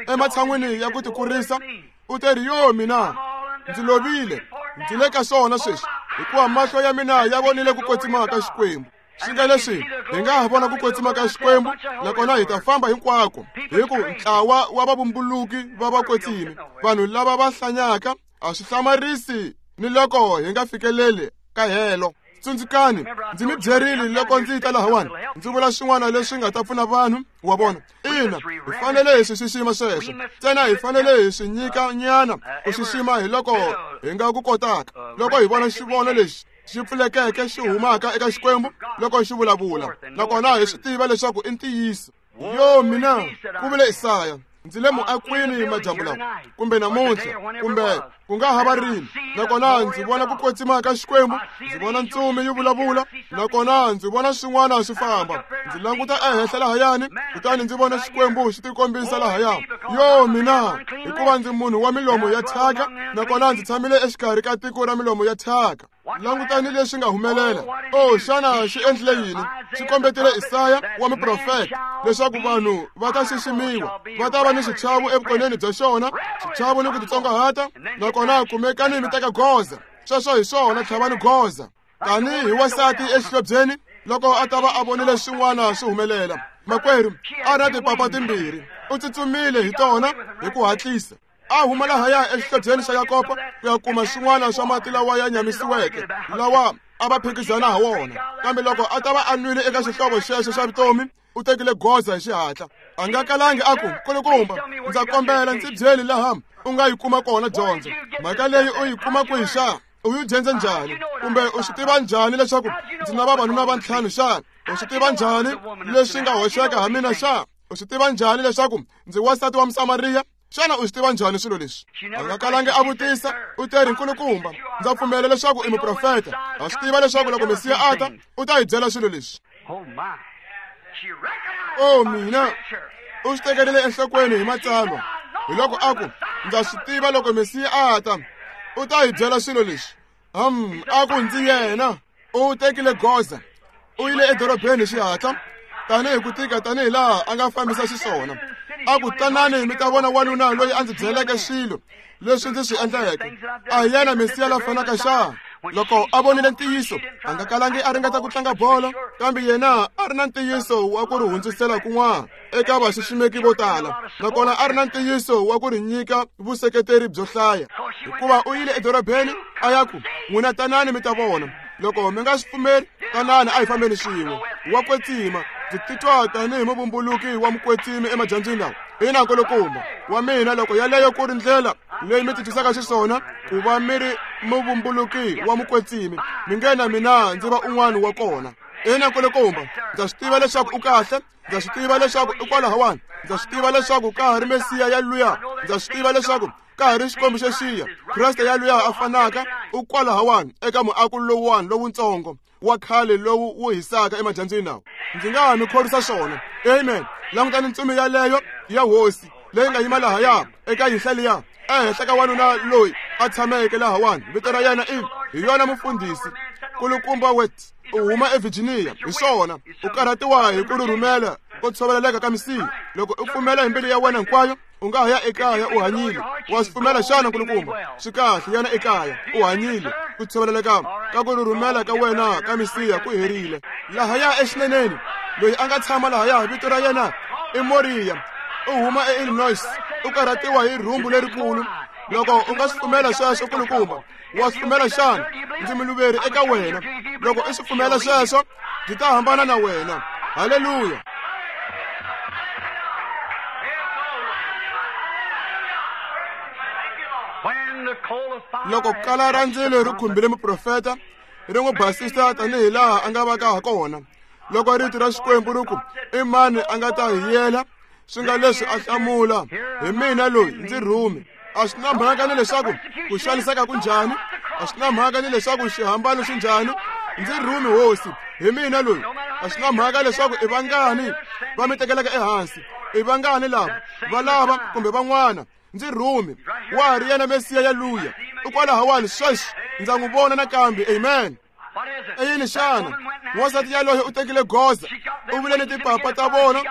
ematshan'wini ya ku tikurisa, u te ri, yo mina, ndzi lovile, ndzi le ka swona sweswi, hikuva mahlo ya mina ya vonile ku kwetsima ka Xikwembu. Swi nga leswi hi nga ha vona ku kwetsima ka Xikwembu, nakona hi ta famba hinkwako hi ku ntlawa wa vavumbuluki va vakwetsimi, vanhu lava va hlanyaka, a swi hlamarisi ni loko hi nga fikeleli ka helo. Tsundzukani, ndzi mi byerile loko ndzi ta lahawani, ndzi vula swin'wana leswi nga ta pfuna vanhu wa vona. Ina, hi fanele hi swi xixima sweswo, ntsena hi fanele hi swi nyika nyana ku xixima hi loko hi nga ku kotaka. Loko hi vona xivono lexi xi pfulekeke xi humaka eka Xikwembu loko xi vulavula, nakona hi swi tiva leswaku i ntiyiso. Yo mina, ku vule Isaya, ndzi le muakwini madyambu lawa, kumbe namuntlha, kumbe ku nga ha va rini, nakona ndzi vona ku kwetsima ka Xikwembu, ndzi vona ntsumi yi vulavula, nakona ndzi vona swin'wana swi famba. Ndzi languta ehenhla lahayani, kutani ndzi vona Xikwembu xi tikombisa lahaya. Yo mina, hikuva ndzi munhu wa milomo ya thyaka, nakona ndzi tshamile exikarhi ka tiko ra milomo ya thyaka. Langutani leswi nga humelela. O xana xi endlile yini? Xi kombetele Isaya wa muprofeta leswaku vanhu va ta xiximiwa, va ta va ni xichavo evukoneni bya xona, xichavo ni ku titsongahata, nakona kumekani mi teka goza. Sweswo hi swona, tlhavani goza. Tanihi wansati exihlobyeni loko a ta va a vonile swin'wana swi humelela, makwerhu a ri na tipapa timbirhi, u tsutsumile hi tona hi ku hatlisa. A huma lahaya exihlobyeni xa Yakobo ku ya kuma swin'wana swa mati lawa ya nyamisiweke lawa a va phikizana ha wona. Kambe loko a ta va a nwile eka xihlovo xexo xa vutomi, u tekile goza hi xihatla. A nga kalangi a ku, "Nkulukumba, ndza kombela ndzi byeli laha u nga yi kuma kona dyondzo. Mhaka leyi u yi kuma kwihi xana? U yi dyondze njhani? Kumbe u swi tiva njhani leswaku ndzi na vavanuna va ntlhanu xana? U swi tiva njhani leswi nga hoxeka ha mina xana? U swi tiva njhani leswaku ndzi wansati wa Musamariya? Xana u swi tiva njhani swilo leswi?" A nga kalangi a vutisa. U teri, "Nkulukumba, ndza pfumela leswaku i muprofeta. Ha swi tiva leswaku loko Mesiya a ta, u ta hi byela swilo leswi." O mina, u swi tekerile enhlokweni hi matsalwa. Hi loko a ku, "Ndza swi tiva loko Mesiya a ta, u ta hi byela swilo leswi." Hum, a ku, "Ndzi yena." U tekile goza. U yile edorobeni hi xihatla, tanihi ku tika tanihi laha a nga fambisa xiswona. A ku, "Tanani mi ta vona wanuna loyi a ndzi byeleke swilo leswi ndzi swi endleke. A hi yena Mesiya la fanaka xana?" Loko a vonile ntiyiso, a nga kalangi a ringeta ku tlanga bolo, kambe yena a ri na ntiyiso wa ku ri hundzisela kun'wana eka vaxiximeki vo tala, nakona a ri na ntiyiso wa ku ri nyika vuseketeri byo hlaya. Hikuva u yile edorobeni a ya ku, "N'wina tanani mi ta vona. Loko mi nga swi pfumeli, tanani a hi fambeni swin'we. Wa kwetsima, ndzi titwa tanihi muvumbuluki wa mukwetsimi emadyambyini lawa. Ina, nkulukumba wa mina, loko yaleyo ku ri ndlela leyi mi titwisaka xiswona ku va mi ri muvumbuluki wa mukwetsimi, mi nge na mina ndzi va un'wana wa kona. Ina, nkulukumba, ndza swi tiva leswaku u kahle, ndza swi tiva leswaku i kwalahawani, ndza swi tiva leswaku ka ha ri Mesiya ya luya, ndza swi tiva leswaku ka ha ri Xikwembu xexiya, Kreste ya luya a fanaka u kwalahawani eka muako lowuwani lowutsongo wa khale lowu wu hisaka emadyambyini lawa. Ndzi nga ha mi khorwisa swona." Amen. Langutani ntsumi yaleyo ya hosi leyi nga yima lahaya eka yinhla liya, ehenhla ka wanuna loyi a tshameke lahawani. Vito ra yena i hi yona mufundhisi Nkulukumba Wet, u huma eVirginia. Hi swona, u karhatiwa hi ku rhurhumela ko tshoveleleka ka misiha. Loko u pfumela hi mbilu ya wena hinkwayo, u nga ha ya ekaya u hanyile. Wa swi pfumela xana, nkulukumba? Swi kahle, yana ekaya u hanyile. Ku tshoveleleka ka ku rhurhumela ka wena ka misiha ku herile. Lahaya exineneni, loyi a nga tshama lahaya, vito ra yena i Moriya, u huma eIllinois, u karhatiwa hi rhumbu lerikulu. Loko u nga swi pfumela sweswo, nkulukumba, wa swi pfumela xana? Ndzi muluveri eka wena. Loko u swi pfumela sweswo, ndzi ta hambana na wena. Haleluya. Loko kala ra ndzilo ri khumbile muprofeta, ri n'wi basisa tanihi laha a nga vaka ha kona. Loko rito ra Xikwembu ri ku, "I mani a nga ta hi yela?" Swi nga leswi a hlamula, "Hi mina loyi, ndzi rhume." A swi na mhaka ni leswaku ku xaniseka ku njhani, a swi na mhaka ni leswaku xihambano xi njhani, ndzi rhume hosi, hi mina loyi. A swi na mhaka leswaku i vangani va mi tekelaka ehansi, i vangani lava va lava kumbe van'wana, ndzi rhume. Wa ha ri yena Mesiya ya luya, u kwalahawani sweswi, ndza n'wi vona nakambe. Amen. I yini xana? Wansati yaloye u tekile goza, u vule ni tipapa ta vona,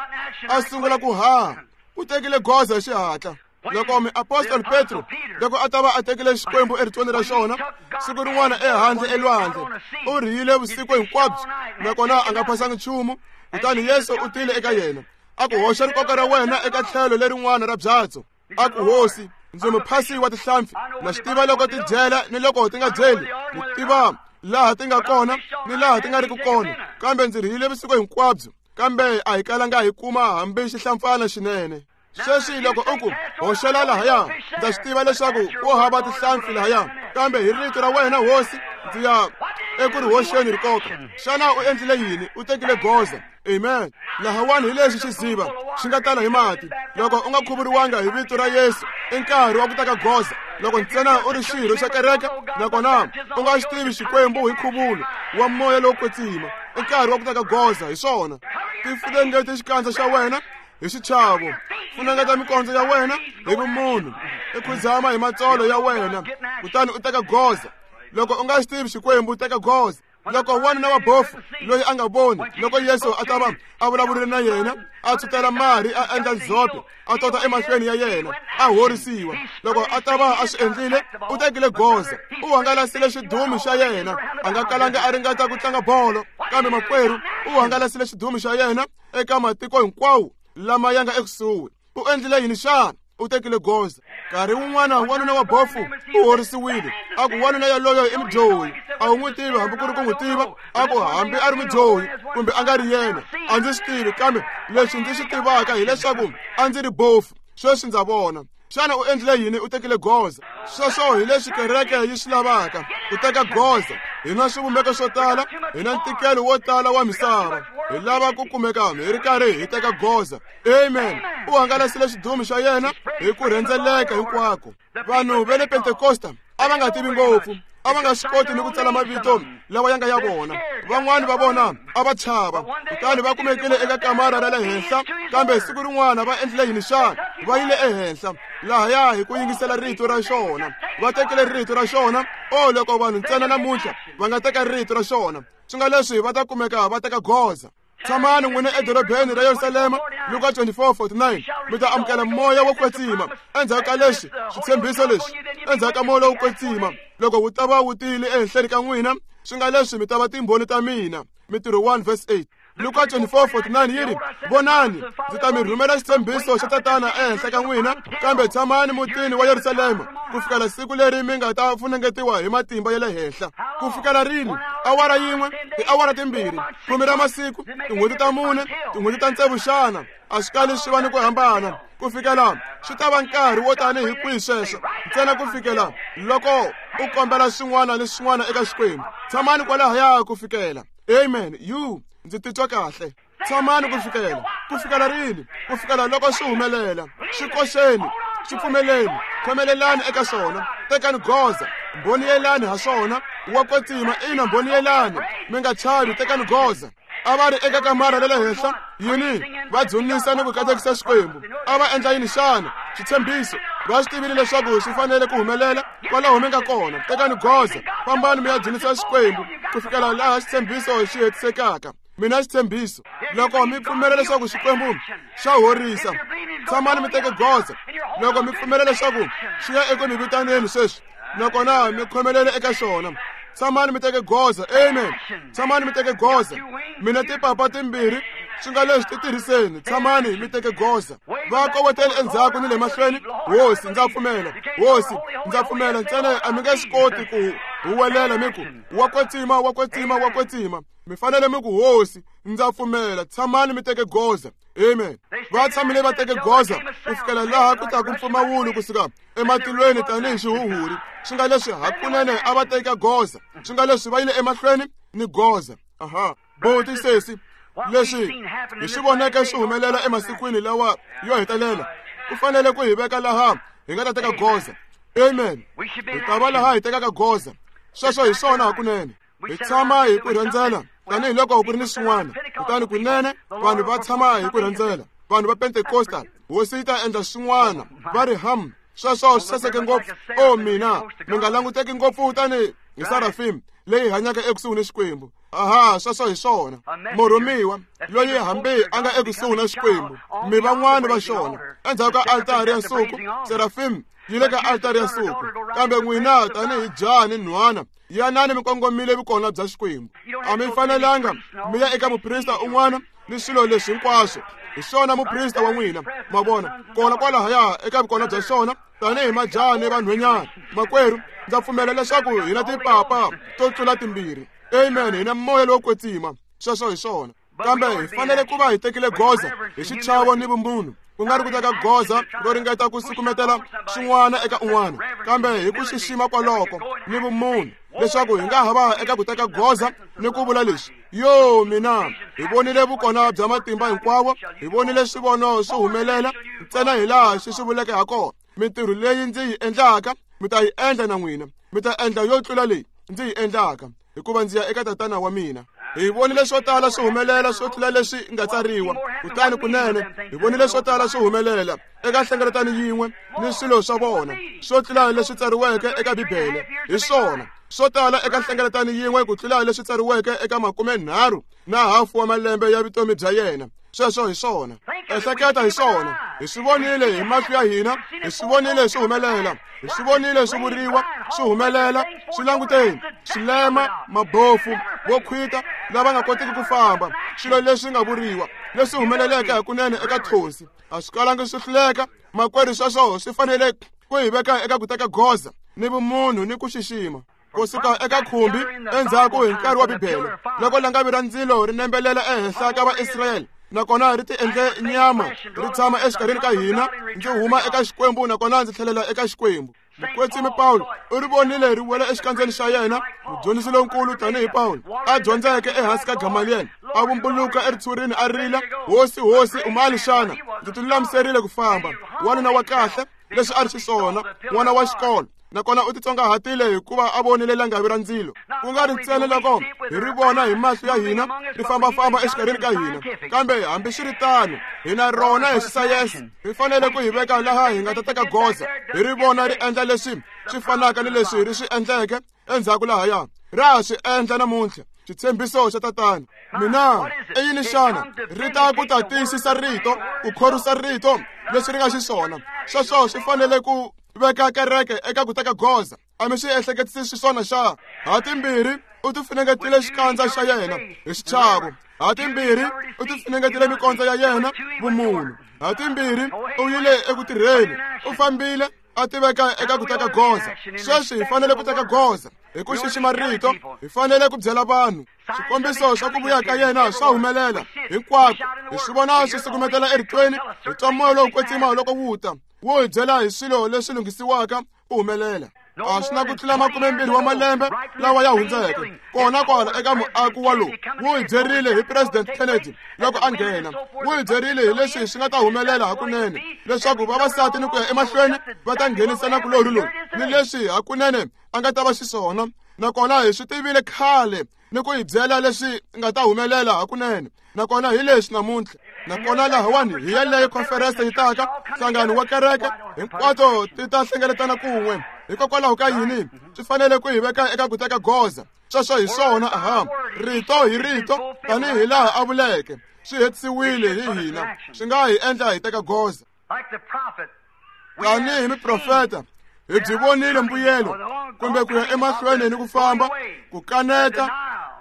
a sungula ku haha. U tekile goza hi xihatla. Loko muapostoli Petro, loko a ta va a tekile Xikwembu eritweni ra xona, siku rin'wana ehandle elwandle, u rhiyile vusiku hinkwabyo, nakona a nga phasanga nchumu. Kutani Yesu u tile eka yena, a ku, "Hoxa rikoka ra wena eka tlhelo lerin'wana ra byatso." A ku, "Hosi, ndzi muphasi wa tihlampfi, na swi tiva loko ti dyela ni loko ti nga dyeli, ni tiva laha ti nga kona ni laha ti nga riki kona, kambe ndzi rhiyile vusiku hinkwabyo, kambe a hi kalanga hi kuma hambi xihlampfana xinene." Sweswi loko u ku, "Hoxela lahaya," ndza swi tiva leswaku ku hava tihlampfi lahaya, kambe hi rito ra wena hosi ndzi ya eku ri hoxeni rikoka. Xana u endlile yini? U tekile goza. Amen. Lahawani hi lexi xiziva xi nga tala hi mati. Loko u nga khuvuriwanga hi vito ra Yesu, i nkarhi wa ku teka goza. Loko ntsena u ri xirho xa kereke, nakona u nga xi tivi Xikwembu hi nkhuvulo wa moya lowo kwetsima, i nkarhi wa ku teka goza. Hi swona. Tifunengete xikandza xa wena hi xichavo, funengeta mikondzo ya wena hi vumunhu, i khudzama hi matsolo ya wena, kutani u teka goza. Loko u nga xi tivi Xikwembu, teka goza. Loko wanuna wa bofu loyi a nga voni, loko Yesu a ta va a vulavurile na yena, a tshutela mari, a endla ndzhope, a tota emahlweni ya yena, a horisiwa. Loko a ta va a swi endlile, u tekile goza, u hangalasile xidumi xa yena. A nga kalanga a ringeta ku tlanga bolo, kambe makwerhu u hangalasile xidumi xa yena eka matiko hinkwawo lama ya nga ekusuhi. U endlile yini xana? U tekile goza. Nkarhi wun'wana wanuna wa bofu u horisiwile. A ku wanuna yaloyo i mudyohi. A wu n'wi tivi hambi ku ri ku n'wi tiva. A ku hambi a ri mudyohi kumbe a nga ri yena, a ndzi swi tivi, kambe leswi ndzi swi tivaka hileswaku a ndzi ri bofu, sweswi ndza vona. Xana u endlile yini? U tekile goza. Sweswo hi leswi kereke yi swi lavaka, ku teka goza. Hi na swivumbeko swo tala, hi na ntikelo wo tala wa misava. Hi lava ku kumeka hi ri karhi hi teka goza. Amen. U hangalasile xidumu xa yena hi ku rhendzeleka hinkwako. Vanhu va le Pentekosta a va nga tivi ngopfu, a va nga swi koti ni ku tsala mavito lawa ya nga ya vona. Van'wani va vona a va chava, kutani va kumekile eka kamara ra le henhla. Kambe siku rin'wana va endlile yini xana? Va yile ehenhla lahaya hi ku yingisela rito ra xona. Va tekile rito ra xona. O loko vanhu ntsena namuntlha va nga teka rito ra xona, swi nga leswi va ta kumeka va teka goza. Tshamani n'wina edorobeni ra Yerusalema, Luka twenty-four forty-nine, mi ta amukela moya wo kwetsima. Endzhaku ka leswi switshembiso leswi, endzhaku ka moya lowo kwetsima, loko wu ta va wu tile ehenhleni ka n'wina, swi nga leswi mi ta va timbhoni ta mina. Mintirho one verse eight. Luka twenty-four forty-nine yi ri, vonani, ndzi ta mi rhumela xitshembiso xa Tatana ehenhla ka n'wina, kambe tshamani mutini wa Yerusalema ku fikela siku leri mi nga ta funengetiwa hi matimba ya le henhla. Ku fikela rini? Awara yin'we, tiawara timbirhi, khume ra masiku, tin'hweti ta mune, tin'hweti ta tsevu xana? A swi kali swi va ni ku hambana. Ku fikela swi ta va nkarhi wo tani hi kwihi sweswo? Ntsena ku fikela loko u kombela swin'wana ni swin'wana eka Xikwembu. Tshamani kwalahaya ku fikela. Amen. You ndzi titwa kahle. Tshamani ku fikela. Ku fikela rini? Ku fikela loko swi humelela. Swi koxeni, swi pfumeleni, khomelelani eka swona, tekani goza, mbhoniyelani ha swona. Wa kwetsima, ina, mbhoniyelani, mi nga chavi, tekani goza. A va ri eka kamara ra le henhla, yini? Va dzunisa ni ku katekisa Xikwembu. A va endla yini xana? Xitshembiso. Va swi tivile leswaku swi fanele ku humelela kwalaho mi nga kona. Tekani goza, fambani mi ya dzunisa Xikwembu ku fikela laha xitshembiso xi hetisekaka. Mina xitshembiso, loko mi pfumela leswaku Xikwembu xa horisa, tshamani mi teke goza. Loko mi pfumela leswaku xi ya eku mi vitaneni sweswi, nakona mi khomelele eka xona, tshamani mi teke goza. Amen. Tshamani mi teke goza. Mina tipapa timbirhi, swi nga leswi ti tirhiseni. Tshamani mi teke goza. Va kovotele endzhaku ni le mahlweni. Hosi, ndza pfumela. Hosi, ndza pfumela. Ntsena a mi nge swi koti ku huwelela mi ku wa kwetsima, wa kwetsima, wa kwetsima. Mi fanele mi ku hosi, ndza pfumela. Tshamani mi teke goza. Amen. Va tshamile va teke goza ku fikela laha ku taku mpfumawulo kusuka ematilweni tanihi xihuhuri. Swi nga leswi hakunene a va teka goza. Swi nga leswi va yile emahlweni ni goza. Aha. Boti sesi, leswi hi swi voneke swi humelela emasikwini lawa yo hetelela, ku fanele ku hi veka laha hi nga ta teka goza. Amen. Hi ta va laha hi tekaka goza. Sweswo hi swona hakunene. Hi tshama hi ku rhendzela tanihiloko ku ri ni swin'wana. Kutani kunene vanhu va tshama hi ku rhendzela. Vanhu va Pentecostal, hosi yi ta endla swin'wana. Va ri ham, sweswo swi saseke ngopfu. O mina, mi nga languteki ngopfu tani hi Serafim leyi hanyaka ekusuhi ni Xikwembu. Aha, sweswo hi swona. Murhumiwa loyi hambi a nga ekusuhi na Xikwembu, mi van'wani va xona. Endzhaku ka altari ya nsuku, Serafim yi le ka altari ya nsuku. Kambe n'wina tanihi jaha ni nhwana, yanani mi kongomile vukona bya Xikwembu. A mi fanelanga mi ya eka muprista un'wana ni swilo leswi hinkwaswo. Hi xona muprista wa n'wina, ma vona, kona kwalahaya eka vukona bya xona tanihi majaha ni vanhwanyana. Makwerhu, ndza pfumela leswaku hi na tipapa to tlula timbirhi. Amen. Hi na moya lowo kwetsima. Sweswo hi swona. Kambe hi fanele ku va hi tekile goza hi xichavo ni vumunhu, ku nga ri ku teka goza ro ringeta ku sukumetela swin'wana eka un'wana, kambe hi ku xixima kwaloko ni vumunhu, leswaku hi nga ha va eka ku teka goza ni ku vula leswi: yo mina, hi vonile vukona bya matimba hinkwawo, hi vonile swivono swi humelela ntsena hi laha xi swi vuleke ha kona. Mintirho leyi ndzi yi endlaka mi ta yi endla na n'wina, mi ta endla yo tlula leyi ndzi yi endlaka, hikuva ndzi ya eka Tatana wa mina. Hi vonile swo tala swi humelela swo tlula leswi nga tsariwa. Kutani kunene hi vonile swo tala swi humelela eka nhlengeletano yin'we ni swilo swa vona swo tlula leswi tsariweke eka Bibele. Hi swona swo tala eka nhlengeletano yin'we ku tlula leswi tsariweke eka makume nharhu na hafu wa malembe ya vutomi bya yena. Sweswo hi swona. Ehleketa hi swona. Hi swi vonile hi mahlo ya hina, hi swi vonile swi humelela, hi swi vonile swi vuriwa, swi humelela, swi languteni, swilema, mabofu, vo khwita, lava nga kotiki ku famba, swilo leswi nga vuriwa. leswi humeleleke hakunene eka thonsi a swi kalangi swi hluleka makwerhu sweswo swi fanele ku hi veka eka ku teka goza ni vumunhu ni ku xixima kusuka eka khumbi endzhaku hi nkarhi wa Bibele loko langavi ra ndzilo ri nembelela ehenhla ka Vaisrayele nakona ri ti endle nyama ri tshama exikarhini ka hina ndzi huma eka Xikwembu nakona ndzi tlhelela eka Xikwembu. Mukwetsimi Pawulo u ri vonile ri wela exikandzeni xa yena mudyondzisi lonkulu tanihi Pawulo a dyondzeke ehansi ka Gamaliel a vumbuluka eritshurini a rila hosi hosi u mani xana ndzi ti lulamiserile ku famba wanuna wa kahle leswi a ri xiswona n'wana wa xikolo nakona u titsongahatile hikuva a vonile langavi ra ndzilo ku nga ri ntsena loko hi ri vona hi mahlo ya hina ri fambafamba exikarhini ka hina kambe hambiswiritano hi na rona hi xisayense ri fanele ku hi veka laha hi nga ta teka goza hi ri vona ri endla leswi swi fanaka ni leswi ri swi endleke endzhaku lahaya ra ha swi endla namuntlha xitshembiso xa tatana mina i yini xana ri ta ku ta tiyisisa rito ku khorwisa rito leswi ri nga xiswona sweswo swi fanele ku veka kereke eka ku teka goza a mi swi ehleketisisi xiswona xa ha timbirhi u ti funengetile xikandza xa yena hi xichavo ha timbirhi u ti funengetile mikondzo ya yena vumunhu ha timbirhi u yile eku tirheni u fambile a tiveka eka ku teka goza sweswi hi fanele ku teka goza hi ku xixima rito hi fanele ku byela vanhu swikombiso swa ku vuya ka yena swa humelela hinkwako hi swi vona swi sukumetela eritweni hi twa moya lowu kwetsima loko wu ta wu hi byela hi swilo leswi lunghisiwaka ku humelela a swi na ku tlula makumembirhi wa malembe lawa ya hundzeke kona kwala eka muako wa lowu wu hi byerile hi President Kennedy loko a nghena wu hi byerile hi leswi swi nga ta humelela hakunene leswaku vavasati ni ku ya emahlweni va ta nghenisa nakulorhi lowu ni leswi hakunene a nga ta va xiswona nakona hi swi tivile khale ni ku hi byela leswi nga ta humelela hakunene nakona hi leswi namuntlha nakona lahawani hi yeleyo conference yi taka nhlangano wa kereke hinkwato ti ta hlengeletana kun'we hikokwalaho ka yini swi fanele ku hi veka eka ku teka goza sweswo hi swona aha rito hi rito tanihi laha a vuleke swi hetisiwile hi hina swi nga hi endla hi teka goza tanihi miprofeta hi byi vonile mbuyelo kumbe ku ya emahlweni ni ku famba ku kaneta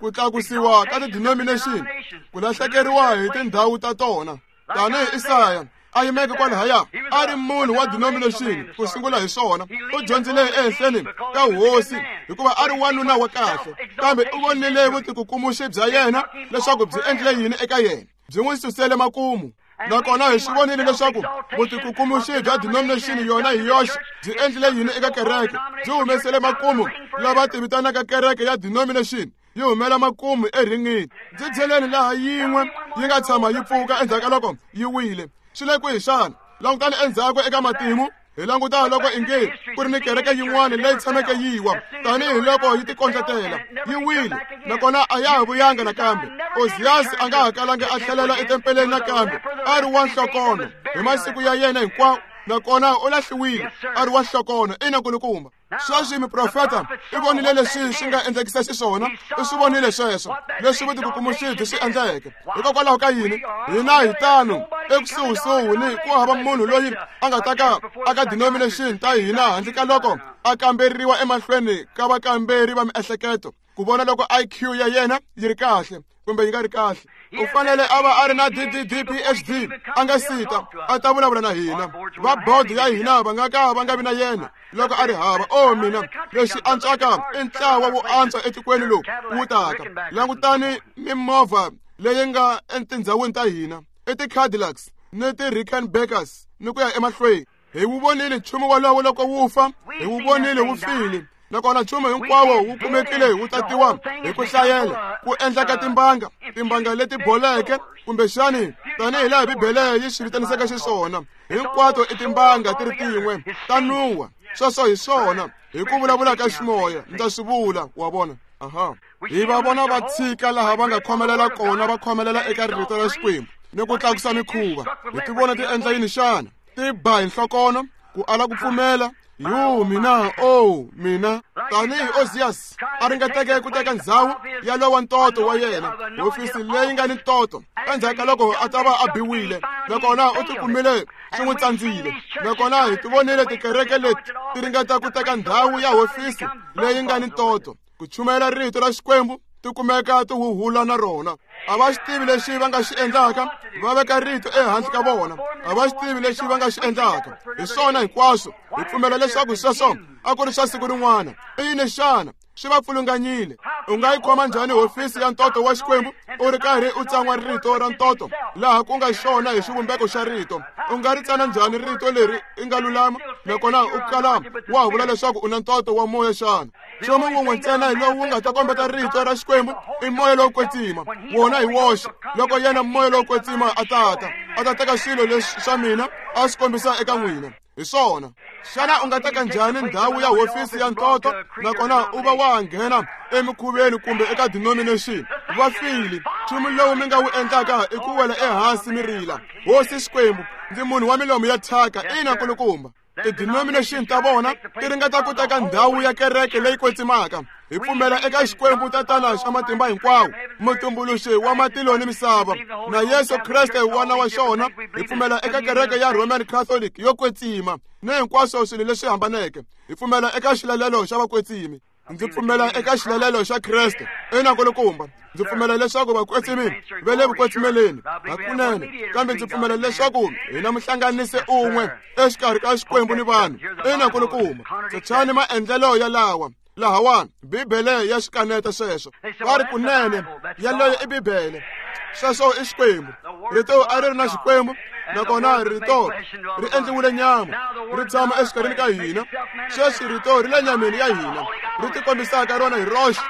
ku tlakusiwa ka ti-denomination ku lahlekeriwa hi tindhawu ta tona tanihi Isaya a yimeke kwalahaya a ri munhu wa denomination ku sungula hi swona u dyondzile ehenhleni ka hosi hikuva a ri wanuna wa kahle kambe u vonile vutikukumuxi bya yena leswaku byi endlile yini eka yena byi n'wi susele makumu nakona hi swi vonile leswaku vutikukumuxi bya denomination yona hi yoxe byi endlile yini eka kereke byi humesele makumu lava ti vitanaka kereke ya denomination yi humela makumu erhingini ndzi byeleni laha yin'we yi nga tshama yi pfuka endzhaku ka loko yi wile swi le kwihi xana langutani endzhaku eka matimu hi languta loko inge ku ri ni kereke yin'wana leyi tshameke yi wa tanihi loko yi tikondletela yi wile nakona a ya ha vuyanga nakambe Oziyasi a nga ha kalangi a tlhelela etempeleni nakambe a ri wa nhlokono hi masiku ya yena hinkwawo nakona u lahliwile a ri wa nhlokono ina nkulukumba sweswi miprofeta i vonile leswi swi nga endlekisa xiswona i swi vonile sweswo leswi vutikukumuxi byi swi endleke hikokwalaho ka yini hina hi tano ekusuhisuhi ni ku hava munhu loyi a nga ta ka aka denomination ta hina handle ka loko a kamberiwa emahlweni ka vakamberi va miehleketo ku vona loko I Q ya yena yi ri kahle kumbe yi nga ri kahle u fanele a va a ri na D D D P H D a nga sita a ta vulavula na hina va board ya hina va nga ka va nga vi na yena loko a ri hava o mina lexi antswaka i ntlawa wo antswa etikweni lowu wu taka langutani mimovha leyi nga etindhawini ta hina i ti-Cadillacs ni ti-Rickenbackers ni ku ya emahlweni hi wu vonile nchumu wolowo loko wu fa hi wu vonile wu file nakona nchumu hinkwawo wu kumekile wu tatiwa hi ku hlayela ku endla ka timbanga timbanga leti boleke kumbexani tanihi laha Bibele yi swi vitanisaka xiswona hinkwato i timbanga ti ri tin'we ta nuwa sweswo hi swona hi ku vulavula ka ximoya ndza swi vula wa vona aha hi va vona va tshika laha va nga khomelela kona va khomelela eka rito ra Xikwembu ni ku tlakusa mikhuva hi ti vona ti endla yini xana ti ba hi nhlokono ku ala ku pfumela yo mina oh mina tanihi Oziyasi a ringeteke ku teka ndzhawu ya lowa ntoto wa yena hofisi leyi nga ni ntoto endzhaku ka loko a ta va a biwile nakona u tikumile swi n'wi tsandzile nakona hi ti vonile tikereke leti ti ringeta ku teka ndhawu ya hofisi leyi nga ni ntoto ku chumayela rito ra Xikwembu ti ti kumeka ti huhula na rona. A va xi tivi lexi va nga xi endlaka, va veka rito ehansi ka vona. A va xi tivi lexi va nga xi endlaka. Hi swona hinkwaswo, hi pfumela leswaku sweswo a ku ri swa siku rin'wana. I yini xana? Swi va pfulunganyile. U nga yi khoma njhani hofisi ya ntoto wa Xikwembu u ri karhi u tsan'wa rito ra ntoto laha ku nga xona hi xivumbeko xa rito? U nga ri tsana njhani rito leri i nga lulama nakona u kala wa vula leswaku u na ntoto wa moya xana? Nchumu wun'we ntsena lowu nga ta kombeta rito ra Xikwembu i moya lowo kwetsima. Wona hi woxe. Loko yena moya lowo kwetsima a tata, a ta teka swilo leswi swa mina a swi kombisa eka n'wina. Hi swona. Xana u nga teka njhani ndhawu ya hofisi ya ntoto nakona u va wa nghena emikhuveni kumbe eka denomination? Va file. Nchumu lowu mi nga wu endlaka i ku wela ehansi mi rila. Hosi Xikwembu, ndzi munhu wa milomu ya thyaka, ina nkulukumba. Ti-denomination ta vona ti ringeta ku teka ndhawu ya kereke leyi kwetsimaka. Hi pfumela eka Xikwembu Tatana xa matimba hinkwawo, mutumbuluxi wa matilo ni misava, na Yesu Kreste n'wana wa xona. Hi pfumela eka kereke ya Roman Catholic yo kwetsima ni hinkwaswo swilo leswi hambaneke. Hi pfumela eka xilalelo xa vakwetsimi. Ndzi pfumela eka xilalelo xa Kreste. Ina nkulukumba. Ndzi pfumela leswaku vakwetsimi va le vukwetsimeleni hakunene, kambe ndzi pfumela leswaku hi na muhlanganisi un'we exikarhi ka Xikwembu ni vanhu. Ina nkulukumba. Tshani maendlelo ya lawa lahawani, Bibele ya xikaneta sweswo. Va ri kunene yaleyo i Bibele. Sweswo i Xikwembu. Rito a ri ri na Xikwembu, nakona rito ri endliwile nyama, ri tshama exikarhini ka hina. Sweswi rito ri le nyameni ya hina, ri tikombisaka rona hi roxe,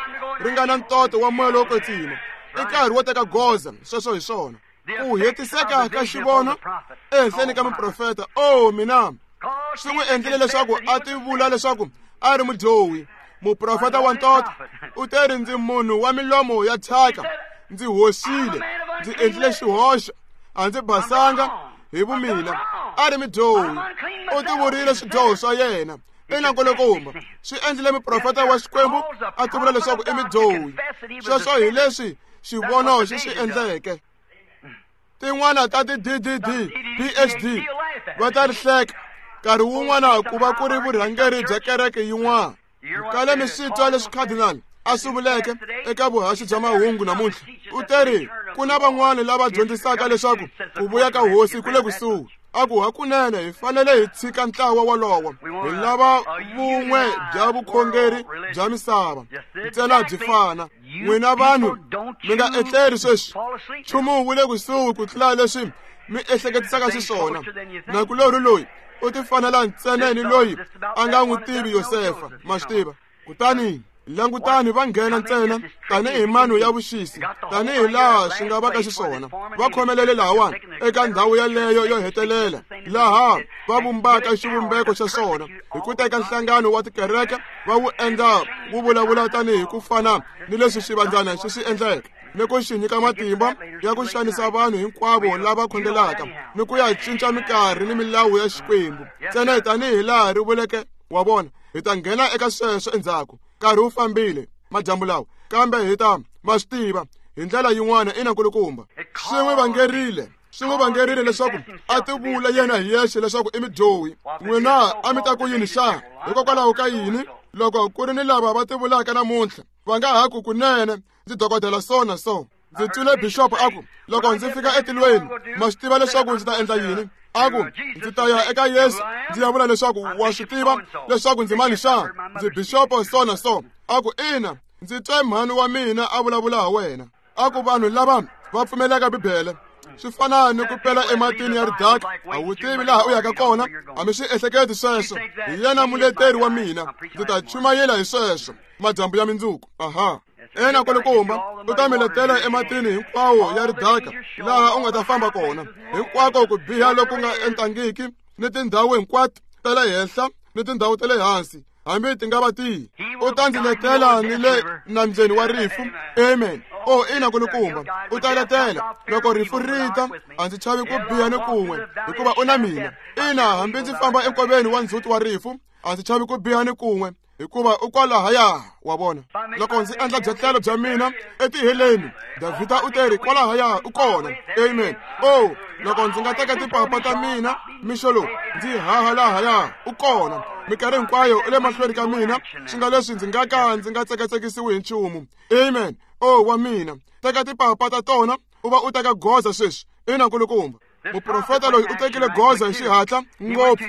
ri nga na ntoto wa moya lowo kwetsima. I nkarhi wo teka goza, sweswo hi swona. Ku hetiseka ka xivono ehenhleni ka muprofeta. Oh mina, swi n'wi endlile leswaku a tivula leswaku a ri mudyohi. Muprofeta wa ntoto u te ri ndzi munhu wa milomo ya thyaka, ndzi hoxile, ndzi endlile xihoxo, a ndzi basanga hi vumina. A ri mudyohi, u tivurile swidyoho swa yena. Ina nkulukumba. Swi endlile muprofeta wa Xikwembu a tivula leswaku i mudyohi. Sweswo hi leswi xivono xi swi endleke. Tin'wana ta ti-D D D, P H D va ta ri hleka nkarhi wun'wana ku va ku ri vurhangeri bya kereke yin'wana. Kale mi swi twa leswi cardinal a swi vuleke eka vuhaxi bya mahungu namuntlha. U te ri ku na van'wana lava dyondzisaka leswaku ku vuya ka hosi ku le kusuhi. A ku hakunene hi fanele hi tshika ntlawa wolowo, hi lava vun'we bya vukhongeri bya misava ntsena byi fana. N'wina vanhu mi nga etleri sweswi, nchumu wu le kusuhi ku tlula leswi mi ehleketisaka xiswona. Nakulorhi loyi u ti fanela ntsena ni loyi a nga n'wi tivi Yosefa, ma swi tiva. Kutani langutani va nghena ntsena tanihi mano ya vuxisi, tanihi laha swi nga va ka xiswona. Va khomelele lahawani eka ndhawu yaleyo yo hetelela laha va vumbaka xivumbeko xa swona hi ku teka nhlangano wa tikereke va wu endla wu vulavula tanihi ku fana ni leswi xivandzana xi swi endleke, ni ku xi nyika matimba ya ku xanisa vanhu hinkwavo lava khongelaka ni ku ya cinca minkarhi ni milawu ya Xikwembu ntsena tanihi laha ri vuleke. Wa vona, hi ta nghena eka sweswo endzhaku. Nkarhi wu fambile madyambu lawa, kambe hi ta ma swi tiva hi ndlela yin'wana. Ina nkulukumba. Swi n'wi vangerile, swi n'wi vangerile leswaku a tivula yena hi yexe leswaku i mudyohi. N'wina a mi ta ku yini xana? Hikokwalaho ka yini loko ku ri ni lava va tivulaka namuntlha va nga ha ku kunene ndzi dokodela so na so? Ndzi twile bishop a ku loko ndzi fika etilweni ma swi tiva leswaku ndzi ta endla yini? A ku ndzi ta ya eka Yesu ndzi ya vula leswaku wa swi tiva leswaku ndzi mani xana? Ndzi bishopo so na so. A ku ina, ndzi twe mhani wa mina a vulavula ha wena. A ku vanhu lava va pfumelaka Bibele swi fana ni ku pela ematini ya ridaka, a wu tivi laha u yaka kona. A mi swi ehleketi sweswo. Hi yena muleteri wa mina, ndzi ta chumayela hi sweswo madyambu ya mindzuku. Aha. Ena nkulukumba, u ta mi letela ematini hinkwawo ya ridaka laha u nga ta famba kona, hinkwako ku biha loku nga entangiki ni tindhawu hinkwato ta le henhla ni tindhawu ta le hansi, hambi ti nga va tihi. U ta ndzi letela ni le nambyeni wa rifu. Amen. O ina nkulukumba, u ta letela loko rifu ri ta. A ndzi chavi ku biha ni kun'we, hikuva u na mina. Ina, hambi ndzi famba enkoveni wa ndzhuti wa rifu, a ndzi chavi ku biha ni kun'we, hikuva u kwalahaya. Wa vona, loko ndzi endla byetlelo bya mina etiheleni, Davhida u te ri kwalahaya u kona. Amen. O loko ndzi nga teka tipapa ta mina mixo lowu ndzi haha lahaya, u kona. Minkarhi hinkwayo u le mahlweni ka mina, swi nga leswi ndzi nga ka ndzi nga tsekatsekisiwi hi nchumu. Amen. O wa mina, teka tipapa ta tona u va u teka goza sweswi. Ina nkulukumba. Muprofeta loyi u tekile goza hi xihatla ngopfu.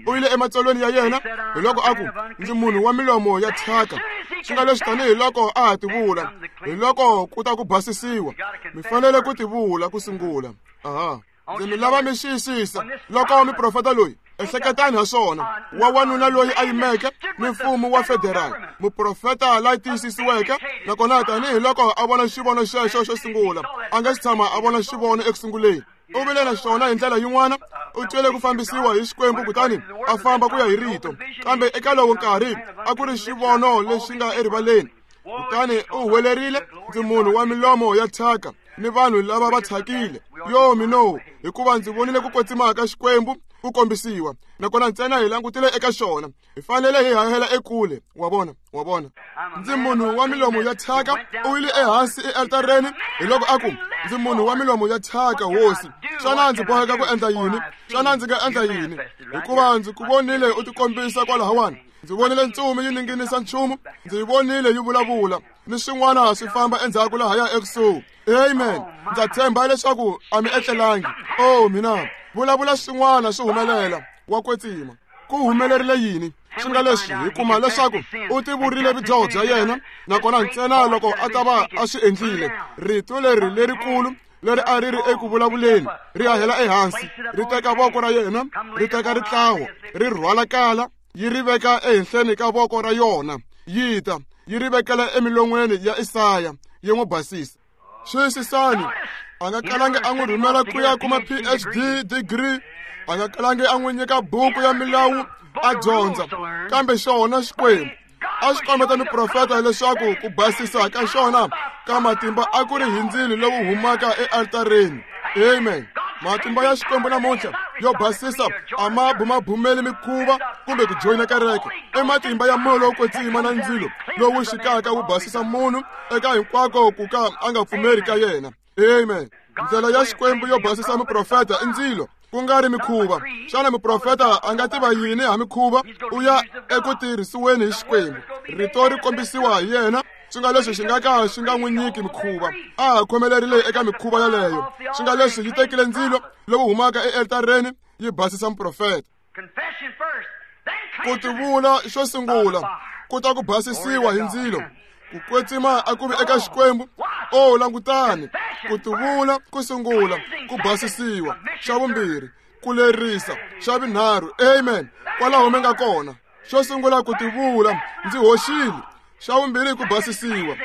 U yile ematsolweni ya yena hi loko a ku, ndzi munhu wa milomo ya thyaka. Swi nga leswi tanihi loko a ha tivula, hi loko ku ta ku basisiwa. Mi fanele ku tivula ku sungula. Aha. Ndzi mi lava mi xiyisisa loko muprofeta loyi, ehleketani ha swona, wa wanuna loyi a yimeke ni mfumo wa federal, muprofeta la tiyisisiweke, nakona tanihi loko a vona xivono xexo xo sungula, a nga si tshama a vona xivono eku sunguleni. U vile na xona hi ndlela yin'wana, u twele ku fambisiwa hi Xikwembu kutani a famba ku ya hi rito. Kambe eka lowo nkarhi a ku ri xivono lexi nga erivaleni. Kutani u huwelerile, ndzi munhu wa milomo ya thyaka ni vanhu lava va thyakile. Yo mino, hikuva ndzi vonile ku kwetsima ka Xikwembu ku kombisiwa, nakona ntsena hi langutile eka xona. Hi fanele hi hahela ekule. Wa vona, wa vona. Ndzi munhu wa milomo ya thyaka. U yile ehansi ealtareni hi loko a ku, ndzi munhu wa milomo ya thyaka, Hosi. Xana ndzi boheka ku endla yini? Xana ndzi nga endla yini? Hikuva ndzi ku vonile u tikombisa kwalahawani. Ndzi vonile ntsumi yi ninginisa nchumu, ndzi yi vonile yi vulavula, ni swin'wana swi famba endzhaku lahaya ekusuhi. Amen. Ndza tshemba leswaku a mi etlelangi. Oh mina, vulavula swin'wana swi humelela. Wa kwetsima. Ku humelerile yini? Swi nga leswi hi kuma leswaku u tivurile vudyoho bya yena, nakona ntsena loko a ta va a swi endlile, rito leri lerikulu leri a ri ri eku vulavuleni ri hahela ehansi, ri teka voko ra yena, ri teka ritlawo, ri rhwala kala, yi ri veka ehenhleni ka voko ra yona, yi ta yi ri vekela emilon'weni ya Isaya, yi n'wi basisa. Xiyisisani, a nga kalangi a n'wi rhumela ku ya kuma P H D degree, a nga kalangi a n'wi nyika buku ya milawu a dyondza, kambe xona Xikwembu a xi kombeta muprofeta leswaku ku basisa ka xona ka matimba a ku ri hi ndzilo lowu humaka ealtareni. Amen. Matimba ya Xikwembu namuntlha yo basisa a ma bumabumeli mikhuva kumbe ku joyina kereke. I matimba ya moya lowo kwetsima na ndzilo lowu xikaka wu basisa munhu eka hinkwako ku ka a nga pfumeri ka yena. Amen. Ndlela ya Xikwembu yo basisa muprofeta i ndzilo, ku nga ri mikhuva. Xana muprofeta a nga tiva yini ha mikhuva? U ya eku tirhisiweni hi Xikwembu. Rito ri kombisiwa hi yena, swi nga leswi xi nga ka xi nga n'wi nyiki mikhuva. A ha khomelerile eka mikhuva yaleyo. Swi nga leswi yi tekile ndzilo lowu humaka ealtareni yi basisa muprofeta. Ku tivula xo sungula ku ta ku basisiwa hi ndzilo. Ku kwetsima a ku vi eka Xikwembu. O langutani, ku tivula ku sungula, ku basisiwa. Xa vumbirhi, ku lerisa. Xa vunharhu, amen, kwalaho mi nga kona. Xo sungula ku tivula, ndzi hoxile. Xa vumbirhi ku basisiwa,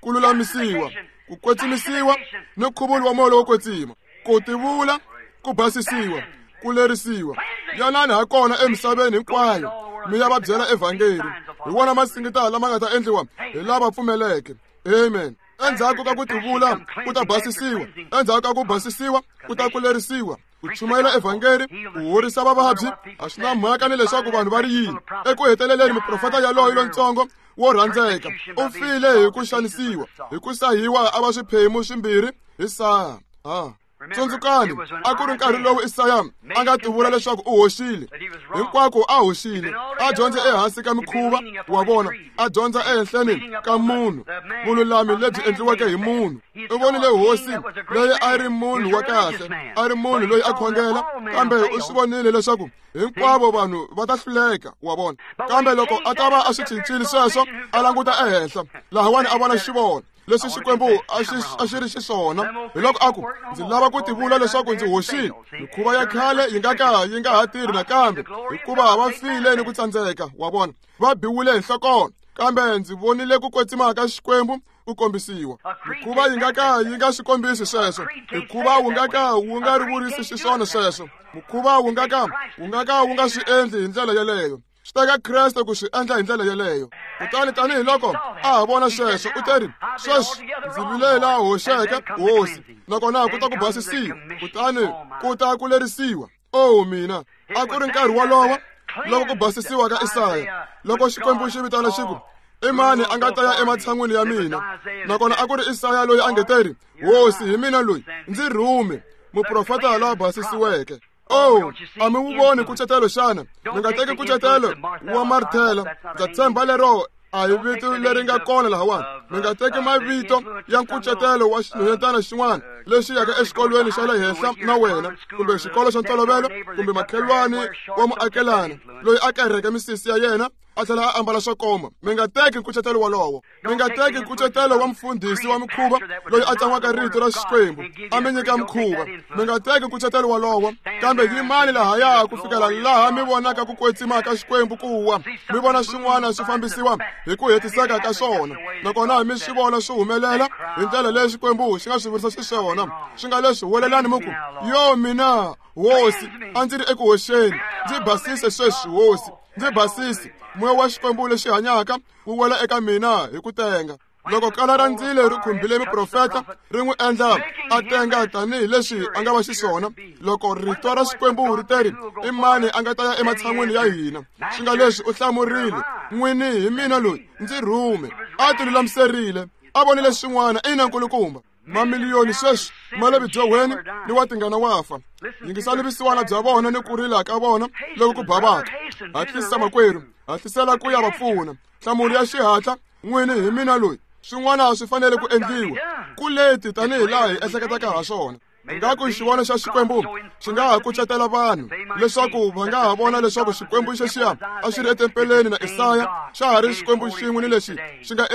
ku lulamisiwa, ku kwetsimisiwa ni nkhuvulo wa moya lowo kwetsima. Ku tivula, ku basisiwa, ku lerisiwa. Yanani ha kona emisaveni hinkwayo, mi ya va byela evhangeli. Hi wona masingita lama nga ta endliwa hi lava pfumeleke. Amen. Endzhaku ka ku tivula ku ta basisiwa, endzhaku ka ku basisiwa ku ta ku lerisiwa, ku chumayela evhangeli, ku horisa vavabyi. A swi na mhaka ni leswaku vanhu va ri yini. Eku heteleleni muprofeta yaloye lontsongo wo rhandzeka u file hi ku xanisiwa, hi ku sahiwa a va swiphemu swimbirhi hi saha. Ha. Tsundzukani, a ku ri nkarhi lowu Isaya a nga tivula leswaku u hoxile. Hinkwako a hoxile, a dyondze ehansi ka mikhuva wa vona, a dyondza ehenhleni ka munhu, vululami lebyi endliweke hi munhu. U vonile hosi leyi a ri munhu wa kahle, a ri munhu loyi a khongela, kambe u swi vonile leswaku hinkwavo vanhu va ta hluleka, wa vona. Kambe loko a ta va a swi cincile sweswo, a languta ehenhla lahawani a vona xivono leswi Xikwembu a xi a xi ri xiswona. Hi loko a ku, ndzi lava ku tivula leswaku ndzi hoxile. Mikhuva ya khale yi nga ka yi nga ha tirhi nakambe, hikuva va file ni ku tsandzeka, wa vona, va biwile hi nhlokono. Kambe ndzi vonile ku kwetsima ka Xikwembu ku kombisiwa. Mikhuva yi nga ka yi nga swi kombisi sweswo. Mikhuva wu nga ka wu nga ri vurisi xiswona sweswo. Mukhuva wu nga ka wu nga ka wu nga swi endli hi ndlela yeleyo. Swi teka Kreste ku swi endla hi ndlela yeleyo. Kutani tanihiloko a ha vona sweswo, u teri, sweswi ndzi vile laha hoxeke, Hosi, nakona ku ta ku basisiwa, kutani ku ta ku lerisiwa. O mina, a ku ri nkarhi wolowo loko ku basisiwa ka Isaya, loko Xikwembu xi vitana xi ku, i mani a nga ta ya ematshan'wini ya mina? Nakona a ku ri Isaya loyi a nge teri, Hosi, hi mina loyi, ndzi rhume, muprofeta la basisiweke. Oh, a mi wu voni nkucetelo xana? Mi nga teki nkucetelo wa Marthela. Ndza tshemba lero A hi vito leri nga kona lahawani. Mi nga teki mavito ya nkucetelo wa xinhwanyetana xin'wana lexi yaka exikolweni xa le henhla na wena, kumbe xikolo xa ntolovelo, kumbe makhelwani wa muakelani loyi a kereke misisi ya yena a tlhela a ambala swo koma. Mi nga teki nkucetelo wolowo. Mi nga teki nkucetelo wa mfundhisi wa mikhuva loyi a tsan'waka rito ra Xikwembu a mi nyika mikhuva. Mi nga teki nkucetelo wolowo, kambe yimani lahaya ku fikela laha mi vonaka ku kwetsima ka Xikwembu ku wa, mi vona swin'wana swi fambisiwa hi ku hetiseka ka swona, nakona mi swi vona swi humelela hi ndlela leyi Xikwembu xi nga swi vurisa xiswona. Swi nga leswi huwelelani mi ku, yo mina hosi, a ndzi ri eku hoxeni, ndzi basise sweswi hosi, ndzi basise. Moya wa Xikwembu lexi hanyaka wu wela eka mina hi ku tenga. Loko kala ra ndzilo ri khumbile muprofeta, ri n'wi endla a tenga tanihileswi a nga va xiswona. Loko rito ra Xikwembu ri teri, i mani a nga ta ya ematshan'wini ya hina? Swi nga leswi u hlamurile, n'wini hi mina loyi, ndzi rhume. A ti lulamiserile, a vonile swin'wana. Ina nkulukumba. Mamiliyoni sweswi ma le vudyohweni ni wa tingana wa fa. Yingisani vusiwana bya vona ni ku rila ka vona loko ku bavaka. Hatlisa makwerhu, hatlisela ku ya va pfuna. Nhlamulo ya xihatla, n'wini hi mina loyi. Swin'wana swi fanele ku endliwa ku leti tanihi laha hi ehleketaka ha swona. Ingaku xivono xa Xikwembu xi nga ha kucetela vanhu leswaku va nga ha vona leswaku Xikwembu xexiya a xi ri etempeleni na Isaya xa ha ri Xikwembu xin'we ni lexi xi nga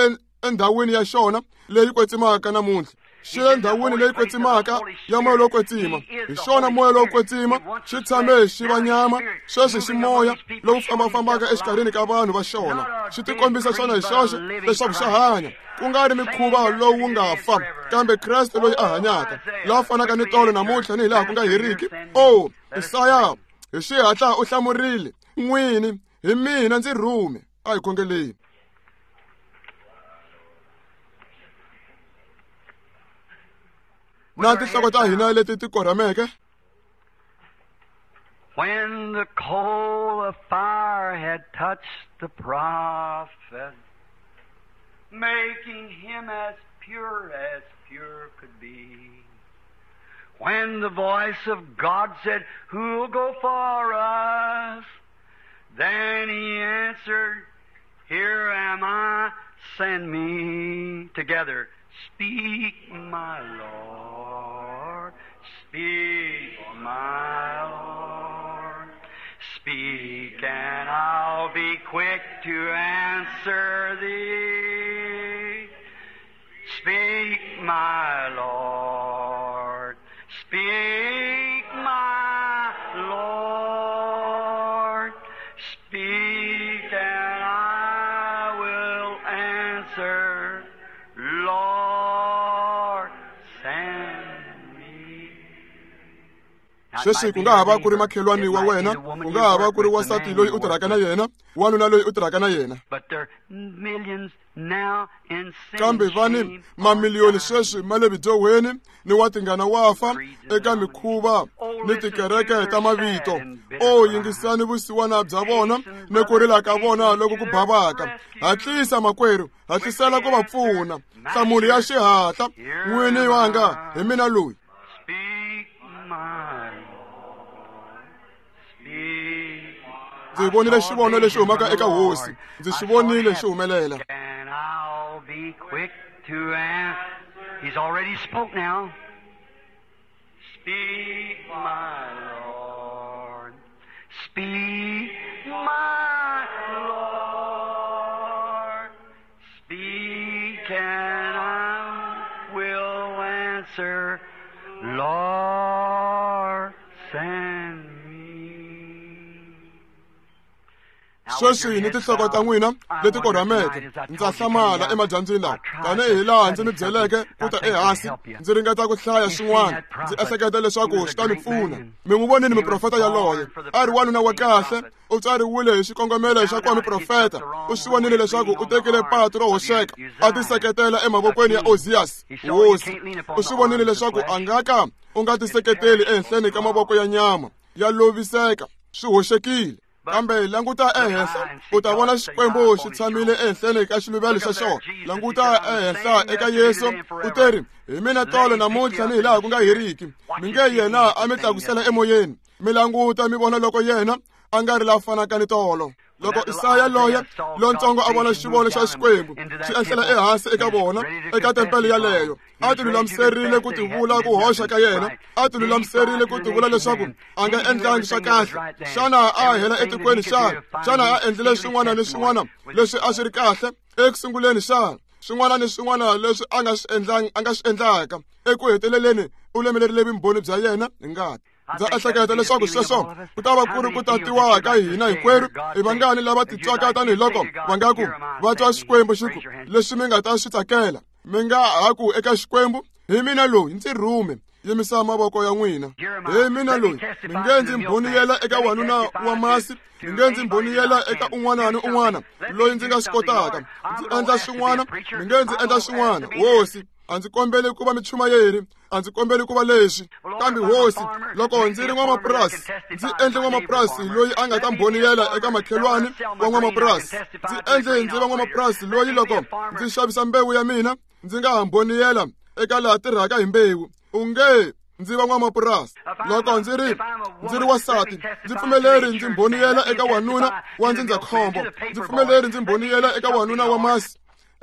endhawini ya xona leyi kwetsimaka namuntlha. Xi le ndhawini leyi kwetsimaka ya moya lowo kwetsima. Hi xona moya lowo kwetsima xi tshame xi va nyama, sweswi xi moya lowu fambafambaka exikarhini ka vanhu va xona. Xi tikombisa xona hi xoxe leswaku xa hanya, ku nga ri mikhuva lowu nga fa, kambe Kreste loyi a hanyaka, la fanaka ni tolo namuntlha ni hi laha ku nga heriki. O Isaya hi xihatla u hlamurile, n'wini hi mina, ndzi rhume. A hi khongeleni. Na tinhloko ta hina leti ti korhameke. When the coal of fire had touched the prophet, making him as pure as pure could be. When the voice of God said, who'll go for us? Then he answered, here am I, send me. Together, speak, my Lord, speak, my Lord. Speak, and I'll be quick to answer thee. Speak, my Lord, speak, my Lord. Speak, and I will answer, Lord, send me. Sweswi ku nga ha va ku ri makhelwani wa wena, ku nga ha va ku ri wansati loyi u tirhaka na yena, wanuna loyi u tirhaka na yena. Kambe va ni mamiliyoni sweswi ma le vudyohweni ni wa tingana wa fa eka mikhuva ni tikereke ta mavito. O yingisani vusiwana bya vona ni ku rila ka vona loko ku bavaka. Hatlisa makwerhu, hatlisela ku va pfuna. Nhlamulo ya xihatla, n'wini wanga hi mina loyi. Ndzi vonile xivono lexi humaka eka hosi, ndzi xi vonile xi humelela. And I'll be quick to answer. He's already spoke now. Speak, my Lord. Speak, my Lord. Speak, and I will answer. Lord, send me. Sweswi ni tinhloko ta n'wina leti korhameke, ndza hlamala emadyambyini lawa, tanihi laha ndzi mi byeleke ku ta ehansi, ndzi ringeta ku hlaya swin'wana, ndzi ehleketa leswaku swi ta mi pfuna. Mi n'wi vonile muprofeta yaloye, a ri wanuna wa kahle, u tswariwile hi xikongomelo xa ku va muprofeta. U swi vonile leswaku u tekile patu ro hoxeka, a tiseketela emavokweni ya Ozias hosi. U swi vonile leswaku a nga ka u nga tiseketeli ehenhleni ka mavoko ya nyama, ya loviseka, swi hoxekile. Kambe languta ehenhla, u ta vona Xikwembu xi tshamile ehenhleni ka xiluvelo xa xona. Languta ehenhla eka Yesu, u teri, hi mina tolo namuntlha ni hi laha ku nga heriki. Mi nge yena a mi tlakusela emoyeni, mi languta mi vona loko yena a nga ri la fanaka ni tolo. Loko Isaya loya lontsongo a vona xivono xa Xikwembu xi ehlela ehansi eka vona eka tempele yaleyo, a ti lulamiserile ku tivula ku hoxa ka yena, a ti lulamiserile ku tivula leswaku a nga endlangi swa kahle. Xana a hela etikweni xana? Xana a endlile swin'wana ni swin'wana leswi a swi ri kahle eku sunguleni xana? Swin'wana ni swin'wana leswi a nga swi endlangi a nga swi endlaka eku heteleleni u lemelerile vumbhoni bya yena hi ngati. Ndza ehleketa leswaku sweswo ku ta va ku ri ku tatiwa ka hina hinkwerhu. I vangani lava titwaka tanihiloko va nga ku va twa Xikwembu xi ku leswi mi nga ta swi tsakela, mi nga ha ku eka Xikwembu, hi mina loyi ndzi rhume. Yimisa mavoko ya n'wina. Hi mina loyi, mi nge ndzi mbhoniyela eka wanuna wa masi, mi nge ndzi mbhoniyela eka un'wana ni un'wana loyi ndzi nga swi kotaka. Ndzi endla swin'wana, mi nge ndzi endla swin'wana. Hosi, a ndzi kombeli ku va michumayeri, a ndzi kombeli ku va leswi, kambe Hosi, loko ndzi ri n'wamapurasi, ndzi endle n'wamapurasi loyi a nga ta mbhoniyela eka makhelwani wa n'wamapurasi. Ndzi endle ndzi va n'wamapurasi loyi loko ndzi xavisa mbewu ya mina ndzi nga ha mbhoniyela eka laha tirhaka hi mbewu. U nge ndzi va n'wamapurasi. Loko ndzi ri ndzi ri wansati, ndzi pfumeleri ndzi mbhoniyela eka wanuna wa ndzindzakhombo, ndzi pfumeleri ndzi mbhoniyela eka wanuna wa masi,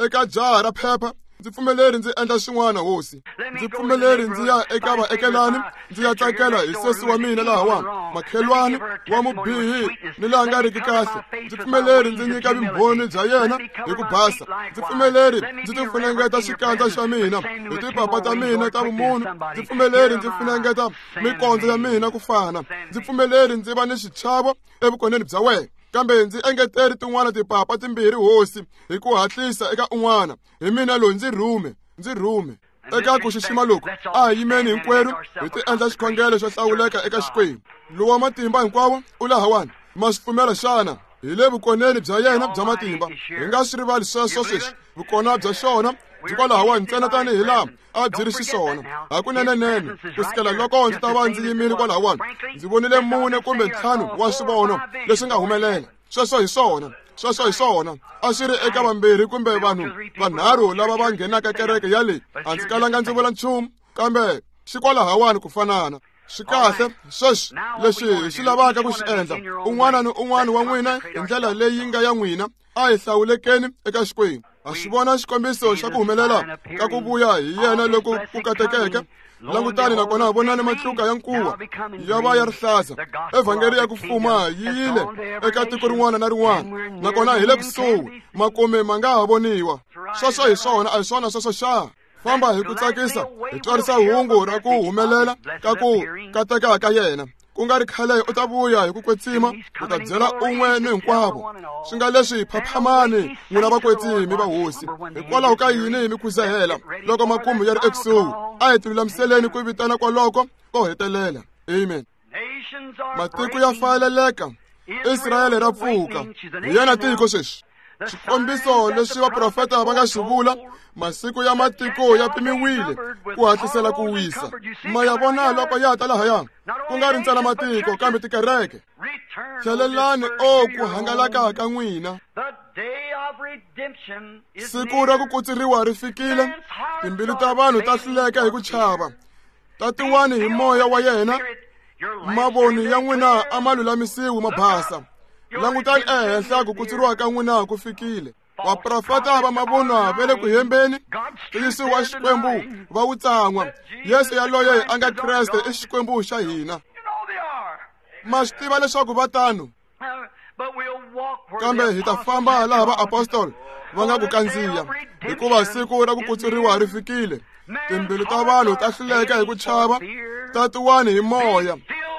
eka jaha ra phepha. Ndzi pfumeleri ndzi endla swin'wana, Hosi. Ndzi pfumeleri ndzi ya eka vaekelani, ndzi ya tsakela hi sesi wa mina lahawani, makhelwani wa mubihi ni laha nga riki kahle. Ndzi pfumeleri ndzi nyika vumbhoni bya yena hi ku basa. Ndzi pfumeleri ndzi ti funengeta xikandza xa mina hi tipapa ta mina ta vumunhu. Ndzi pfumeleri ndzi funengeta mikondzo ya mina ku fana. Ndzi pfumeleri ndzi va ni xichavo evukoneni bya wena. Kambe ndzi engeteri tin'wana tipapa timbirhi, Hosi, hi ku hatlisa eka un'wana. Hi mina loyi, ndzi rhume, ndzi rhume. Eka ku xixima loku, a hi yimeni hinkwerhu hi ti endla xikhongelo xo hlawuleka eka Xikwembu. Lowa matimba hinkwawo u lahawani. Ma swi pfumela xana? Hi le vukoneni bya yena bya matimba. Hi nga swi rivali sweswo sweswi. Vukona bya xona byi kwalahawani ntsena tanihi laha a byi ri xiswona. Hakunenenene, ku sukela loko ndzi ta va ndzi yimile kwalahawani, ndzi vonile mune kumbe ntlhanu wa swivono leswi nga humelela. Sweswo hi swona, sweswo hi swona. A swi ri eka vambirhi kumbe vanhu vanharhu lava va nghenaka kereke ya leyi. A ndzi kalanga ndzi vula nchumu, kambe xi kwalahawani ku fanana. Swi kahle sweswi leswi hi swi lavaka ku swi endla. Un'wana ni un'wana wa n'wina hi ndlela leyi nga ya n'wina, a hi hlawulekeni eka Xikwembu. Ha xi vona xikombiso xa ku humelela ka ku vuya hi yena loko ku katekeke. Langutani nakona vonani matluka ya nkuwa ya va ya rihlaza. Evhangeli ya ku fuma yi yile eka tiko rin'wana na rin'wana, nakona hi le kusuhi, makume ma nga ha voniwa. Sweswo hi swona, a hi swona sweswo xa? Famba hi ku tsakisa, hi twarisa hungu ra ku humelela ka ku kateka ka yena. Ku nga ri khale u ta vuya hi ku kwetsima, u ta byela un'we ni hinkwavo. Swi nga leswi, phaphamani n'wina vakwetsimi va Hosi. Hikwalaho ka yini mi khuzahela loko makumu ya ri ekusuhi? A hi tilulamiseleni ku vitana kwaloko ko hetelela. Amen. Matiko ya fayeleleka, Israyele ra pfuka. Hi yena tiko sweswi. Xikombiso leswi vaprofeta va nga xi vula, masiku ya matiko ya pimiwile ku hatlisela ku wisa. Ma ya vona loko ya ta lahaya, ku nga ri ntsena matiko kambe tikereke. Tlhelelani o ku hangalaka ka n'wina. Siku ra ku kutsuriwa ri fikile, timbilu ta vanhu ta hluleka hi ku chava. Tatiwani hi moya wa yena, mavoni ya n'wina a ma lulamisiwi ma basa. Langutani ehenhla ku kutsuriwa ka n'wina ku fikile. Vaprofeta va mavunwa va le ku hembeni, ntiyiso wa Xikwembu va wu tsan'wa. Yesu yaloye a nga Kreste i Xikwembu xa hina. Ma swi tiva leswaku va tano, kambe hi ta famba laha vaapostoli va nga ku kandziya, hikuva siku ra ku kutsuriwa ri fikile. Timbilu ta vanhu ta hluleka hi ku chava, tatiwani hi moya.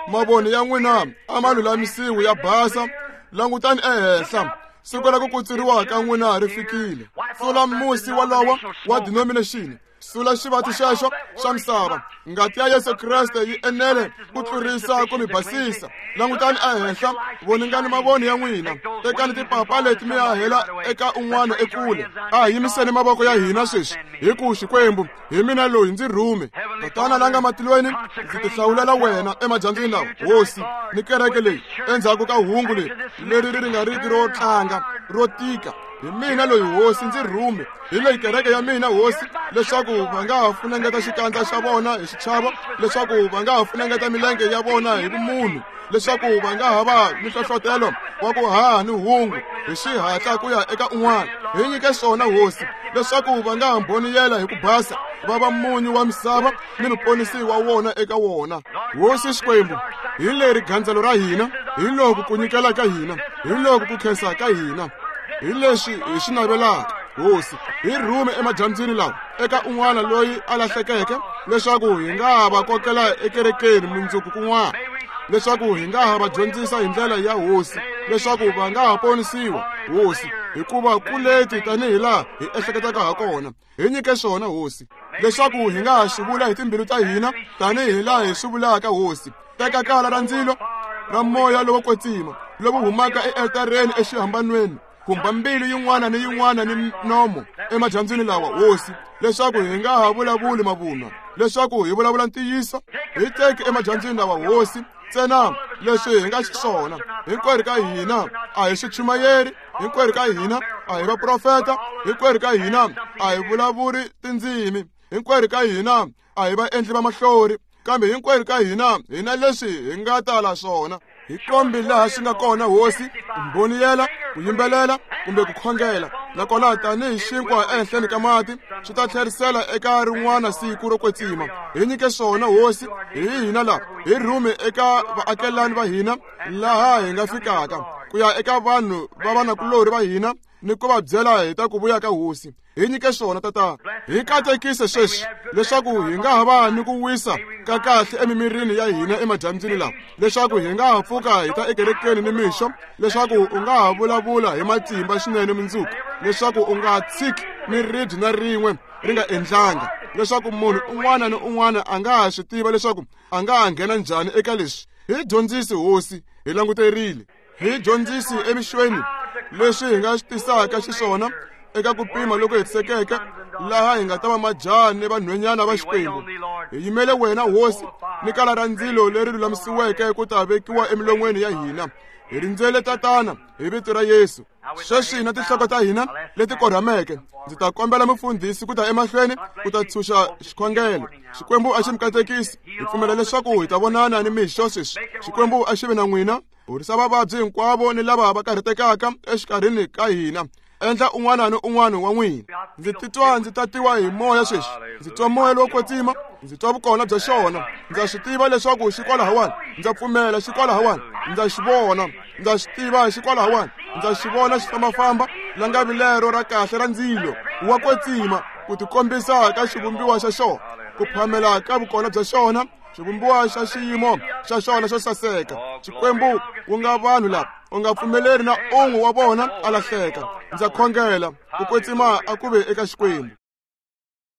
Mavoni ya n'wina a ma lulamisiwi ya basa. Langutani ehenhla, siku ra ku kutsuriwa ka n'wina ri fikile. Sula musi walowo wa denomination, sula xivati xexo xa misava. Ngati ya Yesu Kreste yi enele ku tlurisa ku mi basisa. Langutani ehenhla, voningani mavoni ya n'wina. Tekani tipapa leti mi ya hela eka un'wana ekule. A hi yimiseni mavoko ya hina sweswi hi ku Xikwembu, hi mina loyi ndzi rhume. Tatana la nga matilweni, ndzi tihlawulela wena emadyambyini lawa, Hosi, ni kereke leyi endzhaku ka hungu leri leri ri nga riki ro tlanga ro tika. Hi mina loyi, Hosi, ndzi rhume. Hi leyi kereke ya mina, Hosi, leswaku va nga ha funengeta xikandza xa vona hi xichavo, leswaku va nga ha funengeta milenge ya vona hi vumunhu, leswaku va nga ha va ni nhlohlotelo wa ku haha ni hungu hi xihatla ku ya eka un'wana. Hi nyike swona Hosi, leswaku va nga mboniyela hi ku basa, va va munyu wa misava ni muponisi wa wona eka wona. Hosi Xikwembu, hi leri gandzelo ra hina, hi loku ku nyikela ka hina, hi loku ku khensa ka hina, hi leswi hi swi navelaka. Hosi, hi rhume emadyambyini lawa eka un'wana loyi a lahlekeke, leswaku hi nga va kokela ekerekeni mundzuku kun'wana, leswaku hi nga ha va dyondzisa hi ndlela ya Hosi, leswaku va nga ha ponisiwa, Hosi, hikuva ku leti tanihi laha hi ehleketaka ha kona. Hi nyike swona Hosi, leswaku hi nga ha swi vula hi timbilu ta hina tanihi laha hi swi vulaka. Hosi, teka kala ra ndzilo ra moya lowo kwetsima lowu humaka ealtareni exihambanweni, khumba mbilu yin'wana ni yin'wana ni nomo emadyambyini lawa, Hosi, leswaku hi nga ha vulavuli mavunwa, leswaku hi vulavula ntiyiso. Hi teki emadyambyini lawa, Hosi, ntsena leswi hi nga xiswona. Hinkwerhu ka hina a hi swichumayeri, hinkwerhu ka hina a hi vaprofeta, hinkwerhu ka hina a hi vulavuri tindzimi, hinkwerhu ka hina a hi vaendli va mahlori, kambe hinkwerhu ka hina hi na leswi hi nga tala swona. Hi kombi laha swi nga kona, Hosi, mboniyela, ku yimbelela kumbe ku khongela, nakona tanihi xinkwa ehenhleni ka mati swi ta tlherisela eka rin'wana siku ro kwetsima. Hi nyike swona, Hosi, hi hina laha, hi rhume eka vaakelani va hina laha hi nga fikaka, ku ya eka vanhu va vanakulorhi va hina ni ku va byela hi ta ku vuya ka Hosi. Hi nyike swona, Tatana. Hi katekise sweswi, leswaku hi nga ha va ni ku wisa ka kahle emimirini ya hina emadyambyini lawa, leswaku hi nga ha pfuka hi ta ekerekeni ni mixo, leswaku u nga ha vulavula hi matimba swinene mundzuku, leswaku u nga tshiki ni ribye na rin'we ri nga endlanga, leswaku munhu un'wana ni un'wana a nga ha swi tiva leswaku a nga ha nghena njhani eka leswi. Hi dyondzisi, Hosi, hi languterile. Hi dyondzisi emixweni leswi hi nga swi tisaka xiswona eka ku pima loko hetisekeke, laha hi nga ta va majaha ni vanhwenyana va Xikwembu. Hi yimele wena, Hosi, ni kala ra ndzilo leri lulamisiweke ku ta vekiwa emilon'weni ya hina. Hi rindzele, Tatana, hi vito ra Yesu. Sweswi na tinhloko ta hina leti korhameke, ndzi ta kombela mufundhisi ku ta emahlweni ku ta tshunxa xikhongelo. Xikwembu a xi mi katekisi. Hi pfumela leswaku hi ta vonana ni mixo sweswi. Xikwembu a xi vi na n'wina. Horisa vavabyi hinkwavo ni lava va karhatekaka exikarhini ka hina. Endla un'wana ni un'wana wa n'wina. Ndzi titwa ndzi tatiwa hi moya sweswi. Ndzi twa moya lowo kwetsima, ndzi twa vukona bya xona. Ndza swi tiva leswaku xi kwalahawani, ndza pfumela xi kwalahawani, ndza xi vona, ndza xi tiva xi kwalahawani, ndza xi vona xi fambafamba langavi lero ra kahle ra ndzilo wa kwetsima, ku tikombisa ka xivumbiwa xa xona, ku phamela ka vukona bya xona, xivumbiwa xa xiyimo xa xona xo saseka. Xikwembu, ku nga vanhu lava, u nga pfumeleri na un'we wa vona a lahleka. Ndza khongela ku kwetsima a ku ve eka Xikwembu.